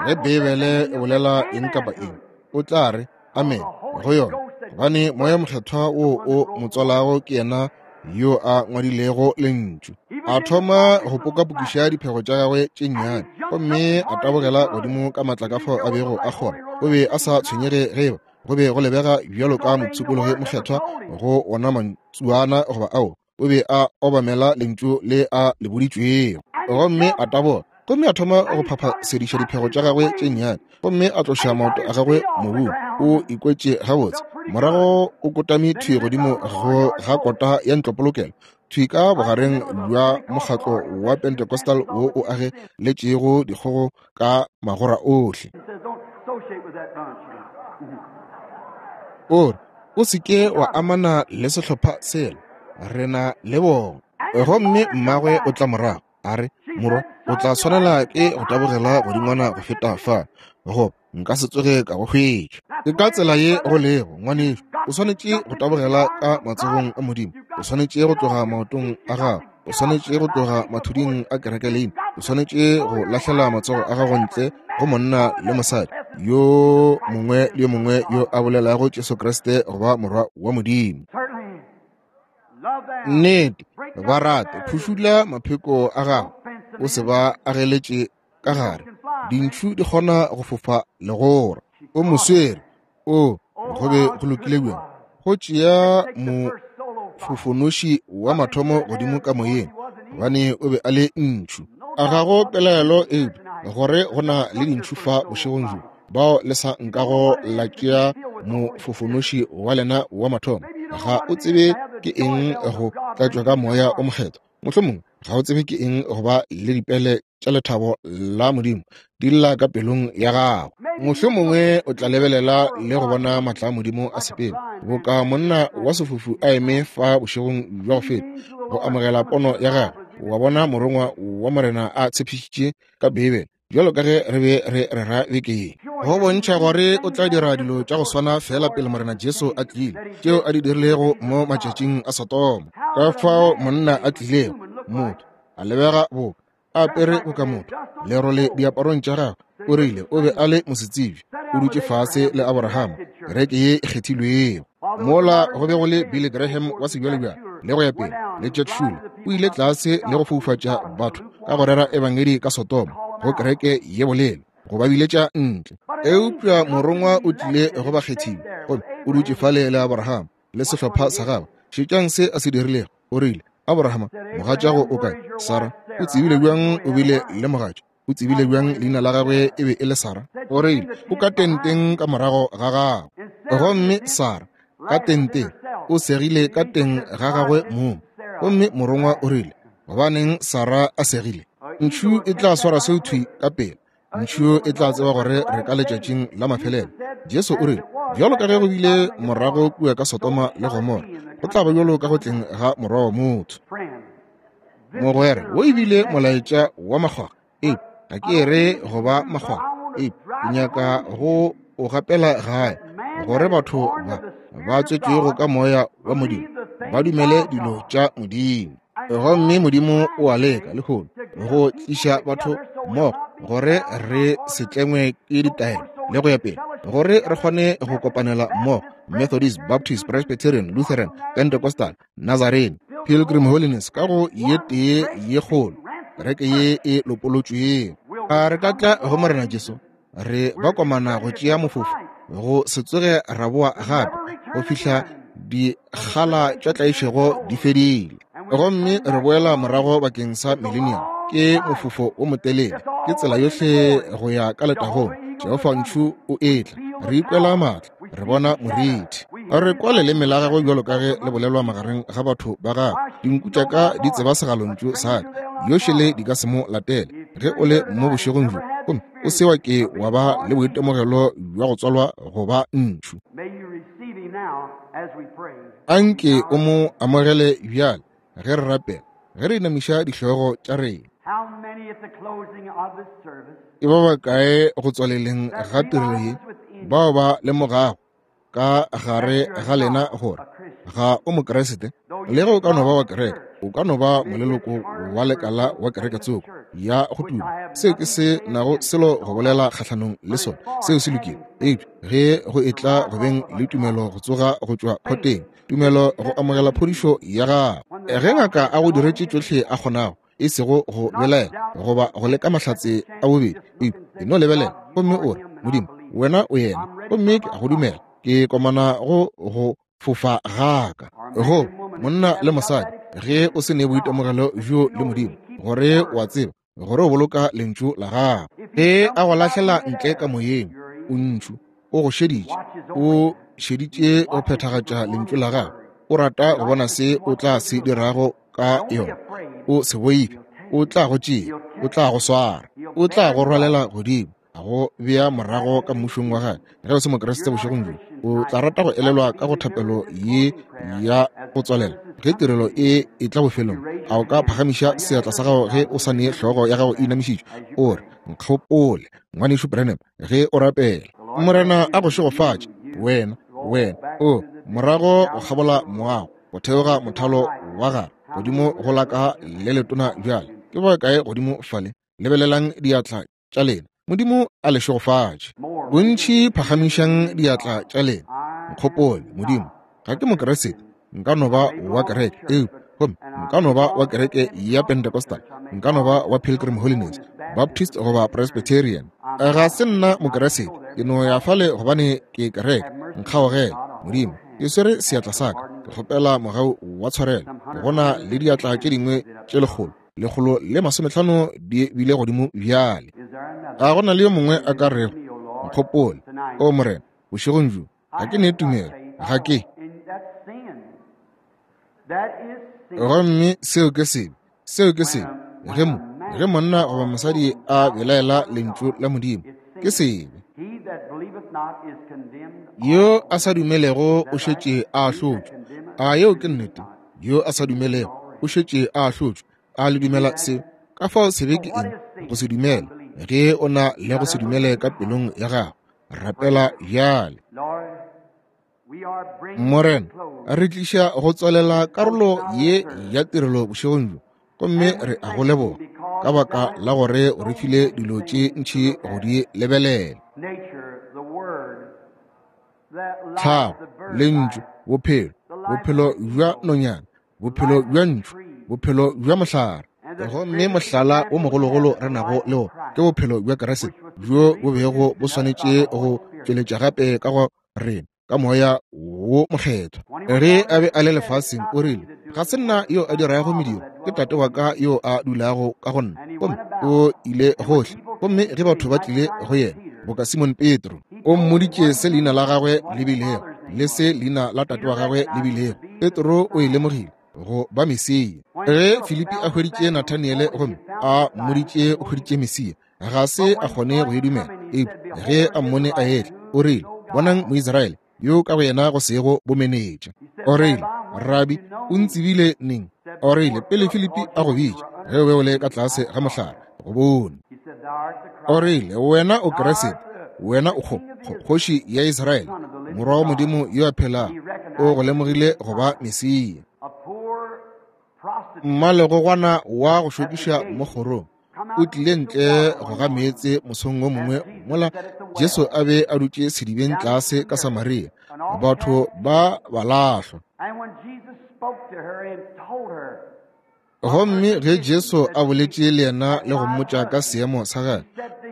ge Beibele e bolela eng kapa eng, o tla re amen go yona, gobane Moya Mokgethwa wo o mo tswalago ke yena yo a ngwadilego lentšu. A thoma go pokapokiša diphego tša gagwe tše nnyane, gomme a tabogela godimo ka matla ka fao a bego a kgona. O be a sa tshwenyege ge eba go be go lebega bjalo ka mopshikologi mokgethwa go wona mantsuana goba ao. O be a obamela lentšu le a le boditšwego, gomme a taboga, gomme a thoma go phaphasediša diphego tša gagwe tše nnyane, gomme a tloša maoto a gagwe mobung. O ikwetše gabotse. Morago o kotame thwi godimo go ga kota ya ntlopolokelo, thwi ka bogareng bja mokgatlo wa Pentecostal wo o ageletšego dikgogo ka magora ohle. O re, O se ke wa amana le sehlopha sela, re na le bona. Gomme mmagwe o tla morago, a re, Morwa, o tla swanela ke go tabogela godingwana go feta fa, goba nka se tsoge ka go hwetša. Ke ka tsela ye go lego, ngwanešu. O swanetše go tabogela ka matsogong a Modimo. O swanetše go tloga maotong a gago. O swanetše go tloga mathuding a kerekeleina. O swanetše go lahlela matsogo a gago ntle go monna le mosadi yo mongwe le yo mongwe yo a bolelago Jesu Kriste go ba Morwa wa Modimo. Nnete, ba rate, phušula mapheko a gago, o se ba ageletše ka gare. Dintšhu di kgona go fofa legora. O mo swere. O, go be go lokile bjang go tšea mofofonoši wa mathomo godimo ka moyeng, gobane o be a le ntšhu. A ga go pelaelo eupša gore go na le dintšhu fa bošegong bjo bao le sa nkago la tšea mofofonoši wa lena wa mathomo. Ga o tsebe ke eng go tlatšwa ka Moya o Mokgethwa. Mohlomongwe ga o tsebe ke eng go ba le dipele tša lethabo la Modimo di lla ka pelong ya gago. Mohlomongwe o tla lebelela le go bona matla a Modimo a sepela, boka monna wa sefofu a eme fa bošegong bja go feta go amogela pono ya gagwe, wa bona morongwa wa Morena a tshepišitše ka Beibele, bjalo ka ge re be re rera beke ye, go bontšha gore o tla dira dilo tša go swana fela pele Morena Jesu a tlile, tšeo a di dirilego mo matšatšing a Sodoma. Ka fao monna a tlilego, motho, a lebega boka a apere boka motho, lerole diaparong tša gagwe, o rile o be a le mosetsebje, o dutše fase le Aborahama, kereke ye e kgethilwego. Mola go be go le Billy Graham wa sebjalebjale le go ya pele, le Jack Shuler, o ile tlase le go foufatša batho ka go rera ebangedi ka Sodoma, go kereke ye bolelo, go ba biletša ntle. Eupša morongwa o tlile go bakgethiwa, gomme o dutše fale le Aborahama le sehlopha sa gagwe. Šetšang se a se dirilego. O rile, Aborahama, mogatšago o kae? Sara, o tsebile bjang o bile le mogatša? O tsebile bjang leina la gagwe e be e le Sara? O rile, O ka tenteng ka morago ga gago. Gomme Sara, ka tenteng, o segile ka teng ga gagwe mong. Gomme morongwa o rile, Gobaneng Sara a segile? Ntšhu e tla swara seo thwi ka pela. Ntšhu e tla tseba gore re ka letšatšing la mafelelo. Jesu o rile, Bjalo ka ge go bile morago kua ka Sodoma le Gomora, go tla ba bjalo ka go tleng ga Morwa wa motho. Mogwera, wo e bile molaetša wa makgwakgwa. Ee, ga ke re go ba makgwakgwa. Ee, ke nyaka go o gapela gae, gore batho ba ba tswetšwego ka Moya wa Modimo ba dumele dilo tša Modimo. Gomme Modimo o a leka lehono go tliša batho mmogo gore re se tlengwe ke ditaelo le go ya pele, gore re kgone go kopanela mmogo, Methodist, Baptist, Presbyterian, Lutheran, Pentecostal, Nazarene, Pilgrim Holiness, ka go ye tee ye kgolo kereke ye e lopolotšwego. A re ka tla go Morena Jesu re ba komana go tšea mofofo go se tsoge ra boa gape go fihla dikgala tša tlaišego di fedile, gomme re boela morago bakeng sa millennium. Ke mofofo o motelele, ke tsela yohle go ya ka letagong. Jehofa ntšhu o etla, re ikwela maatla, re bona morithi, re kwa leleme la gagwe bjalo ka ge le bolelwa magareng ga batho ba gagwe. Dinku tša ka di tseba segalontšu sa ka, yošele di ka se mo latele. Ge o le mo bošegong bjo gomme o se wa ke wa ba le boitemogelo bja go tswalwa go ba ntšhu, anke o mo amogele bjale ge re rapela, ge re inamiša dihlogo tša rena. Ke ba bakae go tswaleleng ga tirelo ye bao ba lemogago ka gare ga lena gore ga o Mokriste? Le ge o ka no ba wa kereke, o ka no ba moleloko wa lekala wa kereke tsoko ya go tuma, seo ke se nago selo go bolela kgahlanong le sona, seo se lokile. Eupša ge go etla go beng le tumelo go tsoga go tšwa khoteng, tumelo go amogela phodišo ya gago, ge ngaka a go diretše tšohle a kgonago, e sego go belaela goba go leka mahlatse a bobedi, eupša e no lebelela gomme o re, Modimo, wena o yena, gomme ke a go dumela, ke komana go go fofa gaka. Go monna le mosadi, ge o se ne boitemogelo bjo le Modimo, gore o a tseba gore o boloka lentšu la gago, ge a go lahlela ntle ka moyeng, o ntšhu, o go šeditše, o šeditše go phethagatša lentšu la gago, o rata go bona se o tla se dirago ka yona. O se boife, o tla go tšea, o tla go swara, o tla go rwalela godimo. a go bea morago ka mmušong wa gagwe. Ge o se Mokriste bošegong bjo, o tla rata go elelwa ka go thapelo ye ya go tswalela ge tirelo e etla bofelong. A o ka phagamiša seatla sa gago ge o sa ne hlogo ya gago e inamišitšwe, o re, Nkgopole, Ngwanešu Branham, ge o rapela. Morena a go šegofatše, wena, wena, o morago go kgabola moago, go theoga mothalo wa gare, godimo go la ka le letona bjale. Ke ba kae godimo fale? Lebelelang diatla tša lena. Modimo a le šegofatše. Bontši phagamišang diatla tša lena. Nkgopole, Modimo. Ga ke Mokriste, nka no ba wa kereke, eupša gomme nka no ba wa kereke ya Pentecostal, nka no ba wa Pilgrim Holiness, Baptist goba Presbyterian. Ga se nna Mokriste, ke no ya fale gobane ke kereke. Nkgaogele, Modimo. Ke swere seatla sa ka, ke kgopela mogau wa tshwarelo. Go na le diatla tše dingwe tše 150 di bile godimo bjale. A go na le yo mongwe a ka rego, Nkgopole, o Morena, bošegong bjo, ga ke ne tumelo, ga ke. Gomme seo ke sebe, seo ke sebe. Ge mo, ge monna goba mosadi a belaela lentšu la Modimo, ke sebe. Yo a sa dumelego o šetše a ahlotšwe. A yeo ke nnete? Yo a sa dumelego o šetše a ahlotšwe. A le dumela seo? Ka fao sebe ke eng? Go se dumele. Ge o na le go se dumele ka pelong ya gago, rapela bjale. Morena, re tliša go tswalela karolo ye ya tirelo bošegong bjo, gomme re a go leboga ka baka la gore o re file dilo tše ntši go di lebelela. Tlhago, lentšu, bophelo, bophelo bja nonyana, bophelo bja ntšu, bophelo bja mohlare. Gomme mohlala wo mogologolo re nago le wona ke bophelo bja Kriste, bjo bo bego bo swanetše go tšweletša gape ka go rena ka Moya wo Mokgethwa. Ge a be a le lefaseng, o rile, Ga se nna yo a dirago mediro, ke Tate wa ka yo a dulago ka go nna. Gomme o ile gohle. Gomme ge batho ba tlile go yena, boka Simon Petro, o mmoditše se leina la gagwe le bilego le se leina la tate wa gagwe le bilego. Petro o e lemogile go ba Mesia. Ge Filipi a hweditše Nathaniele gomme a mmoditše o hweditše Mesia, ga se a kgone go e dumela. Eupša ge a mmone a etla, o rile, Bonang Moisraele yo ka go yena go sego bomenetša. O rile, Rabi, o ntsebile neng? O rile, Pele Filipi a go bitša, ge o be o le ka tlase ga mohlare, go bone. O rile, Wena o Kriste, wena o kgoši ya Israele, morwa wa Modimo yo a phelago. O go lemogile go ba Mesia. Mmalegogwana wa go šokiša mo kgorong o tlile ntle go ga meetse mosong wo mongwe mola Jesu a be a dutše sedibeng tlase ka Samaria. Batho ba ba lahlwa. Gomme ge Jesu a boletše le yena le go mmotša ka seemo sa gagwe,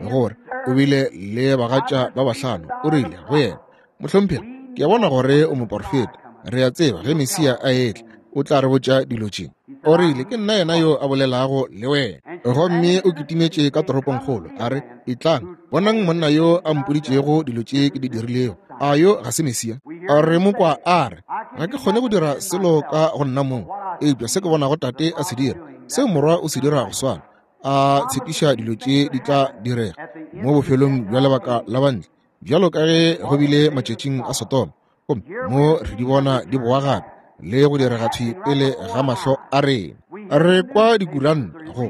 gore o bile le bagatša ba bahlano, o rile go yena, Mohlomphegi, ke a bona gore o moporofeta. Re a tseba ge Mesia a etla, o tla re botša dilo tše. O rile, Ke nna yena yo a bolelago le wena. Gomme o kitimetše ka toropongkgolo, a re, Etlang, bonang monna yo a mpoditšego dilo tše ke di dirilego. A yo ga se Mesia? A re mo kwa a re, Ga ke kgone go dira selo ka go nna mong, eupša se ke bonago Tate a se dira, seo Morwa o se dira go swana. A tshepiša dilo tše di tla direga mo bofelong bja lebaka la bantle, bjalo ka ge go bile matšatšing a Sodoma. Gomme mo re di bona di boa gape le go direga thwi pele ga mahlo a rena. Re kwa dikuranta go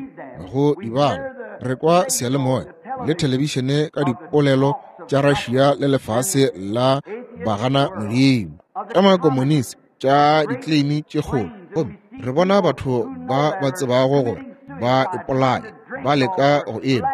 go di bala, re kwa seyalemoya le thelebišene ka dipolelo tša Russia le lefase la bagana Modimo, tša makomonisi, tša dikleimi tše kgolo. Gomme re bona batho ba ba tsebago gore ba ipolaya, ba leka go enwa,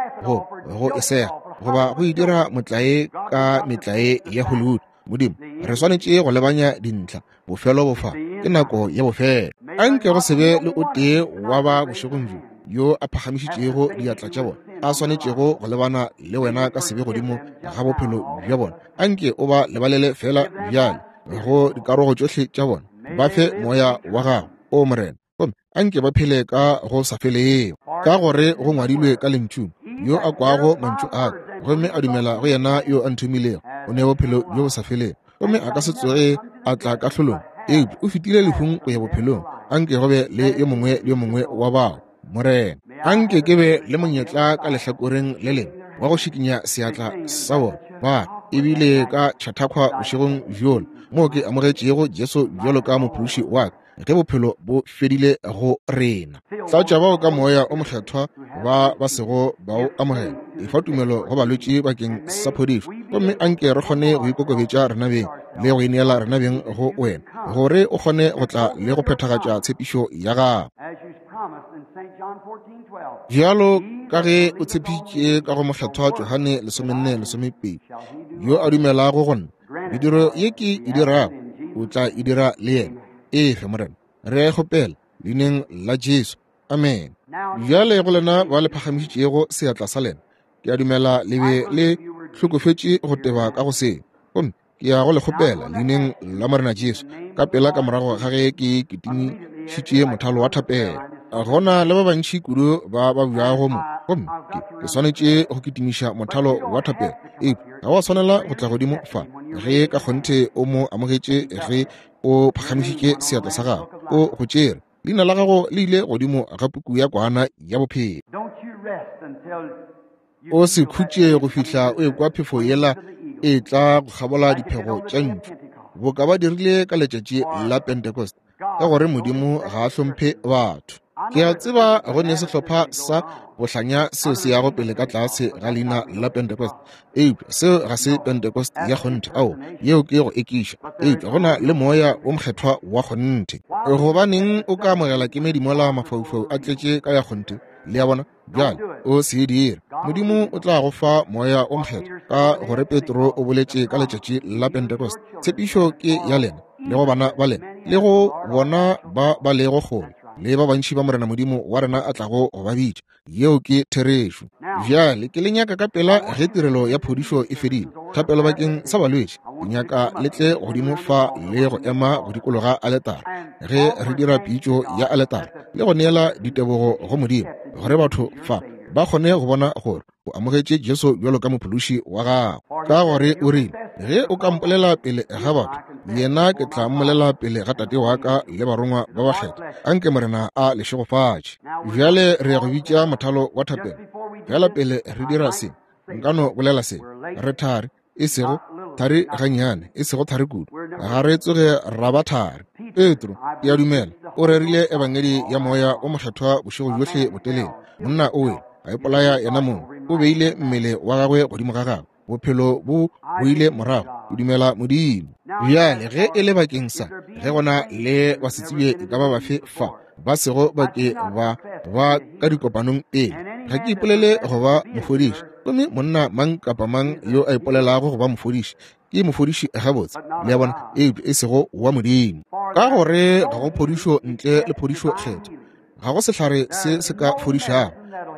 go e sega, goba go e dira motlae ka metlae ya Hollywood. Modimo, re swanetše go lebanya dintlha. Bofelo bo fa, ke nako ya bofelo. Anke go se be le o tee wa ba bošegong bjo yo a phagamišitšego diatla tša bona, a swanetšego go lebana le wena ka sebe godimo ga bophelo bja bona. Anke o ba lebalele feela bjale go dikarogo tšohle tša bona. Ba fe moya wa gago, o Morena, gomme anke ba phele ka go sa felego, ka gore go ngwadilwe ka lentšung, yo a kwago mantšu a ka gomme a dumela go yena yo a nthomilego o ne bophelo bjo bo sa felego, gomme a ka se tsoge a tla kahlolong, eupša o fetile lehung go ya bophelong. Anke go be le yo mongwe le yo mongwe wa bao, Morena. Anke ke be le monyetla ka lehlakoreng le lengwe wa go šikinya seatla sa bona. Ba ebile ka Chautauqua bošegong bjola moo ke amogetšego Jesu bjalo ka mophološi wa ka, ge bophelo bo fedile go rena. Tlatša bao ka Moya o Mokgethwa ba ba sego ba o amogela. Efa tumelo go balwetši bakeng sa phodišo, gomme anke re kgone go ikokobetša rena beng le go ineela rena beng go wena, gore o kgone go tla le go phethagatša tshepišo ya gago. Bjalo ka ge o tshepišitše ka go Mokgethwa Johane 14:12, yo a dumelago go nna, mediro ye ke e dirago o tla e dira le yena. Efe, Morena, re a e kgopela leineng la Jesu. Amen. Bjale go lena ba le phagamišitšego seatla sa lena, ke a dumela le be le hlokofetše go teba ka go seo, gomme ke ya go le kgopela leineng la Morena Jesu, ka pela ka morago ga ge ke kitimišitše mothalo wa thapelo. Gona le ba bantši kudu ba ba bjago mo, gomme ke swanetše go kitimiša mothalo wa thapelo. Eupša ga wa swanela go tla godimo fa ge ka kgonthe o mo amogetše, ge o phagamišitše seatla sa gago, o go tšere leina la gago le ile godimo ga puku ya kwana ya bophelo. O se khutše go fihla o ekwa phefo yela e tla go kgabola diphego tša ntšu, boka ba dirile ka letšatši la Pentecost, ka gore Modimo ga a hlomphe batho. Ke a tseba go ne sehlopha sa bohlanya seo se yago pele ka tlase ga leina la Pentecost, eupša seo ga se Pentecost ya kgonthe. Ao, yeo ke go ekiša. Eupša go na le Moya wo Mokgethwa wa kgonthe. Gobaneng o ka amogela kemedi mola mafaufau a tletše ka ya kgonthe? Le a bona? Bjale o se e dire. Modimo o tla go fa Moya wo Mokgethwa, ka gore Petro o boletše ka letšatši la Pentecost, tshepišo ke ya lena le go bana ba lena le go bona ba ba lego kgole, le ba bantši ba Morena Modimo wa rena a tlago go ba bitša. Yeo ke therešo. Bjale ke le nyaka ka pela ge tirelo ya phodišo e fedile, thapelo bakeng sa balwetši, ke nyaka le tle godimo fa le go ema go dikologa aletara ge re dira pitšo ya aletara le go neela ditebogo go Modimo, gore batho fa ba kgone go bona gore o amogetše Jesu bjalo ka mophološi wa gago. Ka gore o rile, ge o ka mpolela pele ga batho, yena ke tla mmolela pele ga Tate wa ka le barongwa ba bakgethwa. Anke Morena a le šegofatše. Bjale re ya go bitša mothalo wa thapelo. Fela pele re dira se, nka no bolela se. Re thari, e sego thari gannyane, e sego thari kudu. Ga re tsoge ra ba thari. Petro, ke a dumela, o rerile ebangedi ya Moya o Mokgethwa bošego bjohle botelele. Monna o wele, a ipolaya yena mong, o beile mmele wa gagwe godimo ga gagwe, bophelo bo boile morago. O dumela Modimo. Bjale ge e le bakeng sa ge gona le basetsebje e ka ba bafe fa ba sego ba ke ba ba ka dikopanong pele, ga ke ipolele go ba mofodiši, gomme monna mang kapa mang yo a ipolelago go ba mofodiši ke mofodiši gabotse, le a bona, eupša e sego wa Modimo. Ka gore ga go phodišo ntle le phodišo kgethwa, ga go sehlare se se ka fodišago.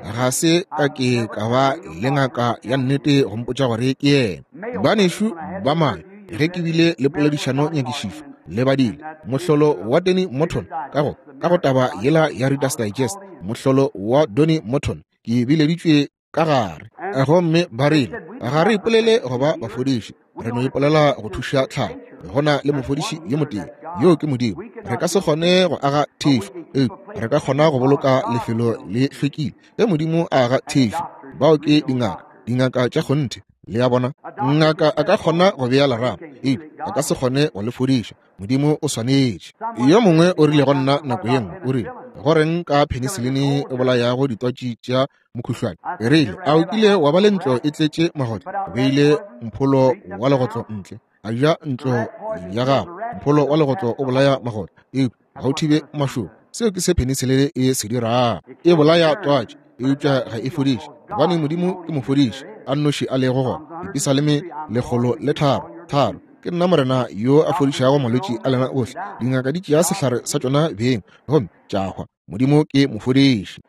Ga se ka ke ka ba le ngaka ya nnete go mpotša gore ke yena. Banešu ba mane, ge ke bile le poledišano nyakišišo le badile mohlolo wa Danny Morton ka go taba yela ya Reader's Digest, mohlolo wa Donny Morton, ke bileditšwe ka gare, gomme ba rile, ga re ipolele go ba bafodiši, re no ipolela go thuša tlhago. Go na le mofodiši yo motee, yoo ke Modimo. Re ka se kgone go aga thešo, eupša re ka kgona go boloka lefelo le hlwekile. Ge Modimo a aga thešo, bao ke dingaka, dingaka tša kgonthe. Le a bona? Ngaka a ka kgona go bea lerapo, eupša a ka se kgone go le fodiša. Modimo o swanetše. Yo mongwe o rile go nna nako ye nngwe, o rile, go reng ka penisilini e bolayago ditwatši tša mokhuhlwane? E rile, a o kile wa ba le ntlo e tletše magotlo? O beile mpholo wa legotlo ntle, a ja ntlo ya gago. Mpholo wa legotlo o bolaya magotlo, eupša ga o thibe mašoba. Seo ke se penisilini e se dirago. E bolaya twatši, eupša ga e fodiše, gobane Modimo ke mofodiši a nnoši a lego gona. Dipisaleme 103:3, Ke nna Morena yo a fodišago malwetši a lena ohle. Dingaka di tšea sehlare sa tšona beng gomme tša hwa. Modimo ke mofodiši.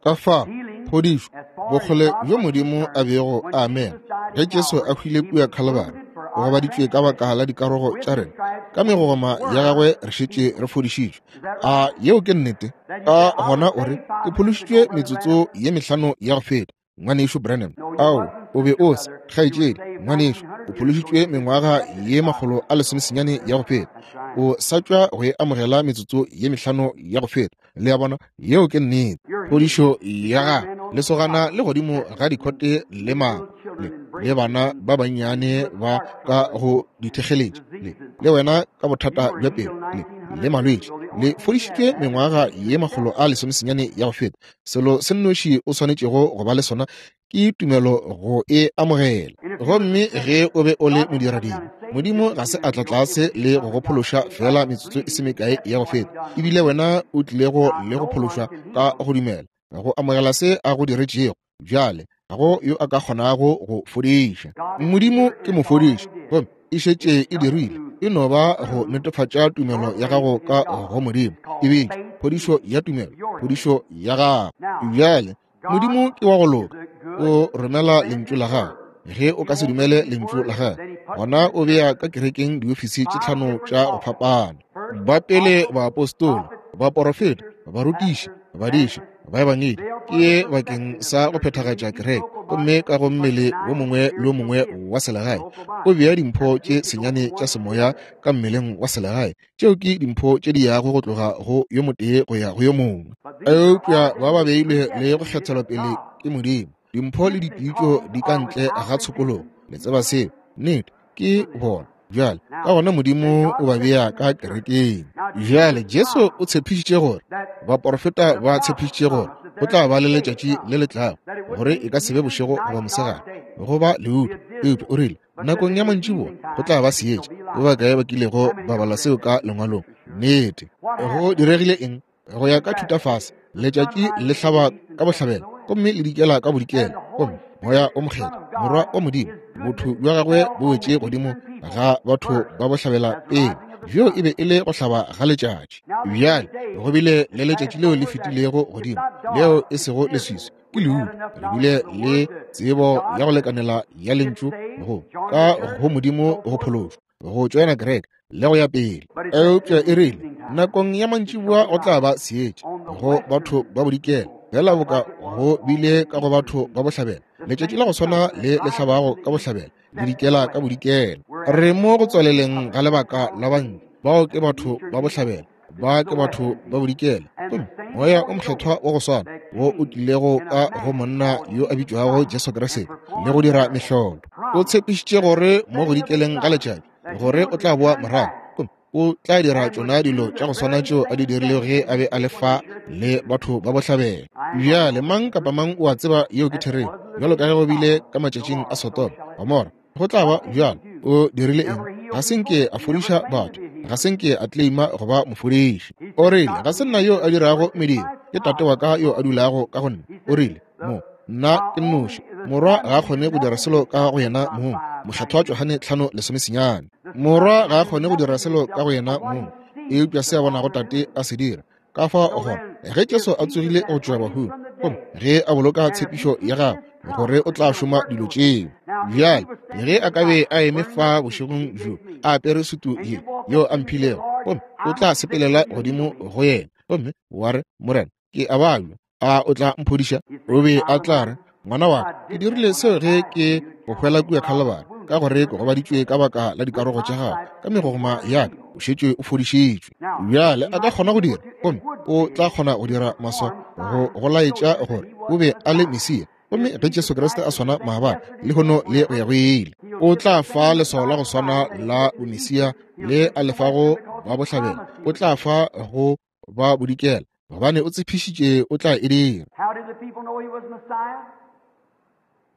Ka fa phodišo, bokgole bjo Modimo a bego a amega ge Jesu a hwile kua Khalibari, o gobaditšwe ka baka la dikarogo tša rena, ka megogoma ya gagwe re šetše re fodišitšwe. A yeo ke nnete? Ka gona o re, ke phološitšwe metsotso ye mehlano ya go feta, Ngwanešu Branham. Ao, o be o se, kgaetšedi. Ngwanešu, o phološitšwe mengwaga ye 190 ya go feta. O sa tšwa go e amogela metsotso ye mehlano ya go feta. Le a bona? Yeo ke nnete. Phodišo ya gago, lesogana le godimo ga dikhote le mama, le, le bana ba bannyane ba ka go dithekgeletša, le, le wena ka bothata bja pelo, le, le malwetši, le fodišitšwe mengwaga ye 190 ya go feta. Selo se nnoši o swanetšego go ba le sona ke tumelo go e amogela. Gomme ge o be o le modiradibe, Modimo ga se a tla tlase le go go phološa feela metsotso e se mekae ya go feta, ebile wena o tlilego le go phološwa ka go dumela, go amogela se a go diretšego. Bjale ga go yo a ka kgonago go fodiša. Modimo ke mofodiši, gomme e šetše e dirile. E no ba go netefatša tumelo ya gago ka go Modimo. E bitšwa phodišo ya tumelo, phodišo ya gago. Bjale Modimo ke wa go loka, o romela lentšu la gagwe. Ge o ka se dumele lentšu la gagwe, gona o bea ka kerekeng diofisi tše tlhano tša go fapana. Ba pele baapostola, baporofeta, barutiši, badiši, baebangedi, ke ye bakeng sa go phethagatša kereke. Gomme ka go mmele wo mongwe le wo mongwe wa selegae, o bea dimpho tše senyane tša semoya ka mmeleng wa selegae. Tšeo ke dimpho tše di yago go tloga go yo motee go ya go yo mongwe. Eupša ba ba beilwe le go kgethelwa pele ke Modimo. Dimpho le dipitšo di ka ntle ga tshokologo. Le tseba seo. Nnete, ke bona. Bjale, ka gona Modimo o ba bea ka kerekeng. Bjale, Jesu o tshepišitše gore, baporofeta ba tshepišitše gore go tla ba le letšatši le le tlago, gore e ka se be bošego goba mosegare, go ba leutu. Eupša o rile, nakong ya mantšiboa go tla ba seetša. Ba bakae ba kilego ba bala seo ka lengwalong? Nnete. Go diregile eng? Go ya ka thutafase, letšatši le hlaba ka bohlabela gomme le dikela ka bodikela, gomme Moya o Mokgethwa, Morwa wa Modimo, botho bja gagwe bo wetše godimo ga batho ba bohlabela pele. Bjo e be e le go hlaba ga letšatši. Bjale go bile le letšatši leo le fetilego godimo, leo e sego leswiswi, ke leutu. Re bile le tsebo ya go lekanela ya lentšu go ka go Modimo go phološwa, go tšoena kereke le go ya pele. Eupša e rile nakong ya mantšiboa go tla ba seetša go batho ba bodikela, fela boka go bile ka go batho ba bohlabela. Letšatši la go swana le le hlabago ka bohlabela le dikela ka bodikela. Re mo go tswaleleng ga lebaka la bantle, bao ke batho ba bohlabela, ba ke batho ba bodikela. Gomme Moya o Mokgethwa wa go swana wo o tlilego ka go monna yo a bitšwago Jesu Kriste le go dira mehlolo, o tshepišitše gore mo go dikeleng ga letšatši gore o tla boa morago, gomme o tla dira tšona dilo tša go swana tšeo a di dirilego ge a be a le fa le batho ba bohlabela. Bjale mang kapa mang o a tseba yeo ke therešo, bjalo ka ge go bile ka matšatšing a Sodoma, Gomora, go tla ba bjalo. O dirile eng? Ga se nke a fodiša batho, ga se nke a claima go ba mofodiši. O rile, ga se nna yo a dirago mediro, ke Tate wa ka yo a dulago ka go nna. O rile, mo nna ke nnoši, Morwa ga a kgone go dira selo ka go yena mong. Mokgethwa Johane 5:19. Morwa ga a kgone go dira selo ka go yena mong, eupša se a bonago Tate a se dira. Ka fao gona, ge Jesu a tsogile go tšwa bahung, gomme ge a boloka tshepišo ya gagwe gore o tla šoma dilo tšeo. Bjale, ge a ka be a eme fa bošegong bjo, a apere sutu ye yeo a mphilego, gomme o tla sepelela godimo go yena, gomme wa re, Morena, ke a babja, a o tla mphodiša? O be a tla re, Ngwana wa ka, ke dirile seo ge ke go hwela kua Khalabari, ka gore ke gobaditšwe ka baka la dikarogo tša gago, ka megogoma ya ka o šetše o fodišitšwe. Bjale a ka kgona go dira, gomme o tla kgona go dira maswao go go laetša gore o be a le Mesia. Gomme ge Jesu Kriste a swana maabane, lehono le go ya go ile, o tla fa leswao la go swana la bomesia le a lefago ba bohlabela, o tla fa go ba bodikela, gobane o tshepišitše o tla e dira.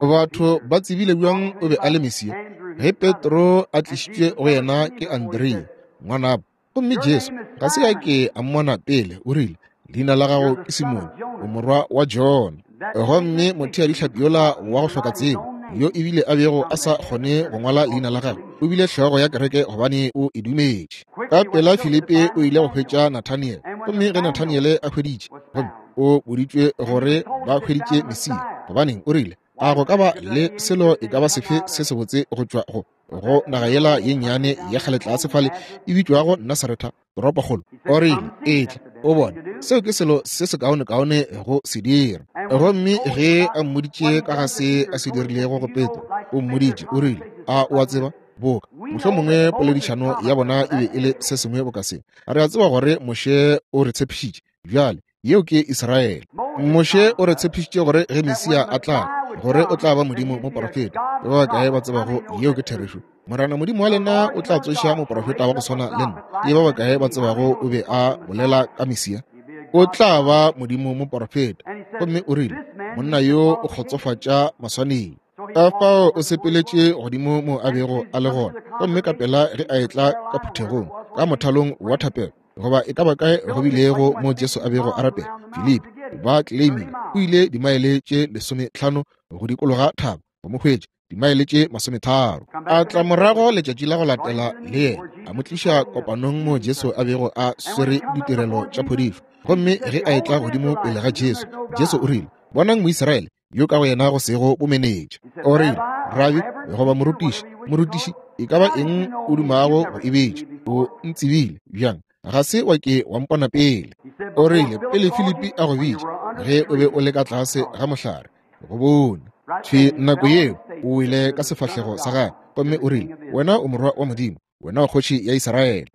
Batho ba tsebile bjang o be a le Mesia? Ge Petro a tlišitšwe go yena ke Andrea ngwanabo, gomme Jesu ga se a ke a mmona pele, o rile, Leina la gago ke Simone, o morwa wa Jona. Gomme motheadihlapi yola wa go hloka tsebo, yo ebile a bego a sa kgone go ngwala leina la gagwe, o bile hlogo ya kereke gobane o e dumetše. Ka pela Filipi o ile go hwetša Nathaniele, gomme ge Nathaniele a hweditše, gomme o boditšwe gore ba hweditše Mesia, gobaneng, o rile, a go ka ba le selo e ka ba sefe se sebotse go tšwa go go naga yela ye nnyane ya kgale tlase fale e bitšwago Nasaretha, toropokgolo? O rile, etla o bone, seo ke selo se sekaonekaone go se dira. Gomme ge a mmoditše ka ga se a se dirilego go Petro, o mmoditše, o rile, a o a tseba, boka Mohlomongwe poledišano ya bona e be e le se sengwe boka se. Re a tseba gore Moshe o re tshepišitše. Bjale, yeo ke Israele. Moshe o re tshepišitše gore ge Mesia a tla, gore o tla ba Modimo moprofeta. Ke ba bakae ba tsebago yeo ke therešo? Morena Modimo wa lena o tla tsoša moprofeta wa go swana le nna. Ke ba bakae ba tsebago o be a bolela ka Mesia? O tla ba Modimo moprofeta. Gomme o rile, monna yo o kgotsofatša maswanedi. Ka fao o sepeletše godimo mo a bego a le gona, gomme ka pela ge a etla ka phuthegong, ka mothalong wa thapelo, goba e ka ba kae go bilego mo Jesu a bego a rapela, Filipi ba claimile o ile dimaele tše 15 go dikologa thaba go mo hwetša, dimaele tše 30. A tla morago letšatši la go latela le yena, a mo tliša kopanong mo Jesu a bego a swere ditirelo tša phodišo. Gomme ge a etla godimo pele ga Jesu, Jesu o rile, Bonang Moisraele yo ka go yena go sego bomenetša. O rile, Rabi, goba morutiši, morutiši, e ka ba eng o dumago go e bitša, o ntsebile bjang? Ga se wa ke wa mpona pele. O rile, pele Filipi a go bitša, ge o be o le ka tlase ga mohlare, go bone. Thwi nako yeo o wele ka sefahlego sa gagwe, gomme o rile, Wena o morwa wa Modimo, wena o kgoši ya Israele.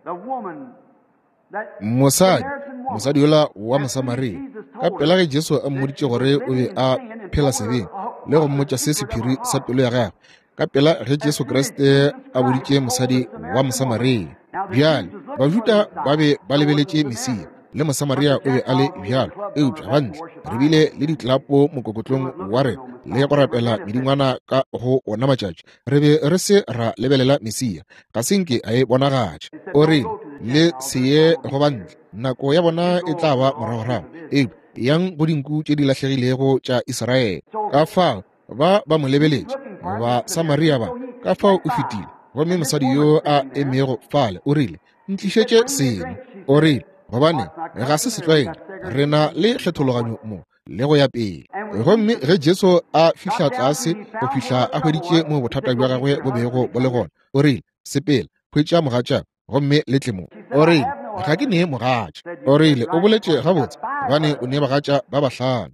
Mosadi, mosadi yola wa Mosamaria, ka pela ge Jesu a mmoditše gore o be a phela sebeng le go mmotša se sephiri sa pelo ya gagwe, ka pela ge Jesu Kriste a boditše mosadi wa Mosamaria. Bjale, Bajuda ba be ba lebeletše Mesia, le Mosamaria o be a le bjalo, eupša bantle re bile le ditlapo mokokotlong wa rena le go rapela medingwana ka go ona matšatši. Re be re se ra lebelela Mesia, ga se nke a e bonagatša. O rile, Le se ye go bantle, nako ya bona e tla ba moragorago, eupša yang go dinku tše di lahlegilego tša Israele. Ka fao ba ba mo lebeletše, ba Samaria ba, ka fao o fetile. Gomme mosadi yo a emego fale o rile, Ntlišetše seno. O rile, Gobane ga se setlwaedi, re na le kgethologanyo mo, le go ya pele. Gomme ge Jesu a fihla tlase go fihla a hweditše mo bothata bja gagwe bo bego bo le gona, o rile, Sepela, hwetša mogatša, gomme le tle mo. O rile, Ga ke nee mogatša. O rile, O boletše gabotse, gobane o ne bagatša ba bahlano.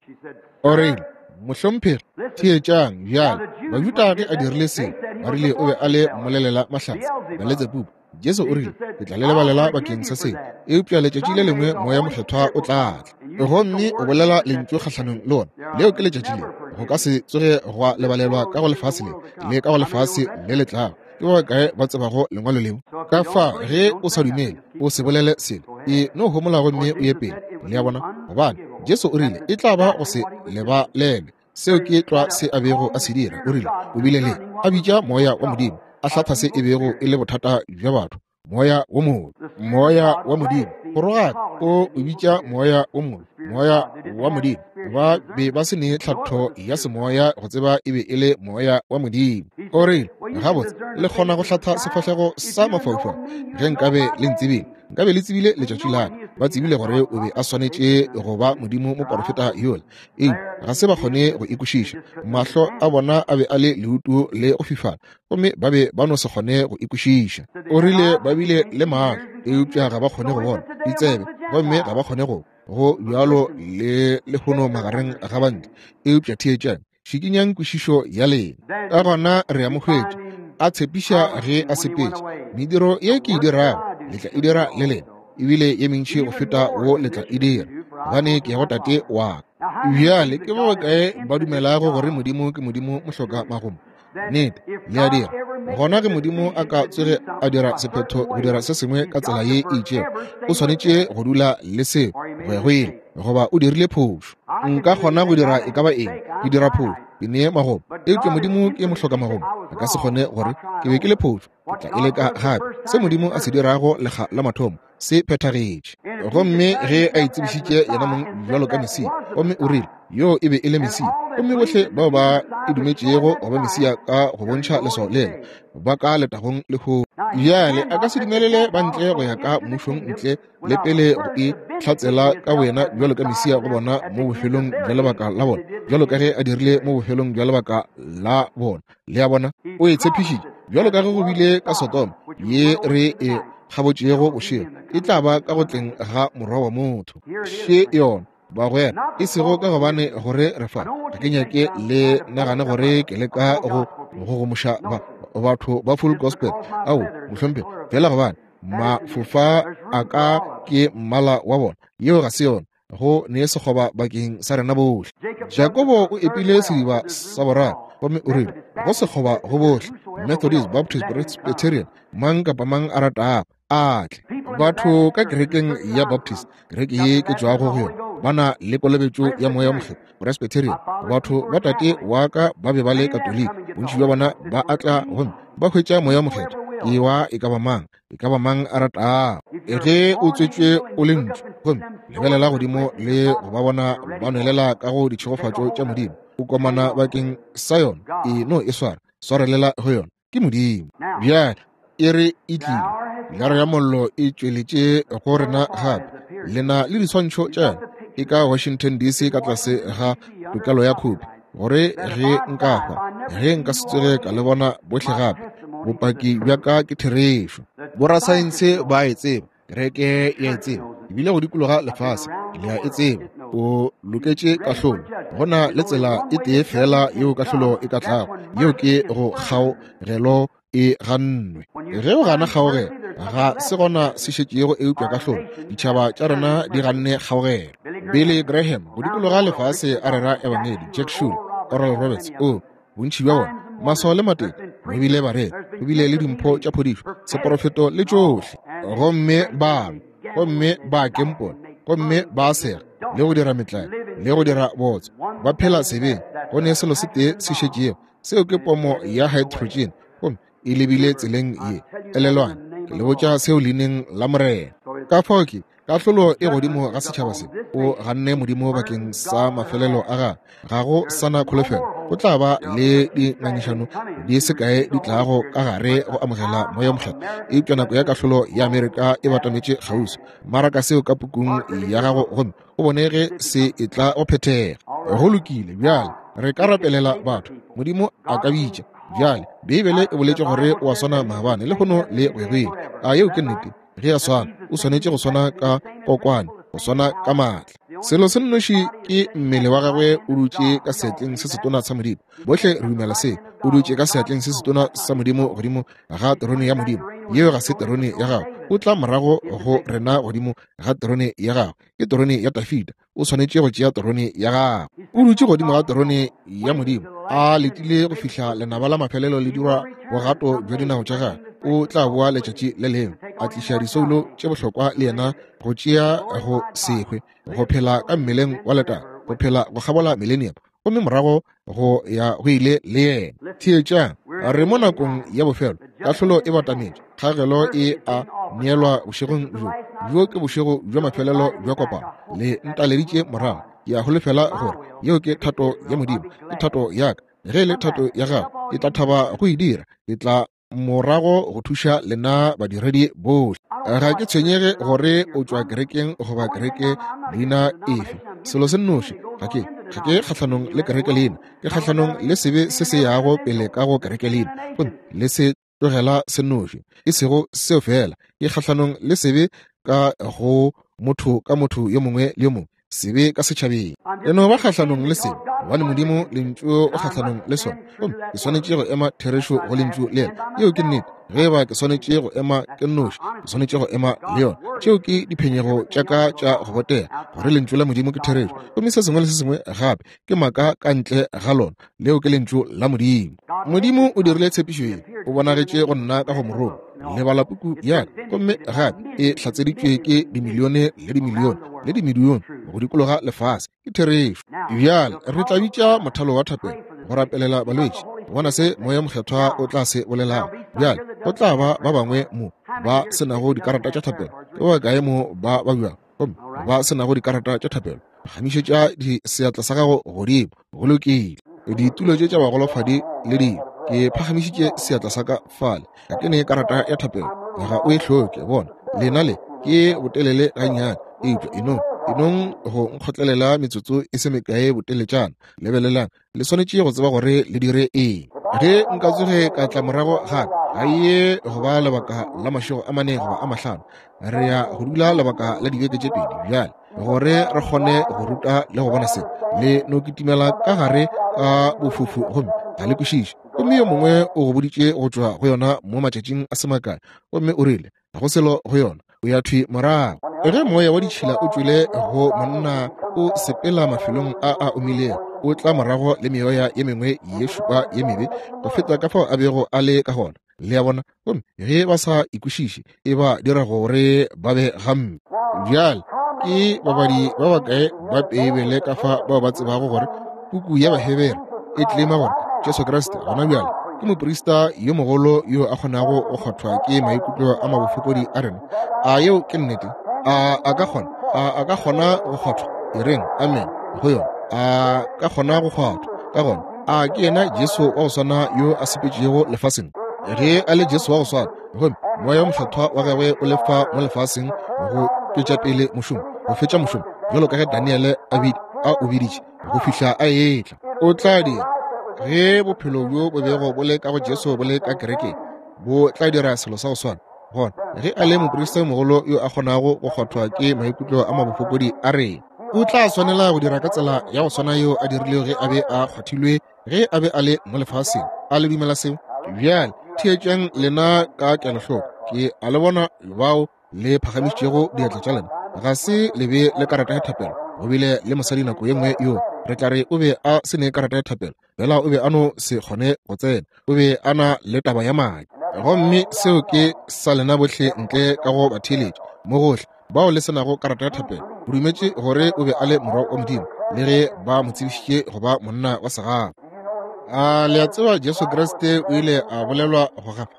O rile, Mohlomphegi, theetšang bjale. Bajuda ge a dirile se, ba rile o be a le mmolelela mahlatse, Beletsebubu. Jesu o rile, Ke tla le lebalela bakeng sa se, eupša letšatši le lengwe Moya Mokgethwa o tla tla, gomme o bolela lentšu kgahlanong le ona. Leo ke letšatši le go ka se tsoge gwa lebalelwa ka go lefase le, le ka go lefase le le tlago. Ke ba bakae ba tsebago lengwalo leo? Ka fa ge o sa dumele, o se bolele selo, e no homola gomme o ye pele. Le a bona? Gobane Jesu o rile e tla ba go se lebalelwe. Seo ke tlwa se a bego a se dira. O rile o bile le a bitša Moya wa Modimo, a hlatha se e bego e le bothata bja batho, Moya wo mobe, Moya wa Modimo. Go rogaka o o bitša Moya wo mobe, Moya wa Modimo. Ba be ba se ne tlhatho ya semoya go tseba e be e le Moya wa Modimo. O rile, Gabotse, le kgona go hlatha sefahlego sa mafaufau. Ge nkabe le ntsebile, nkabe le tsebile letšatši la ka. Ba tsebile gore o be a swanetše go ba Modimo moporofeta yola, eupša ga se ba kgone go e kwešiša. Mahlo a bona a be a le leutu le go fifala, gomme ba be ba no se kgone go e kwešiša. O rile ba bile le mahlo, eupša ga ba kgone go bona, ditsebe, gomme ga ba kgone go go bjalo le lehono magareng ga bantle. Eupša theetšang, šikinyang kwešišo ya lena. Ka gona re a mo hwetša a tshepiša ge a sepetše, mediro ye ke e dirago le tla e dira le lena, ebile ye mentši go feta wo le tla e dira, gobane ke ya go Tate wa ka. Bjale ke ba bakae ba dumelago gore Modimo ke Modimo mohloka magomo? Nnete, le a dira. Gona ge Modimo a ka tsoge a dira sephetho go dira se sengwe ka tsela ye e itšego, o swanetše go dula le seo go ya go ile, goba o dirile phošo. Nka kgona go dira e ka ba eng, ke dira phošo, ke nee magomo, eupša Modimo ke mohloka magomo, a ka se kgone gore ke be ke le phošo, ke tla e leka gape. Se Modimo a se dirago lekga la mathomo se phethagetše. Gomme ge a itsebišitše yena mong bjalo ka Mesia, gomme o rile yoo e be e le Mesia, gomme bohle bao ba e dumetšego go ba Mesia ka go bontšha leswao lela, ba ka letagong lehono. Bjale a ka se dumelele ba ntle go ya ka mmušong ntle le pele go e hlatsela ka boyena bjalo ka Mesia go bona mo bofelong bja lebaka la bona, bjalo ka ge a dirile mo bofelong bja lebaka la bona. Le a bona, o e tshepišitše, bjalo ka ge go bile ka Sodoma ye re e kgabotšego bošego, e tla ba ka go tleng ga Morwa wa motho. Še yona, bagwera, e sego ka gobane gore re fa, ga ke nyake le nagane gore ke leka go gogomoša ba. batho ba Full Gospel. Ao, mohlomphegi, feela gobane mafofa a ka ke mmala wa bona. Yeo ga se yona. Go ne sekgoba bakeng sa rena bohle. Jakobo o epile sediba sa boraro gomme o rile go sekgoba go bohle, Methodist, Baptist, Presbyterian, mang kapa mang a ratago a tle. Batho ka kerekeng ya Baptist, kereke ye ke tšwago go yona, ba na le kolobetšo ya Moya Mokgethwa. Presbyterian, batho ba tate wa ka ba be ba le Katoliki, bontši bja bona ba a tla gomme ba hwetša Moya Mokgethwa. Ke wa e ka ba mang, e ka ba mang a ratago. Ge o tswetšwe o le ntšu, gomme lebelela godimo le go ba bona ba nwelela ka go ditšhegofatšo tša Modimo, o komana bakeng sa yona, e no e swara, swarelela go yona. Ke Modimo. Bjale e re e tlile, Pilara ya Mollo e tšweletše go rena gape. Le na le diswantšho tša yona e ka Washington DC ka tlase ga tokelo ya khopi, gore ge nka hwa, ge nka se tsoge ka le bona bohle gape, bopaki bja ka ke therešo. Borasaense ba e tseba, kereke ya e tseba, ebile go dikologa lefase le a e tseba. O loketše kahlolo. Go na le tsela e tee fela yeo kahlolo e ka tlago, yeo ke go kgaogelo e gannwe. Ge o gana kgaogelo, ga se gona se šetšego eupša kahlolo. Ditšhaba tša rena di ganne kgaogelo. Billy Graham go dikologa lefase a rera ebangedi, Jack Shule, Oral Roberts, o bontši bja bona, maswao le matete, go bile bareri, go bile le dimpho tša phodišo, seporofeto le tšohle, gomme ba lwa, gomme ba kempola, gomme ba sega, le go dira metlae, le go dira botso, ba phela sebeng. Go ne selo se tee se šetšego, seo ke pomo ya hydrogen, gomme e lebile tseleng ye. Elelwang, ke le botša seo leineng la Morena. Ka fao ke kahlolo e godimo ga setšhaba se. O ganne Modimo bakeng sa mafelelo a gagwe. Ga go sa na kholofelo. Go tla ba le dingangišano di se kae di tlago ka gare go amogela Moya Mokgethwa, eupša nako ya kahlolo ya Amerika e batametše kgauswi. Maraka seo ka pukung ya gago gomme o bone ge se e tla go phethega. Go lokile, bjale re ka rapelela batho. Modimo a ka bitša. Bjale Beibele e boletše gore o a swana maabane, lehono le go ya go ile. A yeo ke nnete? Ge a swana, o swanetše go swana ka kokwane, go swana ka maatla. Selo se nnoši ke mmele wa gagwe o dutše ka seatleng se setona sa Modimo. Bohle re dumela se. O dutše ka seatleng se setona sa Modimo godimo ga terone ya Modimo. Yeo ga se terone ya gagwe. O tla morago go rena godimo ga terone ya gagwe. Ke terone ya Dafida. O swanetše go tšea terone ya gagwe. O dutše godimo ga terone ya Modimo, a letile go fihla lenaba la mafelelo le dirwa bogato bja dinao tša gagwe. O tla boa letšatši le lengwe, a tliša disoulo tše bohlokwa le yena, go tšea go se hwe, go phela ka mmeleng wa letago, go phela go kgabola millennium, gomme morago go ya go ile le yena. Theetšang, re mo nakong ya bofelo, kahlolo e batametše, kgagelo e a neelwa bošegong bjo. Bjo ke bošego bja mafelelo bja kopano. Le ntaleditše morago. Ke a holofela gore yeo ke thato ya Modimo, ke thato ya ka. Ge e le thato ya gago, ke tla thaba go e dira. Ke tla morago go thuša lena badiredi bohle. Ga ke tshwenyege gore o tšwa kerekeng goba kereke leina efe. Selo se nnoši, ga ke ga ke kgahlanong le kereke leina, ke kgahlanong le sebe se se yago pele ka go kereke leina, gomme le se tlogela se nnoši. E sego seo fela, ke kgahlanong le sebe ka go motho ka motho yo mongwe le yo mongwe, sebe ka setšhabeng. E no ba kgahlanong le sebe, gobane Modimo Lentšu o kgahlanong le sona, gomme ke swanetše go ema therešo go Lentšu lela. Yeo ke nnete. Ge eba ke swanetše go ema ke nnoši, ke swanetše go ema le yona. Tšeo ke diphenyego tša ka tša go botega, gore Lentšu la Modimo ke therešo, gomme se sengwe le se sengwe gape ke maaka ka ntle ga lona. Leo ke Lentšu la Modimo. Modimo o dirile tshepišo ye, o bonagetše go nna ka go morongwa. Le bala puku ya ka, gomme gape e hlatseditšwe ke dimilione le dimilione le dimilione go dikologa lefase. Ke therešo. Bjale re tla bitša mothalo wa thapelo go rapelela balwetši, go bona se Moya Mokgethwa o tla se bolelago. Bjale go tla ba ba bangwe mo ba se nago dikarata tša thapelo. Ke ba bakae mo ba babjago gomme ba se nago dikarata tša thapelo? Phagamišetša seatla sa gago godimo. Go lokile. Ditulo tše tša bagolofadi le dilo. Ke phagamišitše seatla sa ka fale. Ga ke ne karata ya thapelo. Ga o e hloke. Bona, lena le ke botelele gannyane, eupša enong, enong go nkgotlelela metsotso e se mekae boteletšana. Lebelelang, le swanetše go tseba gore le dire eng. Ge nka tsoge ka tla morago gape, ga ye go ba lebaka la mašego a mane goba a mahlano. Re ya go dula lebaka la dibeke tše pedi bjale, gore re kgone go ruta le go bona se. Le no kitimela ka gare ka bofufu gomme ga le kwešiše. Gomme Gomme yo mongwe o go boditše go tšwa go yona mo matšatšing a se makae, gomme o rile, Ga go selo go yona, o ya thwi morago. Ge moya wa ditšhila o tšwele go monna, o sepela mafelong a a omilego, o tla morago le meoya ye mengwe ye šupa ye mebe go feta ka fao a bego a le ka gona. Le a bona? Gomme ge ba sa ikwešiše, e ba dira gore ba be gampe. Bjale, ke babadi ba bakae ba Beibele ka fa bao ba tsebago gore puku ya Bahebere e tlema gore Jesu Kriste gona bjale ke moprista yo mogolo yo a kgonago go kgwathwa ke maikutlo a mabofokodi a rena? A yeo ke nnete? A a ka kgona? A a ka kgona go kgwathwa? E reng amen go yona. A ka kgona go kgwathwa. Ka gona, a ke yena Jesu wa go swana yo a sepetšego lefaseng? Ge a le Jesu wa go swana, gomme Moya wo Mokgethwa wa gagwe o le fa mo lefaseng go tšwetša pele mošomo, go fetša mošomo, bjalo ka ge Daniele a a o biditše, go fihla a etla. O tla dira, ge bophelo bjo bo bego bo le ka go Jesu bo le ka kerekeng, bo tla dira selo sa go swana. Gona, ge a le moprista yo mogolo yo a kgonago go kgwathwa ke maikutlo a mabofokodi a rena, o tla swanela go dira ka tsela ya go swana yeo a dirilego ge a be a kgwathilwe ge a be a le mo lefaseng. A le dumela seo? Bjale theetšang lena ka kelohloko. Ke a le bona bao le phagamišitšego diatla tša lena. Ga se le be le karata ya thapelo. Go bile le mosadi nako ye nngwe yo re tla re o be a se ne karata ya thapelo, fela o be a no se kgone go tsena. O be a na le taba ya madi. Gomme seo ke sa lena bohle ntle ka go batheeletši mo gohle bao le se nago karata ya thapelo. O dumetše gore o be a le Morwa wa Modimo, le ge ba mo tsebišitše go ba monna wa segafa. A le a tseba Jesu Kriste o ile a bolelwa go gafa?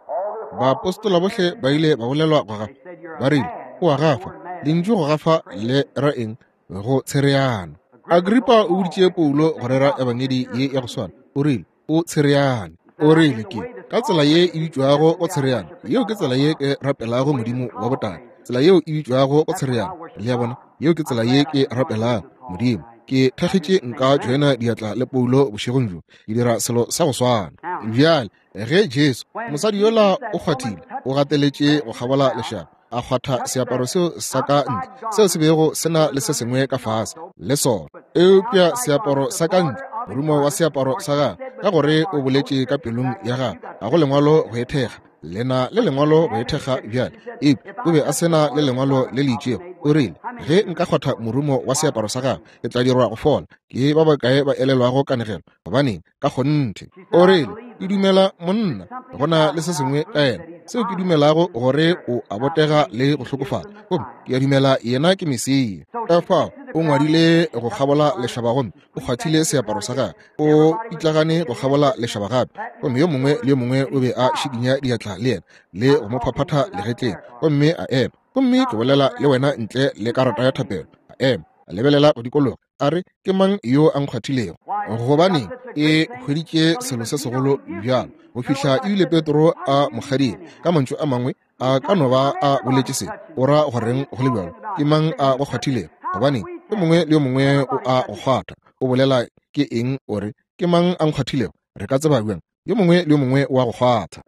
Baapostola bohle ba ile ba bolelwa go gafa. Ba rile, O a gafa. Lentšu go gafa le ra eng? Go tshereana. Agripa o boditše Paulo go rera ebangedi ye ya go swana. O rile, O tshereane. O rile, Ke ka tsela ye e bitšwago go tshereana. Yeo ke tsela ye ke rapelago Modimo wa botate. Tsela yeo e bitšwago go tshereana. Le a bona? Yeo ke tsela ye ke rapelago Modimo. Ke thakgetše nka joina diatla le Paulo bošegong bjo. Ke dira selo sa go swana. Bjale, ge Jesu, mosadi yola o kgwathile, o gateletše go kgabola lešaba, a kgwatha seaparo seo sa ka ntle seo se bego se na le se sengwe ka fase le sona, eupša seaparo sa ka ntle, morumo wa seaparo sa gagwe, ka gore o boletše ka pelong ya gagwe, ga go lengwalo go e thekga, le na le lengwalo go e thekga bjale, eupša o be a se na le lengwalo le le itšego. O rile, Ge nka kgwatha morumo wa seaparo sa gagwe, ke tla dirwa go fola. Ke ba bakae ba elelwago kanegelo? Gobaneng, ka kgonthe. O rile, Ke dumela monna, go na le se sengwe ka yena seo ke dumelago gore o a botega le go hlokofala, gomme ke a dumela yena ke Mesia. Ka fao o ngwadile go kgabola lešaba gomme o kgwathile seaparo sa gagwe, o pitlagane go kgabola lešaba gape, gomme yo mongwe le yo mongwe o be a šikinya diatla le yena le go mo phaphatha legetleng, gomme a ema. Gomme ke bolela le wena ntle le karata ya thapelo. A ema, a lebelela go dikologa, a re, Ke mang yo a nkgwathilego? Gobaneng, e hweditše selo se segolo bjalo go fihla ebile Petro a mo kgadile. Ka mantšu a mangwe, a ka no ba a boletše se, o ra goreng go le bjalo? Ke mang a go kgwathilego? Gobaneng, yo mongwe le yo mongwe o a go kgwatha. O bolela ke eng o re, Ke mang a nkgwathilego? Re ka tseba bjang? Yo mongwe le yo mongwe wa go kgwatha.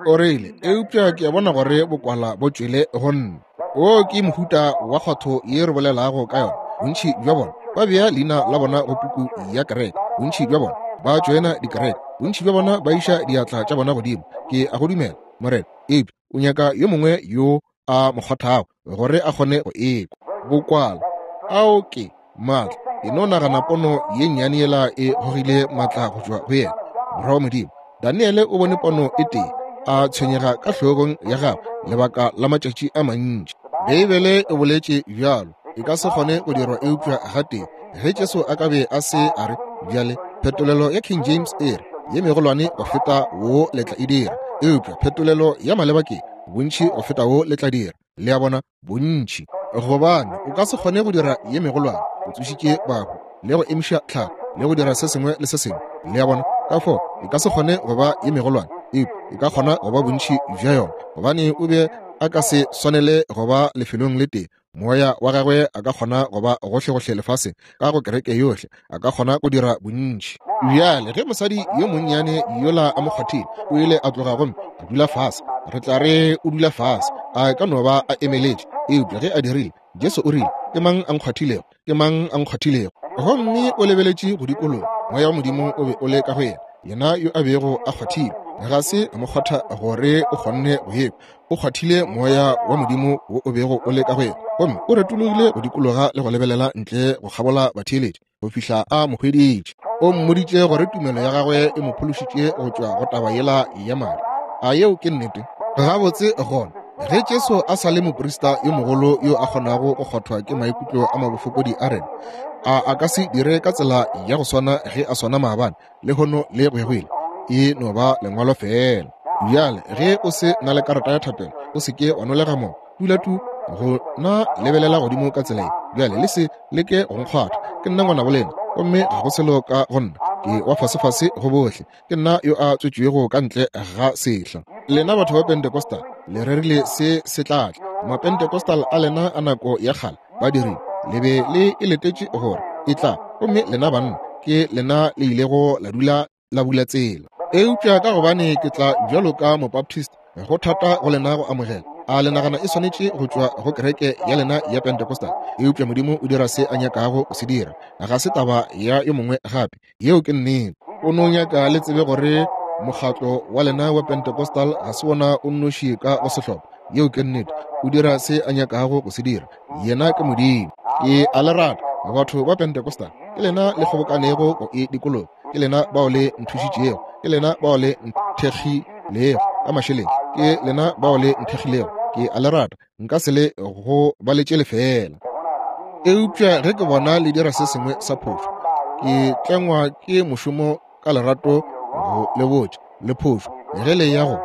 O rile, Eupša ke a bona gore bokwala bo tšwele go nna. Wo ke mohuta wa kgwatho ye re bolelago ka yona. Bontši bja bona ba bea leina la bona go puku ya kereke. Bontši bja bona ba tšoena dikereke. Bontši bja bona ba iša diatla tša bona godimo. Ke a go dumela, Morena. Eupša o nyaka yo mongwe yo a mo kgothago gore a kgone go ekwa. Bokwala, ao ke maatla. E no nagana pono ye nnyane yela e gogile maatla go tšwa go yena, Morwa wa Modimo. Daniele o bone pono e tee, a tshwenyega ka hlogong ya gagwe lebaka la matšatši a mantši. Beibele e boletše bjalo, e ka se kgone go dirwa eupša gatee. Ge Jesu a ka be a se a re, bjale, phetolelo ya King James e re, ye megolwane go feta wo le tla e dira, eupša phetolelo ya maleba ke, bontši go feta wo le tla dira. Le a bona, bontši. Gobane o ka se kgone go dira ye megolwane, o tsošitše bahu, le go emiša tlhago, le go dira se sengwe le se sengwe. Le a bona? Ka fao e ka se kgone go ba ye megolwane, eupša e ka kgona go ba bontši bja yona, gobane o be a ka se swanele go ba lefelong le tee. Moya wa gagwe a ka kgona go ba gohlegohle lefaseng, ka go kereke yohle, a ka kgona go dira bontši. Bjale, ge mosadi yo monnyane yola a mo kgwathile, o ile a tloga gomme a dula fase. Re tla re o dula fase, a ka no ba a emeletše. Eupša ge a dirile, Jesu o rile, Ke mang a nkgwathilego? Ke mang a nkgwathilego? Gomme o lebeletše go dikologa. Moya wa Modimo o be o le ka go yena. Yena yo a bego a kgwathile, ga se a mo kgwatha gore o kgonne go ekwa. O kgwathile Moya wa Modimo wo o bego o le ka go yena, gomme o retologile go dikologa le go lebelela ntle go kgabola batheeletši go fihla a mo hweditše. O mmoditše gore tumelo ya gagwe e mo phološitše go tšwa go taba yela ya madi. A yeo ke nnete? Gabotse gona, ge Jesu a sa le moprista yo mogolo yo a kgonago go kgwathwa ke maikutlo a mabofokodi a rena, a a ka se dire ka tsela ya go swana ge a swana maabane, lehono le go ya go ile? E no ba lengwalo feela. Bjale, ge o se na le karata ya thapelo, o se ke wa nolega moko. Dula tu go na lebelela godimo ka tsela ye. Bjale le se leke go nkgwatha. Ke nna ngwanabo lena, gomme ga go selo ka go nna. Ke wa fasefase go bohle. Ke nna yo a tswetšwego ka ntle ga sehla. Lena batho ba Pentecostal, le rerile se se tla tla. Mapentecostal a lena a nako ya kgale ba dirile, le be le e letetše gore e tla, gomme lena banna ke lena le ilego la dula la bula tsela. Eupša ka gobane ke tla bjalo ka Mobaptist, go thata go lena go amogela. A le nagana e swanetše go tšwa go kereke ya lena ya Pentecostal? Eupša Modimo o dira se a nyakago go se dira. Ga se taba ya yo mongwe gape. Yeo ke nnete. O no nyaka le tsebe gore mokgatlo wa lena wa Pentecostal ga se wona o nnoši ka go sehlopha. Yeo ke nnete. O dira se a nyakago go se dira. Yena ke Modimo. Ke a le rata, batho ba Pentecostal. Ke lena le kgobokanego go e dikologa. Ke lena bao le nthušitšego. Ke lena bao le nthekgilego ka mašeleng. Ke lena bao le nthekgilego. Ke a le rata. Nka se le go baletše lefeela. Eupša ge ke bona le dira se sengwe sa phošo, ke tlengwa ke mošomo ka lerato go le botša le phošo ge le ya go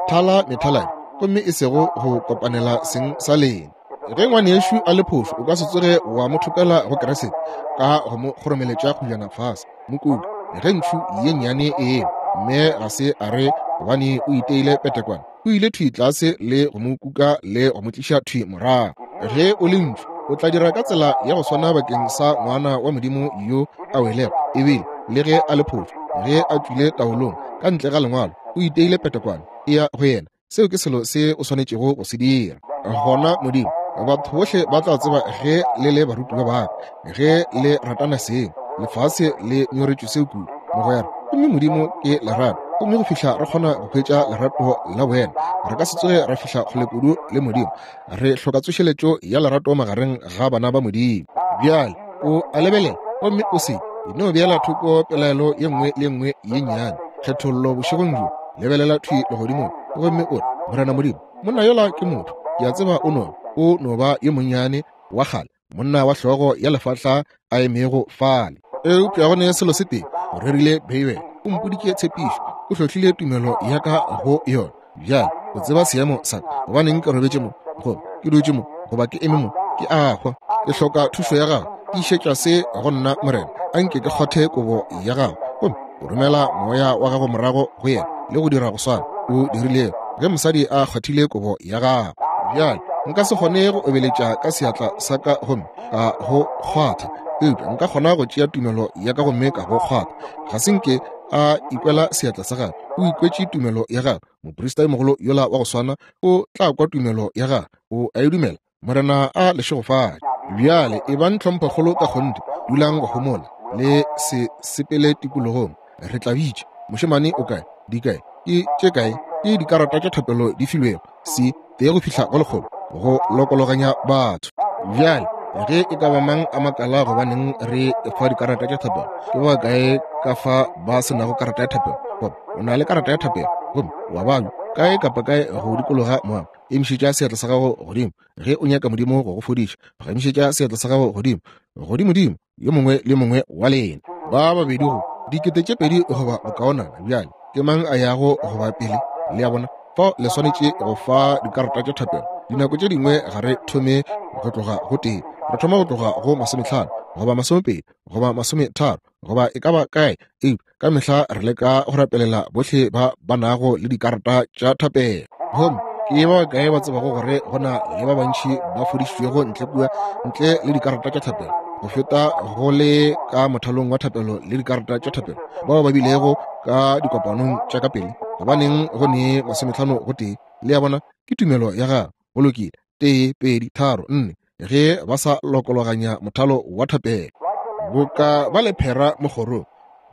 thala methaladi, gomme e sego go kopanela seng sa lena. Ge ngwanešu a le phošo, o ka se tsoge wa mo thopela go Keresete ka go mo kgoromeletša kgojana fase. Mokutu, ge ntšhu ye nnyane e ewa, mme ga se a re gobane o iteile petekwana, o ile thwi tlase le go mo kuka le go mo tliša thwi morago. Ge o le ntšhu, o tla dira ka tsela ya go swana bakeng sa ngwana wa Modimo yo a welego, ebile le ge a le phošo, ge a tšwile taolong ka ntle ga lengwalo, o iteile petekwana, e ya go yena. Seo ke selo se o swanetšego go se dira. Gona Modimo, batho bohle ba tla tseba ge le le barutiwa ba ka, ge le ratana seng. Lefase le nyoretšwe seo kudu, mogwera. Gomme Modimo ke lerato. Gomme go fihla re kgona go hwetša lerato la boena, re ka se tsoge ra fihla kgole kudu le Modimo. Re hloka tsošeletšo ya lerato magareng ga bana ba Modimo. Bjale o a lebelela, gomme o se no beela thoko pelaelo ye nngwe le nngwe ye nnyane, kgethollo bošegong bjo. Lebelela thwi legodimong, gomme o re, Morena Modimo, monna yola ke motho. Ke a tseba o no, o no ba yo monnyane wa kgale, monna wa hlogo ya lefahla a emego fale. Eupša go ne selo se tee, o rerile Beibele, o mpoditše tshepišo, o hlohlile tumelo ya ka go yona. Bjale o tseba seemo sa ka, gobaneng ke robetše mo, goba ke dutše mo, goba ke eme mo, ke a hwa. Ke hloka thušo ya gago. Tiišetša se go nna, Morena. A nke ke kgwathe kobo ya gago, gomme o romela moya wa gago morago go yena le go dira go swana o dirilego ge mosadi a kgwathile kobo ya gago. Bjale nka se kgone go obeletša ka seatla sa ka gomme ka go kgwatha, eupša nka kgona go tšea tumelo ya ka gomme ka go kgwatha. Ga se nke a ikwela seatla sa gagwe, o ikwetše tumelo ya gagwe. Moprista yo mogolo yola wa go swana o tla kwa tumelo ya gagwe. O a e dumela. Morena a le šegofatše. Bjale ebang tlhomphokgolo ka kgonthe, dulang go homola, le se sepele tikologong. Re tla bitša. Mošemane o kae? Di kae? Ke tše kae? Ke dikarata tša thapelo di filwego, se tee go fihla go lekgolo, go lokologanya batho. Bjale ge e ka ba mang a makala gobaneng re fa dikarata tša thapelo, ke ba kae ka fa ba se nago karata ya thapelo? Goba o na le karata ya thapelo gomme wa babja kae kapa kae go dikologa moago, emišetša seatla sa gago godimo ge o nyaka Modimo go go fodiša. Phagamišetša seatla sa gago godimo, godimodimo, yo mongwe le mongwe wa lena. Ba babedi go 2000 goba bokaonana. Bjale ke mang a yago go ba pele? Le a bona? Fao le swanetše go fa dikarata tša thapelo. Dinako tše dingwe ga re thome go tloga go tee, re thoma go tloga go 50 goba 20 goba 30 goba e ka ba kae, eupša ka mehla re leka go rapelela bohle ba ba nago le dikarata tša thapelo. Gomme ke ba bakae ba tsebago gore go na le ba bantši ba fodišitšwego ntle kua ntle le dikarata tša thapelo go feta go le ka mothalong wa thapelo le dikarata tša thapelo bao ba bilego ka dikopanong tša ka pele? Gobaneng go ne 50 go tee? Le a bona, ke tumelo ya gago. Go lokile. 1, 2, 3, 4, ge ba sa lokologanya mothalo wa thapelo. Boka ba lephera mo kgorong,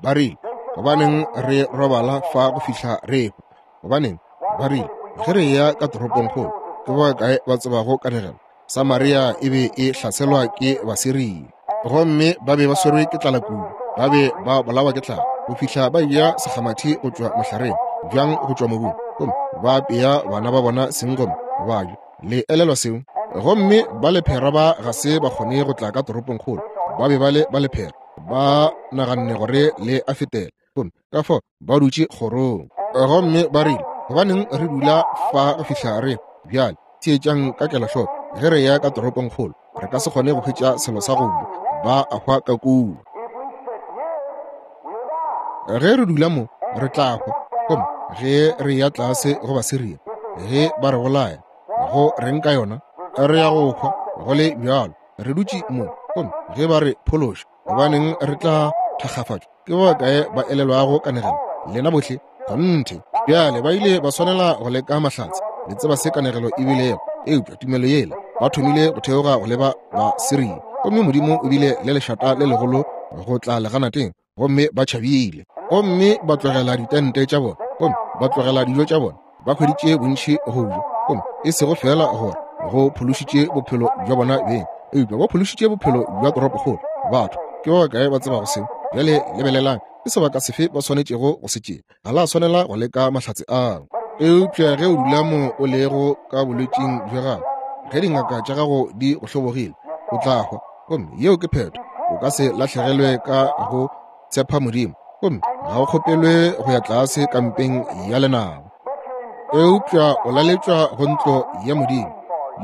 ba rile, Gobaneng re robala fa go fihla re ehwa? Gobaneng, ba rile, ge re eya ka toropongkgolo, ke ba kae ba tsebago kanegelo? Samaria e be e hlaselwa ke Basiria, gomme ba be ba swerwe ke tlala kudu, ba be ba bolawa ke tlala go fihla ba eja sekgamathi go tšwa mohlareng, bjang go tšwa mobung, gomme ba apea bana ba bona seng gomme ba ja. Le elelwa seo? Gomme ba lephera ba ga se ba kgone go tla ka toropongkgolo, ba be ba le ba lephera, ba naganne gore le a fetela, gomme ka fao ba dutše kgorong. Gomme ba rile, Gobaneng re dula fa go fihla re bjale? Theetšang ka kelohloko, ge re ya ka toropongkgolo, re ka se kgone go hwetša selo sa go ja, ba a hwa ka kua. Ge re dula mo, re tla hwa. Gomme ge re ya tlase go Basiria, ge ba re bolaya, go reng ka yona? Re ya go hwa, go le bjalo. Re dutše mo, gomme ge ba re phološa, gobaneng re tla thakgafatšwa? Ke ba bakae ba elelwago kanegelo? Lena bohle? Kgonthe. Bjale ba ile ba swanela go leka mahlatse. Le tseba se kanegelo e bilego. Eupša tumelo yela, ba thomile go theoga go leba Basiria, gomme Modimo o bile le lešata le legolo go tla leganateng, gomme ba tšhabile. Gomme ba tlogela ditente tša bona, gomme ba tlogela dijo tša bona, ba hweditše bontši go ja, gomme e sego feela gore go phološitše bophelo bja bona beng, eupša ba phološitše bophelo bja toropokgolo. Batho, ke ba bakae ba tsebago seo? Bjale lebelelang, ke sebaka sefe ba swanetšego go se tšea? Ga la swanela go leka mahlatse ao. Eupša ge o dula mo o lego ka bolwetšing bja gago, ge dingaka tša gago di go hlobogile, o tla hwa, gomme yeo ke phetho. O ka se lahlegelwe ka go tshepa Modimo, gomme ga o kgopelwe go ya tlase kampeng ya lenaba, eupša o laletšwa go ntlo ya Modimo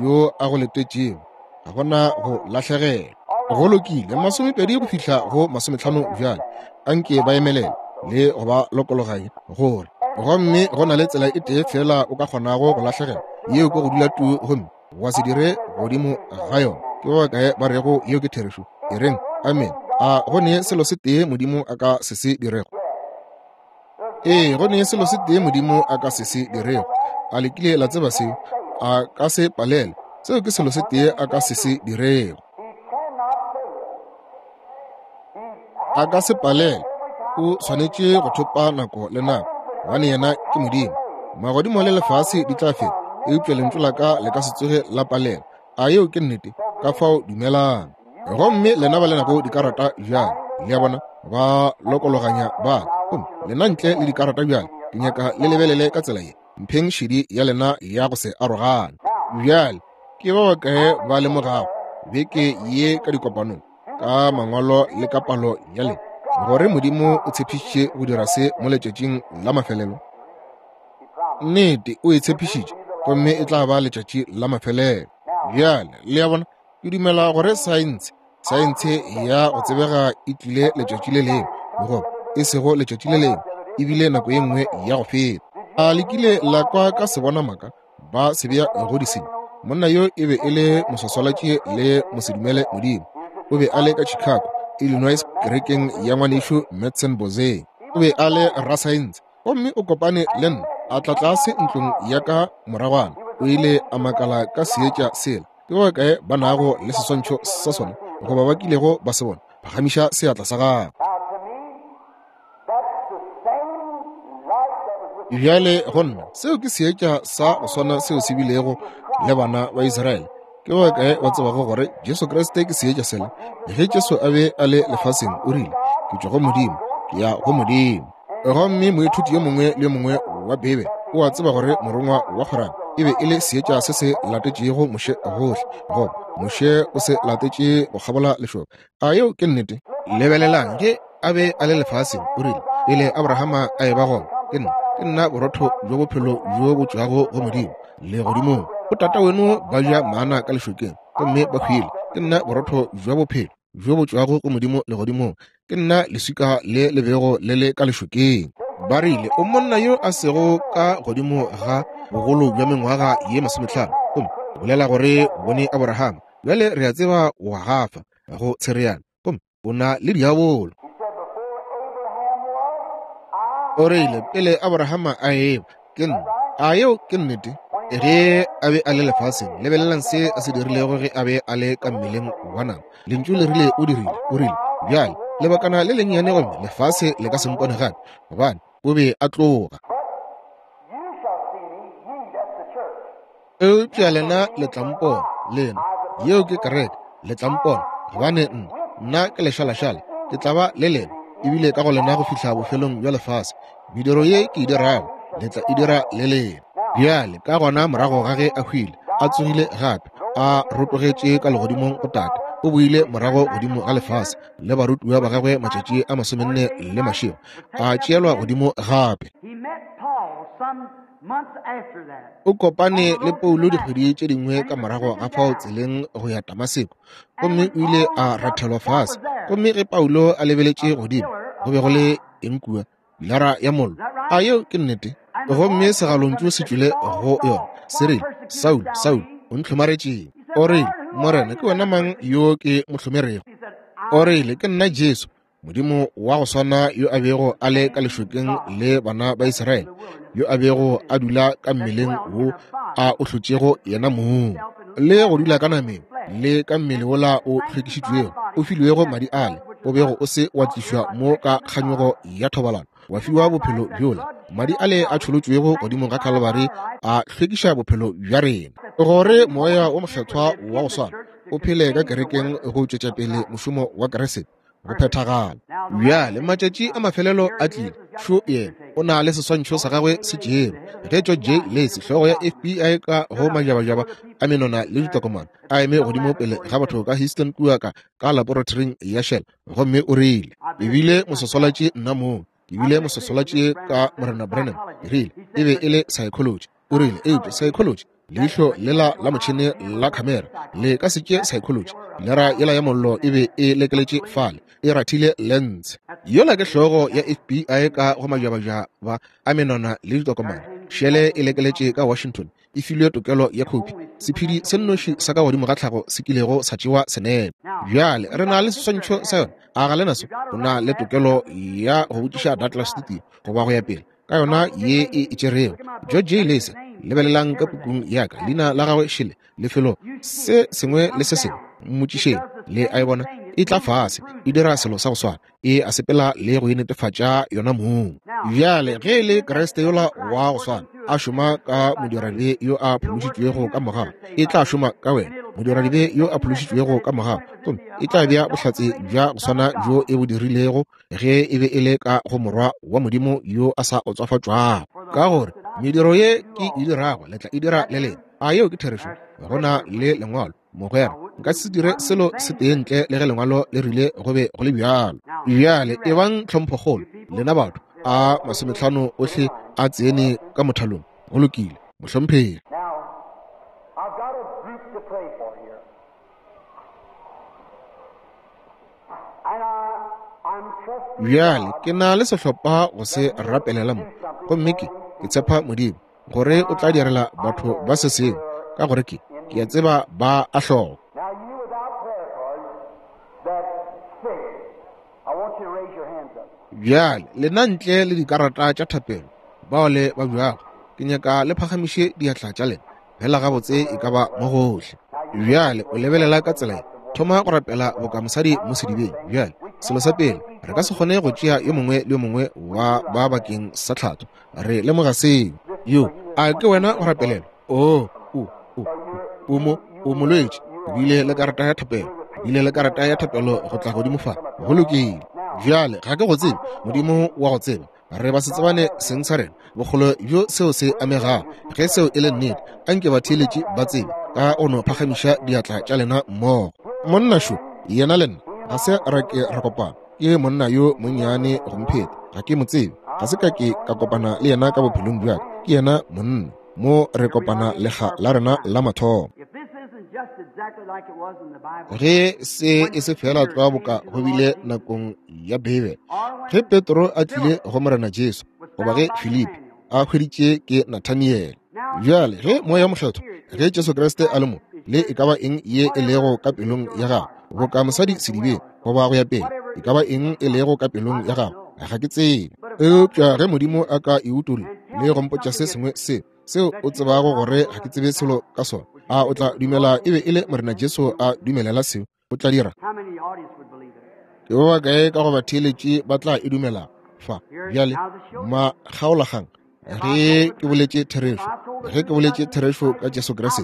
yo a go letetšego. Ga gona go lahlegelwa. Go lokile, 20 go fihla go 50 bjale. Anke ba emelele le go ba lokologanya gore gomme go na le tsela e tee fela o ka kgonago go lahlegelwa, yeo ke go dula tu gomme wa se dire godimo ga yona. Ke ba bakae ba rego yeo ke therešo? E reng amen. A go ne selo se tee Modimo a ka se se dirego? Ee, go ne selo se tee Modimo a ka se se dirego. A le kile la tseba seo? A ka se palelwe. Seo ke selo se tee a ka se se dirego. A ka se palelwe. O swanetše go thopa nako le nako, gobane yena ke Modimo. Magodimo le lefase di tla feta, eupša lentšu la ka le ka se tsoge la palelwa. A yeo ke nnete? Ka fao dumelang. Gomme lena ba le nago dikarata bjale, le a bona, ba lokologanya ba. Gomme lena ntle le dikarata bjale, ke nyaka le lebelele ka tsela ye. Mpheng šedi ya lena ya go se arogane. Bjale, ke ba bakae ba lemogago beke ye ka dikopanong, ka mangwalo le ka palo ya lena, gore Modimo o tshepišitše go dira se mo letšatšing la mafelelo? Nnete, o e tshepišitše, gomme e tla ba letšatši la mafelelo. Bjale, le a bona, ke dumela gore saense, saense ya go tsebega e tlile letšatši le lengwe, goba e sego letšatši le lengwe, e bile nako ye nngwe ya go feta. A le kile la kwa ka sebona maka ba se bea go disenyi? Monna yo e be e le moswaswalatši le mosedumele Modimo. O be a le ka Chicago, Illinois, kerekeng ya ngwanešu Madsen Bozeng. O be a le rasaense. Gomme o kopane le nna, a tla tlase ntlong ya ka moragwana. O ile a makala ka seetša sela. Ke ba bakae ba nago le seswantšho sa sona, goba ba kilego ba se bona? Phagamiša seatla sa gago. Bjale go nna, seo ke seetša sa go swana seo se bilego le bana ba Israele. Ke ba bakae ba tsebago gore Jesu Kriste ke seetša sela? Ge Jesu a be a le lefaseng, o rile, Ke tšwa go Modimo, ke ya go Modimo. Gomme moithuti yo mongwe le yo mongwe wa Beibele o a tseba gore morongwa wa kgorano e be e le seetša se se latetšego Moshe gohle, goba Moshe o se latetše go kgabola lešoka. A yeo ke nnete? Lebelelang, ge a be a le lefaseng, o rile, Pele Abrahama a eba gona, ke nna, ke nna borotho bjo bophelo bjo bo tšwago go Modimo legodimong. Botata weno ba ja mana ka lešokeng, gomme ba hwile. Ke nna borotho bja bophelo bjo bo tšwago go Modimo legodimong. Ke nna leswika le le bego le le ka lešokeng. Ba rile, O monna yo a sego ka godimo ga bogolo bja mengwaga ye 50, gomme o bolela gore o bone Aborahama. Bjale re a tseba o a gafa go tshereana, gomme o na le diabolo. O rile, Pele Aborahama a eba, ke nna. A yeo ke nnete? Ge a be a le lefaseng, lebelelang se a se dirilego ge a be a le ka mmeleng wa nama. Lentšu le rile o dirile. O rile, Bjale, lebakana le lennyane gomme lefase le ka se mpone gape, gobane o be a tloga. Eupša lena le tla mpona, lena, yeo ke kereke, le tla mpona, gobane nna, nna ke lešalašala, ke tla ba le lena, ebile ka go lena go fihla bofelong bja lefase. Mediro ye ke e dirago, le tla e dira le lena. Bjale, ka gona morago ga ge a hwile, a tsogile gape, a rotogetše ka legodimong go Tate, o boile morago godimo ga lefase le barutiwa ba gagwe matšatši a 40 le mašego, a tšeelwa godimo gape. O kopane le Paulo dikgwedi tše dingwe ka morago ga fao tseleng go ya Damaseko, gomme o ile a rathelwa fase. Gomme ge Paulo a lebeletše godimo, go be go le eng kua? Pilara ya mollo. A yeo ke nnete? Gomme segalontšu se tšwile go yona, se rile, Saulo, Saulo, o ntlhomaretšeng? O rile, Morena, ke wena mang yo ke mo hlomerego? O rile, Ke nna Jesu, Modimo wa go swana yo a bego a le ka lešokeng le bana ba Israele, yo a bego a dula ka mmeleng wo a o hlotšego yena mong, le go dula ka nameng le ka mmele wola o hlwekišitšwego, o filwego madi ale, o bego o se wa tlišwa mo ka kganyogo ya thobalano, wa fiwa bophelo bjola. Madi ale a tšholotšwego godimo ga Kalvari a hlwekiša bophelo bja rena, gore Moya wo Mokgethwa wa go swana o phele ka kerekeng go tšwetša pele mošomo wa Kriste go phethagala. Bjale matšatši a mafelelo a tlile. Šo yena, o na le seswantšho sa gagwe se tšerwe. Ge George J. Lacy, hlogo ya FBI ka go majabajaba a menwana le ditokomane, a eme godimo pele ga batho ka Houston kua ka ka laboratoring ya Shell, gomme o rile, Ke bile moswaswalatši nna mong, ke bile moswaswalatši ka Morena Branham. Ke rile, E be e le psychology. O rile, Eupša psychology, leihlo lela la motšhene la khamera le ka se tše psychology. Pilara yela ya mollo e be e lekeletše fale, e rathile lense. Yola ke hlogo ya FBI ka go majabajaba a menwana le ditokomane. Šele e lekeletše ka Washington, e filwe tokelo ya khophi, sephedi se nnoši sa ka godimo ga tlhago se kilego sa tšewa senepe. Bjale re na le seswantšho sa yona, a ga le naso? O na le tokelo ya go botšiša Douglas Studio goba go ya pele ka yona ye e itšerego. George J. Lacy, lebelelang ka pukung ya ka, leina la gagwe šele, lefelo se sengwe le se sengwe, mmotšišeng, le a e bona e tla fase, e dira selo sa go swana, e a sepela le go inetefatša yona mong. Bjale ge e le Kriste yola wa go swana a šoma ka modiradibe yo a phološitšwego ka mogau, e tla šoma ka wena, modiradibe yo a phološitšwego ka mogau, gomme e tla bea bohlatse bja go swana bjo e bo dirilego ge e be e le ka go Morwa wa Modimo yo a sa otswafatšwago. Ka gore mediro ye ke e dirago le tla e dira le lena. A yeo ke therešo? Go na le Lengwalo, mogwera. Nka se dire selo se tee ntle le ge Lengwalo le rile go be go le bjalo. Bjale ebang tlhomphokgolo, lena batho. A 50 ohle a tsene ka mothalong. Go lokile, mohlomphegi. Bjale ke na le sehlopha go se rapelela mo, gomme ke, ke tshepa Modimo gore o tla direla batho ba se sengwe, ka gore ke, ke a tseba ba a hloka. Bjale lena ntle le dikarata tša thapelo, bao le ba bjago, ke nyaka le phagamiše diatla tša lena fela gabotse e ka ba mo gohle. Bjale o lebelela ka tsela ye, thoma go rapela boka mosadi mo sedibeng. Bjale selo sa pele, re ka se kgone go tšea yo mongwe le yo mongwe wa ba bakeng sa tlhatho. Re lemoga seo. Yo, a ke wena go rapelela? Oo, o, o, o mo, o molwetši. O bile le karata ya thapelo. O bile le karata ya thapelo go tla godimo fa. Go lokile. Bjale, ga ke go tsebe. Modimo wa go tseba. Re ba se tsebane seng sa rena. Bokgolo bjo seo se amegago. Ge seo e le nnete, anke batheeletši ba tsebe ka go no phagamiša diatla tša lena mmogo. Monna šo, yena le nna ga se ra ke ra kopana. Ke monna yo monnyane go mpheta. Ga ke mo tsebe. Ga se ka ke ka kopana le yena ka bophelong bja ka. Ke yena monna. Mo re kopana lekga la rena la mathomo. Ge se e se fela tlwa boka go bile nakong ya Beibele, ge Petro a tlile go Morena Jesu, goba ge Filipi a hweditše ke Nathaniele. Bjale ge Moya Mokgethwa, ge Jesu Kriste a le mo, le e ka ba eng ye e lego ka pelong ya gago, boka mosadi sedibeng, goba go ya pele, e ka ba eng e lego ka pelong ya gago, ga ke tsebe. Eupša ge Modimo a ka e utolla le go mpotša se sengwe se, seo o tsebago gore ga ke tsebe selo ka sona, a o tla dumela e be e le Morena Jesu a dumelela seo? O tla dira? Ke ba bakae ka go batheeletši ba tla e dumelago fa bjale? Makgaolakgang, ge ke boletše therešo, ge ke boletše therešo ka Jesu Kriste,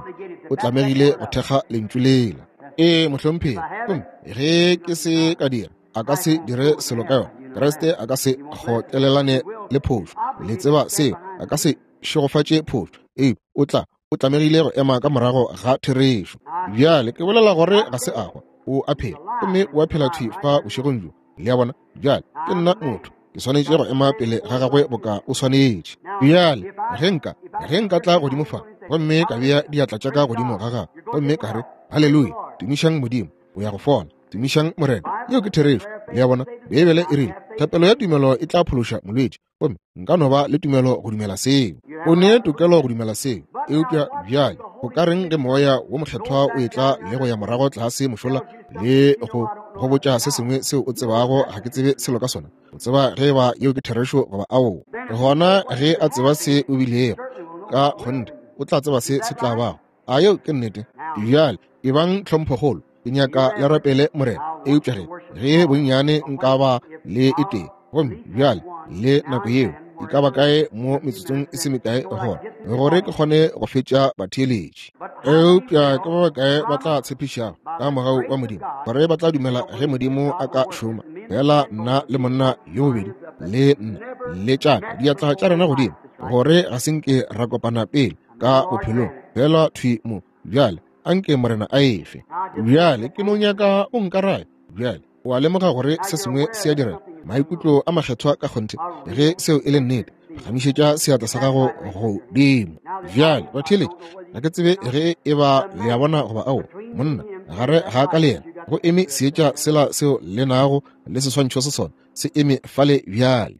o tlamegile go thekga lentšu lela. Ee, mohlomphegi. Gomme ge ke se ka dira, a ka se dire selo ka yona. Kriste a ka se kgotlelelane le phošo. Le tseba seo. A ka se šegofatše phošo. Ee, o tla, o tlamegile go ema ka morago ga therešo. Bjale ke bolela gore ga se a hwa, o a phela, gomme o a phela thwi fa bošegong bjo. Le a bona? Bjale ke nna motho, ke swanetše go ema pele ga gagwe boka o swanetše. Bjale ge nka, ge nka tla godimo fa gomme ka bea diatla tša ka godimo ga gagwe gomme ka re, Haleluya, tumišang Modimo, o ya go fola. Tumišang Morena. Yeo ke therešo. Le a bona? Beibele e rile, thapelo ya tumelo e tla phološa molwetši. Gomme nka no ba le tumelo go dumela seo. O ne tokelo go dumela seo. Eupša bjale go ka reng ge Moya wo Mokgethwa o etla le go ya morago tlase mošola le go go botša se sengwe seo o tsebago ga ke tsebe selo ka sona? O tseba ge eba yeo ke therešo goba aowa. Gona ge a tseba se o bilego, ka kgonthe o tla tseba se se tla bago. A yeo ke nnete? Bjale ebang tlhomphokgolo. Ke nyaka le rapele Morena. Eupša ge, ge bonnyane nka ba le e tee, gomme bjale le nako yeo e ka ba kae mo metsotsong e se mekae gona, gore ke kgone go fetša batheeletši. Eupša ke ba bakae ba tla tshepišago ka mogau wa Modimo gore ba tla dumela ge Modimo a ka šoma fela nna le monna yo bobedi le nna le tšaka diatla tša rena godimo, gore ga se nke ra kopana pele ka bophelong, fela thwi mo bjale anke Morena a efe. Bjale ke no nyaka o nkarabe. Bjale o a lemoga gore se sengwe se a direga, maikutlo a makgethwa ka kgonthe. Ge seo e le nnete, phagamišetša seatla sa gago godimo. Bjale batheeletši, ga ke tsebe ge e ba le a bona goba ao. Monna gare ga ka le yena go eme seetša sela seo le nago le seswantšho se sona se eme fale bjale.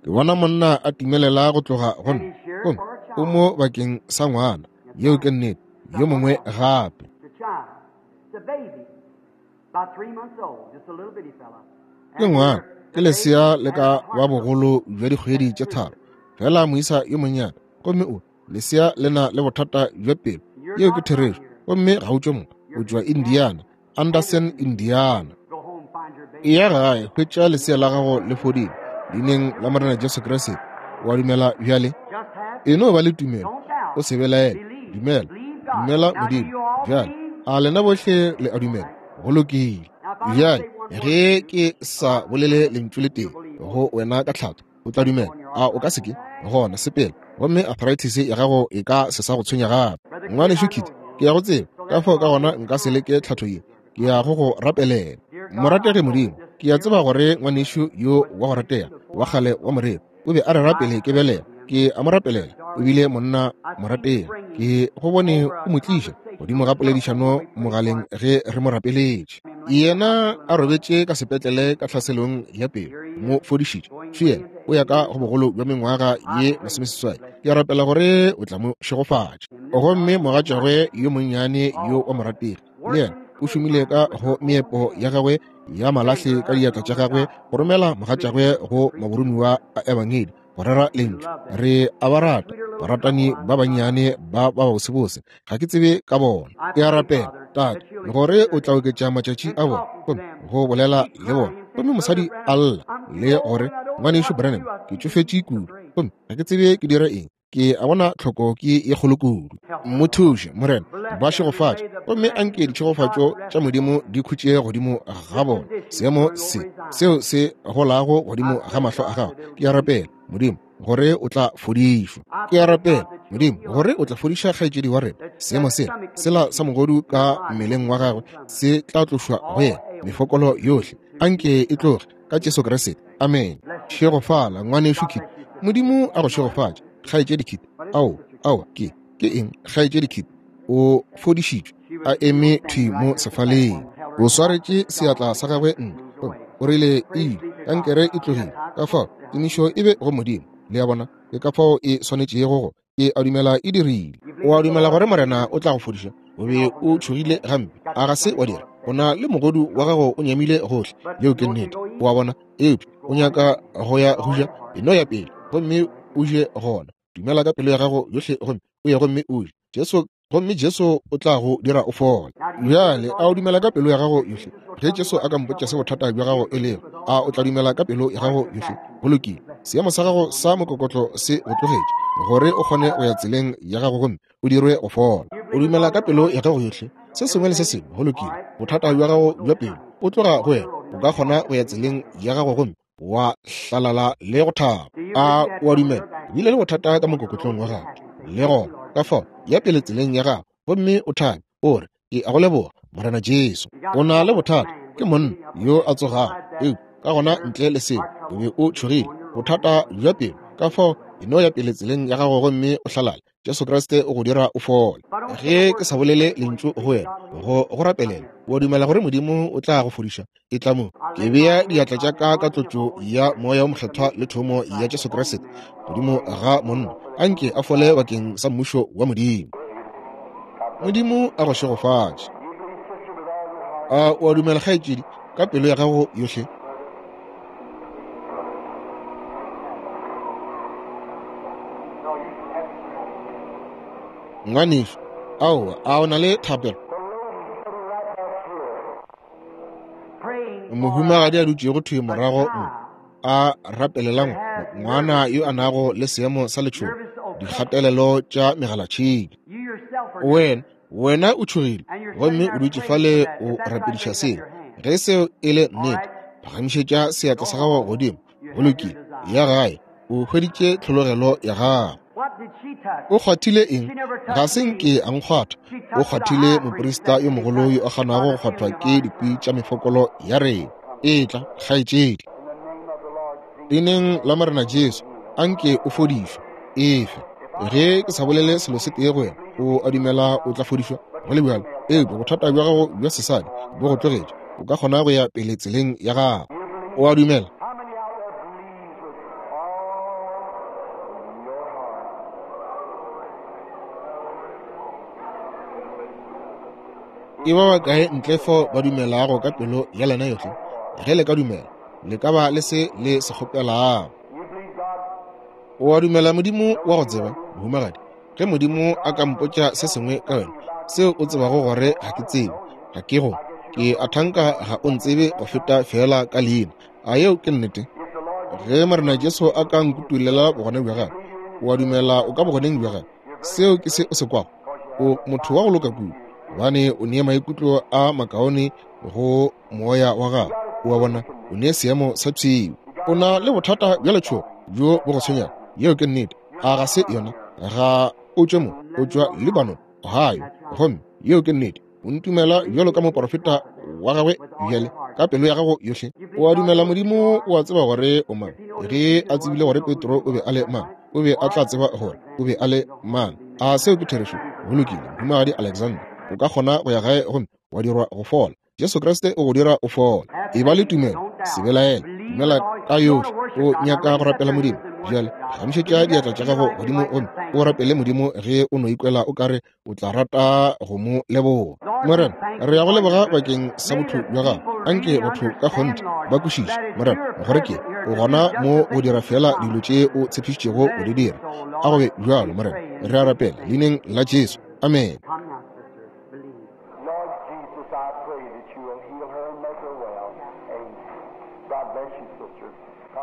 Ke bona monna a timelela go tloga go nna, gomme o mo bakeng sa ngwana. Yeo ke nnete. Yo mongwe gape. Ke ngwana, ke lesea le ka ba bogolo bja dikgwedi tše 3, fela moisa yo monnyane. Gomme o, lesea le na le bothata bja pelo. Yeo ke therešo. Gomme ga o tšwe mo, o tšwa Indiana, Anderson, Indiana. Eya gae, hwetša lesea la gago le fodile, leineng la Morena Jesu Kriste. O a dumela bjale? E no ba le tumelo, o se belaele. Dumela, dumela Modimo. Bjale, a lena bohle le a dumela? Go lokile. Bjale, ge ke sa bolele lentšu le tee go wena ka tlhatho, o tla dumela? A o ka se ke? Gona sepela, gomme arthritis ya gago e ka se sa go tshwenya gape. Ngwanešu Kit, ke ya go tseba, ka fao ka gona nka se leke tlhatho ye. Ke ya go go rapelela. Morategi Modimo, ke ya tseba gore ngwanešu yo wa go ratega wa kgale wa moreri o be a re rapele ke belega. Ke a mo rapelela. O bile monna morategi. Ke go bone o mo tliša godimo ga poledišano mogaleng ge re mo rapeletše. Yena a robetše ka sepetlele ka tlhaselong ya pelo, mo fodišitše. Feel o ya ka go bogolo bja mengwaga ye 18. Ke a rapela gore o tla mo šegofatša. Gomme mogatšagwe yo monnyane yo wa morategi le yena o šomile ka go meepo ya gagwe ya malahle ka diatla tša gagwe go romela mogatšagwe go maboromiwa a ebangedi go rera lentšu. Re a ba rata, baratani ba bannyane ba ba bosebose, ga ke tsebe ka bona. Ke a rapela, Tate, gore o tla oketša matšatši a bona, gomme go bolela le bona. Gomme mosadi a lla le gore, Ngwanešu Branham, ke tšofetše kudu, gomme ga ke tsebe ke dire eng. Ke a bona tlhoko ke ye kgolo kudu. Mo thuše, Morena, ba šegofatše, gomme anke ditšhegofatšo tša Modimo di khutše godimo ga bona. Seemo se seo se golago godimo ga mahlo a gago, ke a rapela, Modimo, gore o tla fodišwa. Ke a rapela, Modimo, gore o tla fodiša kgaetšedi wa rena. Seemo sela, sela sa mogodu ka mmeleng wa gagwe se tla tlošwa go yena, mefokolo yohle anke e tloge, ka Jesu Kriste. Amen. Šegofala, ngwanešu Kit. Modimo a go šegofatše, kgaetšedi Kit. Ao, ao, ke, ke eng, kgaetšedi Kit? O fodišitšwe, a eme thwi mo sefaleng. O swaretše seatla sa gagwe ntle. O rile, E, kankere e tlogile. Ka fao, tumišo e be go Modimo. Le a bona? Ke ka fao e swanetšego go. Ke a dumela e dirile. O a dumela gore Morena o tla go fodiša? O be o tšhogile gampe, a ga se wa dira? O na le mogodu wa gago o nyamile gohle. Yeo ke nnete. O a bona? Eupša o nyaka go ya go ja, e no ya pele gomme o je gona. Dumela ka pelo ya gago yohle gomme o ye gomme o je. Jesu. Gomme Jesu o tla go dira o fole. Bjale, a o dumela ka pelo ya gago yohle? Ge Jesu a ka mpotša se bothata bja gago e lego, a o tla dumela ka pelo ya gago yohle? Go lokile. Seemo sa gago sa mokokotlo se go tlogetše, gore o kgone go ya tseleng ya gago gomme o dirwe go fola. O dumela ka pelo ya gago yohle, se sengwe le se sengwe. Go lokile. Bothata bja gago bja pelo o tloga go wena. O ka kgona go ya tseleng ya gago gomme wa hlalala le go thaba. A o a dumela? Bile le bothata ka mokokotlong wa gago le gona. Ka fao, ya pele tseleng ya gago gomme o thabe, o re, Ke a go leboga, Morena Jesu. O na le bothata, ke monna yo a tsogago, eupša ka gona ntle le seo o be o tšhogile, bothata bja pelo. Ka fao, e no ya pele tseleng ya gago gomme o hlalale. Jesu Kriste o go dira o fole. Ge ke sa bolele lentšu go wena, go rapelela, o dumela gore Modimo o tla go fodiša? E tla mo. Ke bea diatla tša ka ka tlotšo ya Moya wo Mokgethwa le thomo ya Jesu Kriste godimo ga monna, a nke a fole bakeng sa mmušo wa Modimo. Modimo a go šegofatše. A o a dumela, kgaetšedi, ka pelo ya gago yohle? Ngwanešu, aowa, a o na le thapelo? Mohumagadi a dutšego thwi morago mo, a rapelelang ngwana yo a nago le seemo sa letšhogo, dikgatelelo tša megalatšhika. Wena, wena o tšhogile gomme o dutše fale o rapediša seo. Ge seo e le nnete, phagamišetša seatla sa gago godimo. Go lokile, ya gae, o hweditše tlhologelo ya gago. O kgwathile eng? Ga se nke a nkgwatha. O kgwathile moprista yo mogolo yo a kgonago go kgwathwa ke dikwi tša mefokolo ya rena. Etla, kgaetšedi. Leineng la Morena Jesu, a nke o fodišwe. Efe. Ge ke sa bolele selo se tee go wena, o a dumela o tla fodišwa? Go le bjalo, eupša bothata bja gago bja sesadi bo go tlogetše. O ka kgona go ya pele tseleng ya gago. O a dumela? Ke ba bakae ntle fao ba dumelago ka pelo ya lena yohle? Ge le ka dumela, le ka ba le se le se kgopelago. O a dumela Modimo wa go tseba, mohumagadi? Ge Modimo a ka mpotša se sengwe ka wena seo o tsebago gore ga ke tsebe, ga ke go, ke a thanka ga o ntsebe go feta feela ka leina. A yeo ke nnete? Ge Morena Jesu a ka nkutulela bogona bja gagwe, o a dumela o ka bogoneng bja gagwe? Seo ke se o se kwago. O motho wa go loka kudu, gobane o nee maikutlo a makaone go moya wa gago. O a bona, o ne seemo sa pshio. O na le bothata bja letšhogo bjo bo go tshwenyago. Yeo ke nnete. A ga se yona? Ga o tšwe mo, o tšwa Lebanon, Ohio. Gomme yeo ke nnete. O ntumela bjalo ka moporofeta wa gagwe bjale ka pelo ya gago yohle? O a dumela Modimo o a tseba gore o mang? Ge a tsebile gore Petro o be a le mang, o be a tla tseba gore o be a le mang. A seo ke therešo? Go lokile, Mohumagadi Alexander, o ka kgona go ya gae gomme wa dirwa go fola. Jesu Kriste o go dira o fola. E ba le tumelo, se belaele, dumela ka yohle. O nyaka go rapela Modimo bjale, phagamišetša diatla tša gago godimo gomme o rapele Modimo ge o no ikwela o ka re o tla rata go mo leboga. Morena, re ya go leboga bakeng sa botho bja gago. Anke batho ka kgonthe ba kwešiše, Morena, gore ke o gona mo go dira feela dilo tše o tshepišitšego go di dira. A go be bjalo, Morena. Re a rapela leineng la Jesu. Amen.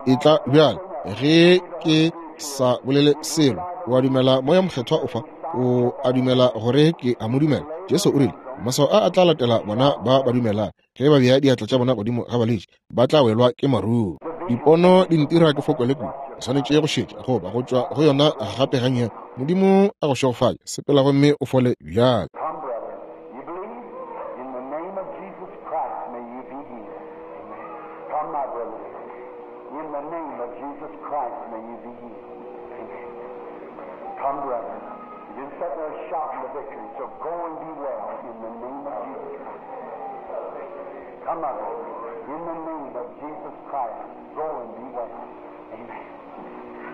Etla bjale, ge ke sa bolele selo, o a dumela Moya Mokgethwa o fa? O a dumela gore ke a mo dumela? Jesu o rile, Maswao a a tla latela bona ba ba dumelang. Ge ba bea diatla tša bona godimo ga balwetši, ba tla welwa ke maruru. Dipono di ntira ke fokole kudu. Ke swanetše go šetša goba go tšwa go yona gape gannyane. Modimo a go šegofatše. Sepela gomme o fole bjale. Come, my brother. In the name of Jesus Christ, go and be well. Amen.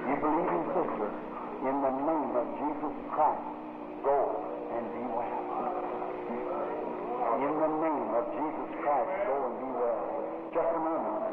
You believe in sister, in the name of Jesus Christ, go and be well. In the name of Jesus Christ, go and be well. Just a moment.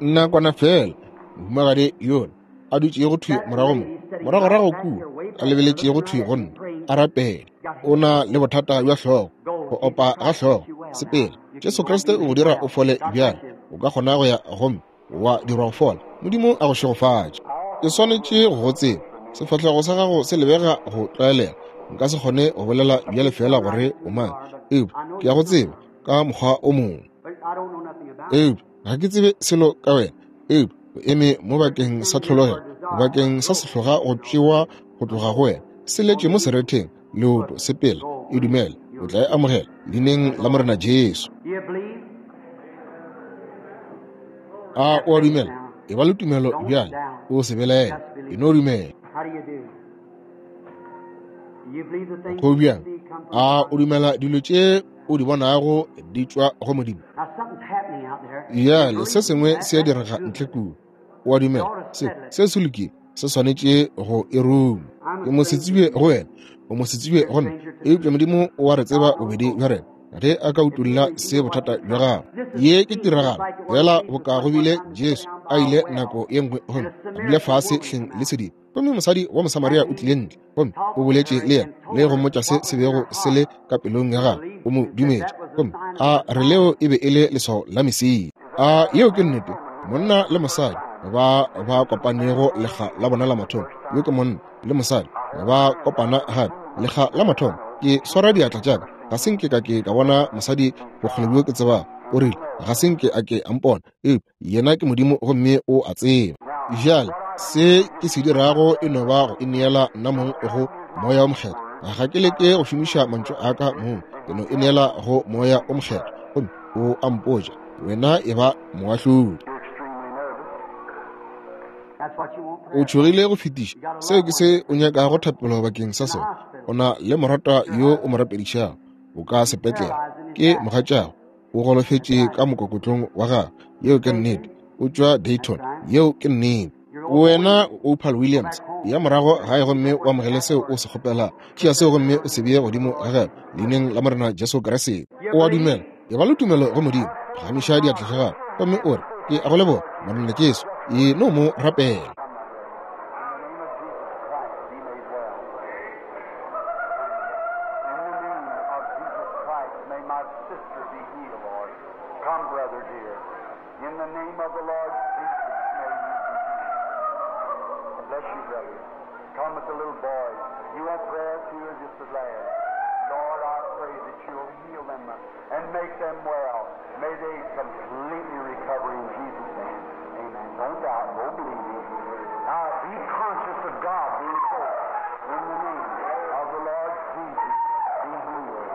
Nakwana feela, mohumagadi yola a dutšego thwi morago mo, moragorago kua, a lebeletšego thwi go nna, a rapela. O na le bothata bja hlogo, go opa ga hlogo. Sepela, Jesu Kriste o go dira o fole bjale. O ka kgona go ya gomme wa dirwa go fola. Modimo a go šegofatše. Ke swanetše go go tseba. Sefahlego sa gago se lebega go tlwaelega. Nka se kgone go bolela bjale feela gore o mang, eupša ke a go tseba ka mokgwa o mongwe. Eupša ga ke tsebe selo ka wena, eupša o eme mo bakeng sa tlhologelo, bakeng sa sehloga go tšewa go tloga go wena. Se letše mo seretheng, leoto, sepela, e dumele, o tla e amogela leineng la Morena Jesu. A o a dumela? E ba le tumelo bjale, o se belaele, e no dumela. Go bjang? A o dumela dilo tše o di bonago di tšwa go Modimo? Bjale se sengwe se a direga ntle kua. O a dumela? Se se se lokile, se swanetše go e ruma. Ke mosetsebje go wena, o mosetsebje go nna, eupša Modimo o a re tseba bobedi bja rena ge a ka utolla se bothata bja gago. Ye ke tiragalo fela boka go bile Jesu a ile nako ye nngwe gomme a dula fase hleng le sediba, gomme mosadi wa Mosamaria o tlile ntle gomme o boletše le yena le go mmotša se se bego se le ka pelong ya gagwe. O mo dumetše, gomme a re leo e be e le leswao la Mesia. A yeo ke nnete? Monna le mosadi ba ba kopanego lekga la bona la mathomo, yo ke monna le mosadi ba kopana gape lekga la mathomo. Ke swara diatla tša ka, ga se nke ka ke ka bona mosadi bokgole bjo ke tsebago. O rile ga se nke a ke a mpona, eupša yena ke Modimo gomme o a tseba. Bjale se ke se dirago e no ba go ineela nna mong go Moya o Mokgethwa. Ga ke leke go šomiša mantšu a ka mong, ke no ineela go Moya o Mokgethwa gomme o a mpotša, wena e ba moahlodi. O tšhogile go fetiša. Seo ke se o nyakago thapelo bakeng sa sona. O na le morata yo o mo rapedišago. O ka sepetlele. Ke mogatšago. O golofetše ka mokokotlong wa gagwe. Yeo ke nnete. O tšwa Dayton. Yeo ke nnete. Wena Opal Williams, ya morago gae gomme o amogele seo o se kgopelago. Tšea seo gomme o se bee godimo ga gagwe, leineng la Morena Jesu Kriste. O a dumela? E ba le tumelo go Modimo. Phagamiša diatla tša gago gomme o re, Ke a go leboga, Morena Jesu. E no mo rapela. And make them well. May they completely recover in Jesus' name. Amen. Don't doubt, go believe. Now be conscious of God being close. In the name of the Lord Jesus, be healed.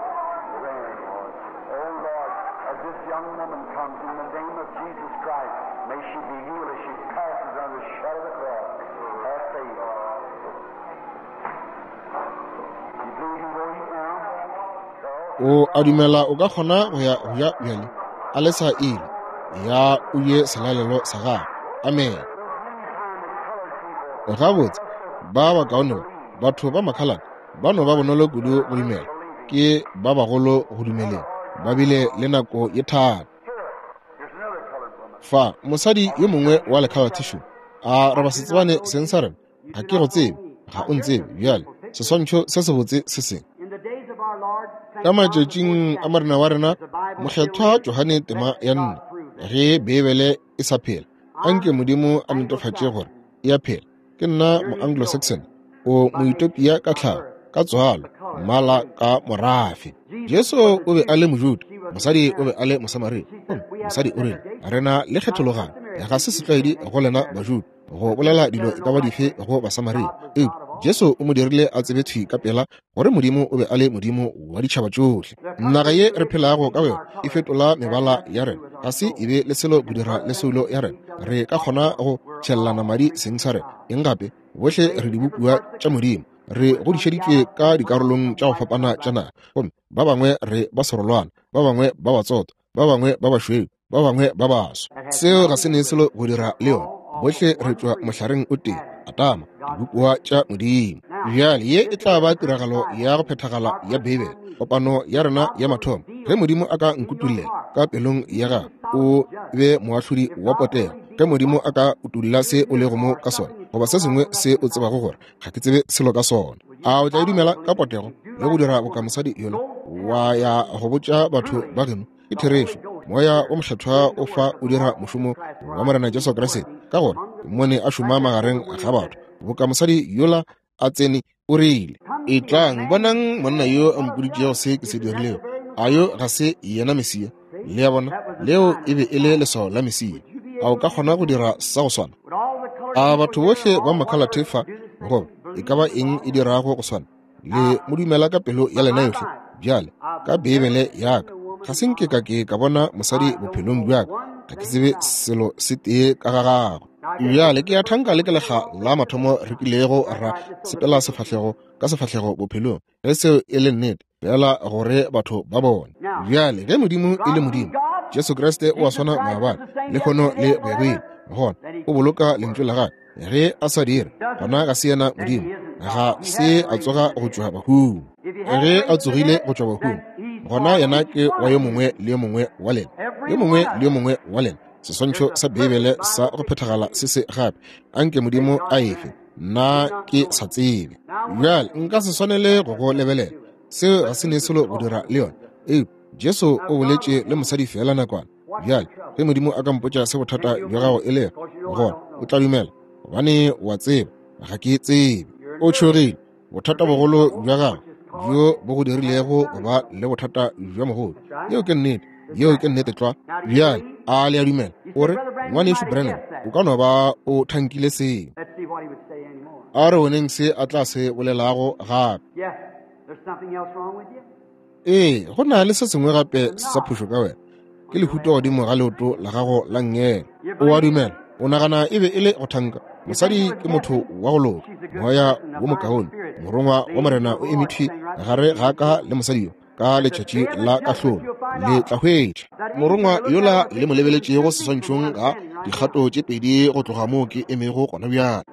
Grant, Lord. Oh Lord, as this young woman comes in the name of Jesus Christ, may she be healed as she passes under the shadow of the cross. Have faith. You believe you go eat now? O a dumela o ka kgona go ya go ja bjale? A le sa ile ya o je selalelo sa gago. Amen. Gabotse, ba bakaone ba, batho ba makhalate ba no ba bonolo kudu go dumela, ke ba bagolo go dumeleng, ba bile le nako ye thata. Fa mosadi yo mongwe wa lekhalate šo a re ba se tsebane seng sa rena, ga ke go tsebe, ga o ntsebe. Bjale seswantšho se sebotse se seng. Ka matšatšing a Morena wa rena Mokgethwa Johane tema ya 4, ge Beibele e sa phela, anke Modimo a netefatše gore e a phela. Ke nna mo-Anglo-Saxon, o Moetopia ka tlhago, ka tswalo, mmala ka morafe. Jesu o be a le Mojuda, mosadi o be a le Mosamaria. Gomme mosadi o rile, re na le kgethologano, ga se setlwaedi go lena Bajuda go bolela dilo e ka ba dife go Basamaria. Eupša Jesu o mo dirile a tsebe thwi ka pela gore Modimo o be a le Modimo wa ditšhaba tšohle. Naga ye re phelago ka yona e fetola mebala ya rena, ga se e be le selo go dira le soulo ya rena. Re ka kgona go tšhellana madi seng sa rena. Eng gape? Bohle re dibopiwa tša Modimo, re godišeditšwe ka dikarolong tša go fapana tša naga, gomme ba bangwe re ba serolwana, ba bangwe ba batsotho, ba bangwe ba bašweu, ba bangwe ba baso. Seo ga se ne selo go dira le yona. Bohle re tšwa mohlareng o tee, Adama, dibopiwa tša Modimo. Bjale ye e tla ba tiragalo ya go phethagala ya Beibele, kopano ya rena ya mathomo. Ge Modimo a ka nkutullela ka pelong ya gago, o be moahlodi wa potego. Ge Modimo a ka utolla se o lego mo ka sona, goba se sengwe se o tsebago gore ga ke tsebe selo ka sona, a o tla e dumela ka potego le go dira boka mosadi yola wa ya go botša batho ba geno? Ke therešo, Moya o Mokgethwa o fa o dira mošomo wa Morena Jesu Kriste, ka gore ke mmone a šoma magareng ga batho boka mosadi yola a tsene. O rile, Etlang, bonang monna yo a mpoditšego se ke se dirilego. A yo ga se yena Mesia? Le a bona, leo e be e le leswao la Mesia. A o ka kgona go dira sa go swana? A batho bohle ba makhalathe fa, goba e ka ba eng e dirago go swana, le mo dumela ka pelo ya lena yohle? Bjale, ka Beibele ya ka, ga se nke ka ke ka bona mosadi bophelong bja ka, ga ke tsebe selo se tee ka ga gagwe. Bjale ke a thanka le ke lekga la mathomo re kilego ra sepela sefahlego ka sefahlego bophelong, ge seo e le nnete, fela gore batho ba bone. Bjale ge Modimo e le Modimo, Jesu Kriste o a swana maabane, lehono le go ya go ile, gona o boloka lentšu la gagwe. Ge a sa dire, gona ga se yena Modimo, ga se a tsoga go tšwa bahung. Ge a tsogile go tšwa bahung, gona yena ke wa yo mongwe le yo mongwe wa lena, yo mongwe le yo mongwe wa lena. Seswantšho sa Beibele sa go phethagala se se gape. Anke Modimo a efe, nna ke sa tsebe. Bjale nka se swanele go go lebelela, seo ga se ne selo go dira le yona. Eupša Jesu o boletše le mosadi feela nakwana. Bjale ge Modimo a ka mpotša se bothata bja gago e lego, gona o tla dumela, gobane wa tseba ga ke tsebe. O tšhogile. Bothata bogolo bja gago bjo bo go dirilego go ba le bothata bja mogolo. Yeo ke nnete. Yeo ke nnete tlwa. Bjale a le a dumela? O re, Ngwanešu Branham, o ka no ba o thankile seo. A re boneng se a tla se bolelago gape. Ee, go na le se sengwe gape sa phošo ka wena. Ke lehuto godimo ga leoto la gago la nngele. O a dumela? O nagana e be e le go thanka? Mosadi ke motho wa go loka, moya wo mokaone. Morongwa wa Morena o eme thwi gare ga ka le mosadi yo ka letšatši la kahlolo. Le tla hwetša morongwa yola le mo lebeletšego seswantšhong ga dikgato tše pedi go tloga moo ke emego gona bjale.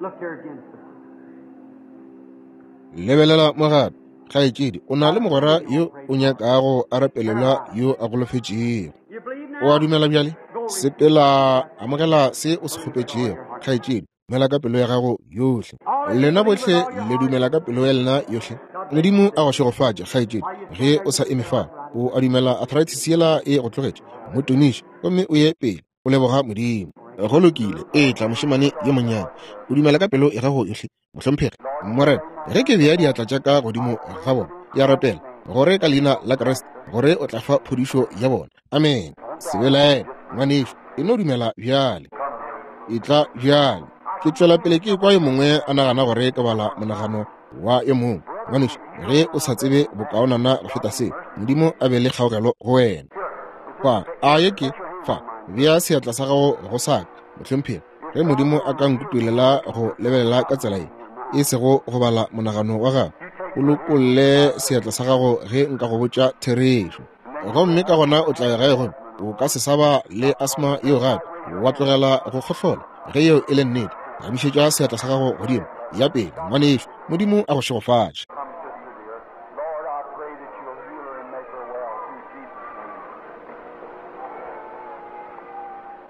Lebelela mo gape, kgaetšedi, o na le mogwera yo o nyakago a rapelelwa yo a golofetšego. O a dumela bjale? Sepela, amogela se o se kgopetšego, kgaetšedi. Dumela ka pelo ya gago yohle. Lena bohle le dumela ka pelo ya lena yohle. Modimo a go šegofatše, kgaetšedi. Ge o sa eme fa, o a dumela arthritis yela e go tlogetše, mo tumiše gomme o ye pele, o leboga Modimo. Go lokile, etla mošemane yo monnyane. O dumela ka pelo ya gago yohle, mohlomphegi? Morena, ge ke bea diatla tša ka godimo ga bona, ke a rapela gore ka leina la Kriste gore o tla fa phodišo ya bona. Amen. Se belaele, ngwanešu, e no dumela bjale. Etla bjale. Ke tšwela pele ke kwa yo mongwe a nagana gore ke bala monagano wa yo mongwe. Ngwanešu, ge o sa tsebe bokaonana go feta se, Modimo a be le kgaogelo go wena. Fa, a ye ke, fa, bea seatla sa gago go sa ka, mohlomphegi. Ge Modimo a ka nkutulela go lebelela ka tsela ye, e sego go bala monagano wa gago, o lokolle seatla sa gago ge nka go botša therešo. Gomme ka gona o tla ya gae gomme o ka se sa ba le asma yeo gape, wa tlogela go kgohlola. Ge yeo e le nnete, gamišetša seatla sa gago godimo. Ya pele, ngwanešu. Modimo a go šegofatše. Lord, I pray that you'll heal her and make her well through Jesus' name.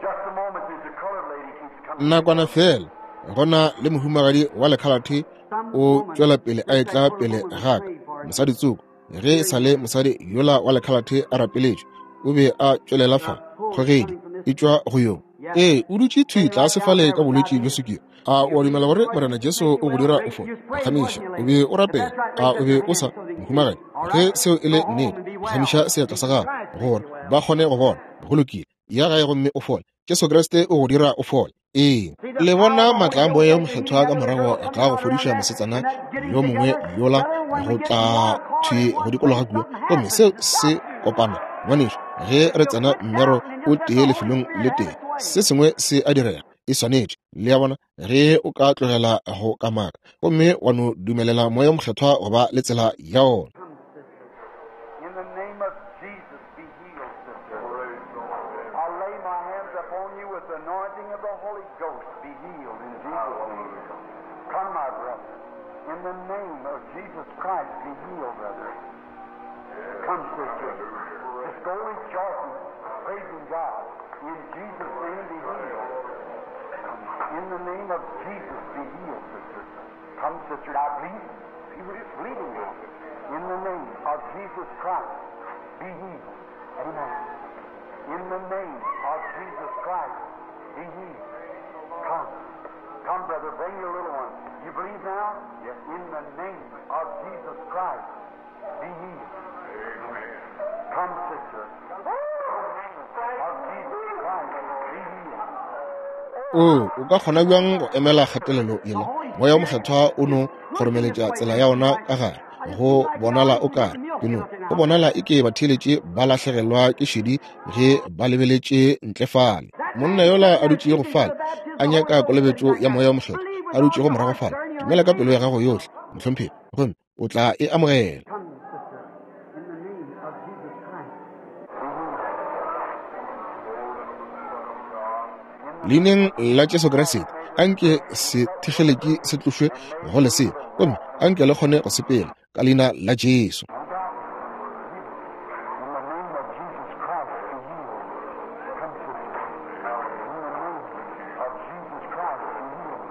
Just a moment, there's a colored lady keeps coming. Nakwana feela, go na le mohumagadi wa lekhalathe o tšwela pele a etla pele ga ka, mosadi tsoko. Ge e sa le mosadi yola wa lekhalathe a rapeletšwe, o be a tšwelela fa, kgogedi e tšwa go yo. Ee, o dutše thwi tlase fale ka bolwetši bja sukiri. A o a dumela gore Morena Jesu o go dira o fole? Phagamiša, o be o rapela. A o be o sa, mohumagadi? Ge seo e le nnete, phagamiša seatla sa gago gore ba kgone go bona. Go lokile, ya gae gomme o fole. Jesu Kriste o go dira o fole. Ee, le bona maatla a Moya wo Mokgethwa ka morago ga go fodiša mosetsana yo mongwe yola go tla thwi go dikologa kua, gomme seo se kopana. Ngwanešu, ge re tsena mmero o tee lefelong le tee, se sengwe se a direga. E swanetše, le a bona, ge o ka tlogela go kamaka gomme wa no dumelela Moya wo Mokgethwa go ba le tsela ya ona. In the name of Jesus, be healed, sister. I lay my hands upon you with the anointing of the Holy Ghost. Be healed in Jesus' name. Come, my brother. In the name of Jesus Christ, be healed, brother. Come, sister. Just go rejoicing, praising God. In Jesus' name, be healed. In the name of Jesus, be healed, sister. Come, sister, I believe. Believe in now. In the name of Jesus Christ, be healed. Amen. In the name of Jesus Christ, be healed. Come. Come, brother, bring your little one. You believe now? Yes. In the name of Jesus Christ, be healed. Amen. Come, sister. In the name of Jesus Christ, be healed. O o ka kgona bjang go emela kgatelelo yela? Moya o Mokgethwa o no kgoromeletša tsela ya ona ka gare. Go bonala o kare ke no go bonala e ke batheeletše ba lahlegelwa ke šedi ge ba lebeletše ntle fale. Monna yola a dutšego fale a nyaka kolobetšo ya Moya o Mokgethwa, a dutšego morago fale, dumela ka pelo ya gago yohle, mohlomphegi, gomme o tla e amogela. Come, sister, in the name of Jesus Christ. Leineng la Jesu Kriste, anke sethegeleki se tlošwe go lesea, gomme anke le kgone go sepela ka leina la Jesu. In the name of Jesus Christ, be healed. Come, sister. In the name of Jesus Christ, be healed.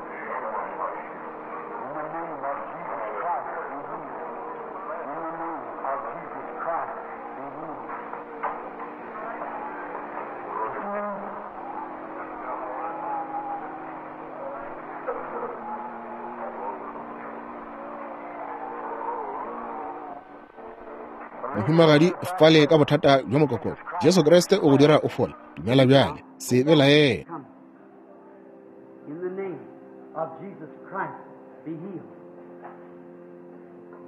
In the name of Jesus Christ, be healed. In the name of Jesus Christ, be healed. Mohumagadi fale ka bothata bja mokokotlo, Jesu Kriste o go dira o fole. Dumela bjale, se belaele. Come. In the name of Jesus Christ, be healed.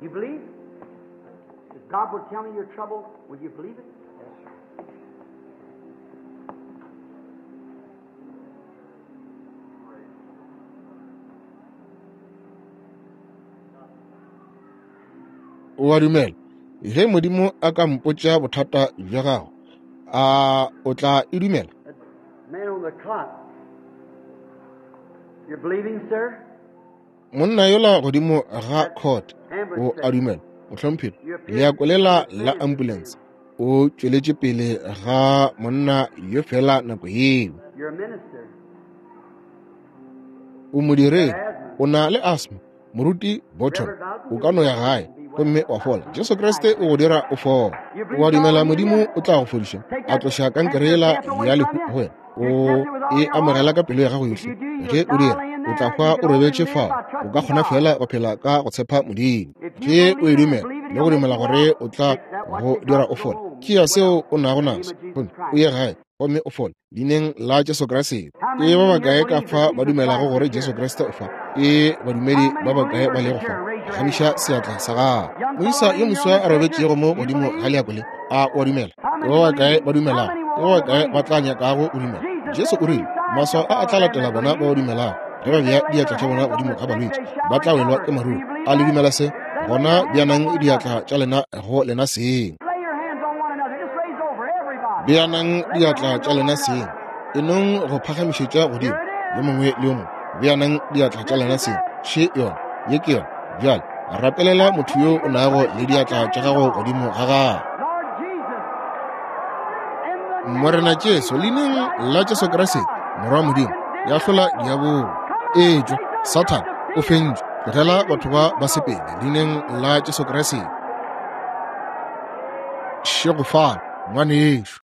You believe? If God will tell me your trouble, will you believe it? Yes, sir. O a dumela? Ge Modimo a ka mpotša bothata bja gago, a o tla e dumela? That man on the cot. You're believing, sir? Monna yola godimo ga court, o a dumela, mohlomphegi? Leako lela la ambulance o tšweletše pele ga monna yo fela nako yeo. You're a minister. O modiredi, o na le asthma. Moruti Bottom, o ka no ya gae gomme wa fola. Jesu Kriste o go dira o fola. O a dumela Modimo o tla go fodiša, a tloša kankere yela ya lehu go wena? O e amogela ka pelo ya gago yohle. Ge o dira, o tla hwa o robetše fao. O ka kgona fela go phela ka go tshepa Modimo. Ge o e dumela le go dumela gore o tla go dira o fole, tšea seo o nago naso gomme o ye gae gomme o fole leineng la Jesu Kriste. Ke ba bakae ka fa ba dumelago gore Jesu Kriste o fa? Ke badumedi ba bakae ba lego fa? Gamiša seatla sa gago. Moisa yo moswa a robetšego mo godimo ga leako le, a o a dumela? Ke ba bakae ba dumelago? Ke ba bakae ba tla nyakago o dumela? Jesu o rile, maswao a a tla latela bona ba ba dumelago. Ge ba bea diatla tša bona godimo ga balwetši, ba tla welwa ke maruru. A le dumela se? Gona beanang diatla tša lena go lena seng. Lay your hands on one another. Just raise over everybody. Beanang diatla tša lena seng. E nong go phagamišetša godimo yo mongwe le yo mongwe. Beanang diatla tša lena seng. Še yona, ye ke yona. Bjale rapelela motho yo o nago le diatla tša gago godimo ga gagwe. Lord Jesus, in the name Morena Jesu, leineng la Jesu Kriste, Morwa wa Modimo, ya hlola diabolo. Etšwa, Sathane, o fentšwe. Tlogela batho ba ba sepele, leineng la Jesu Kriste. Šegofala, ngwanešu.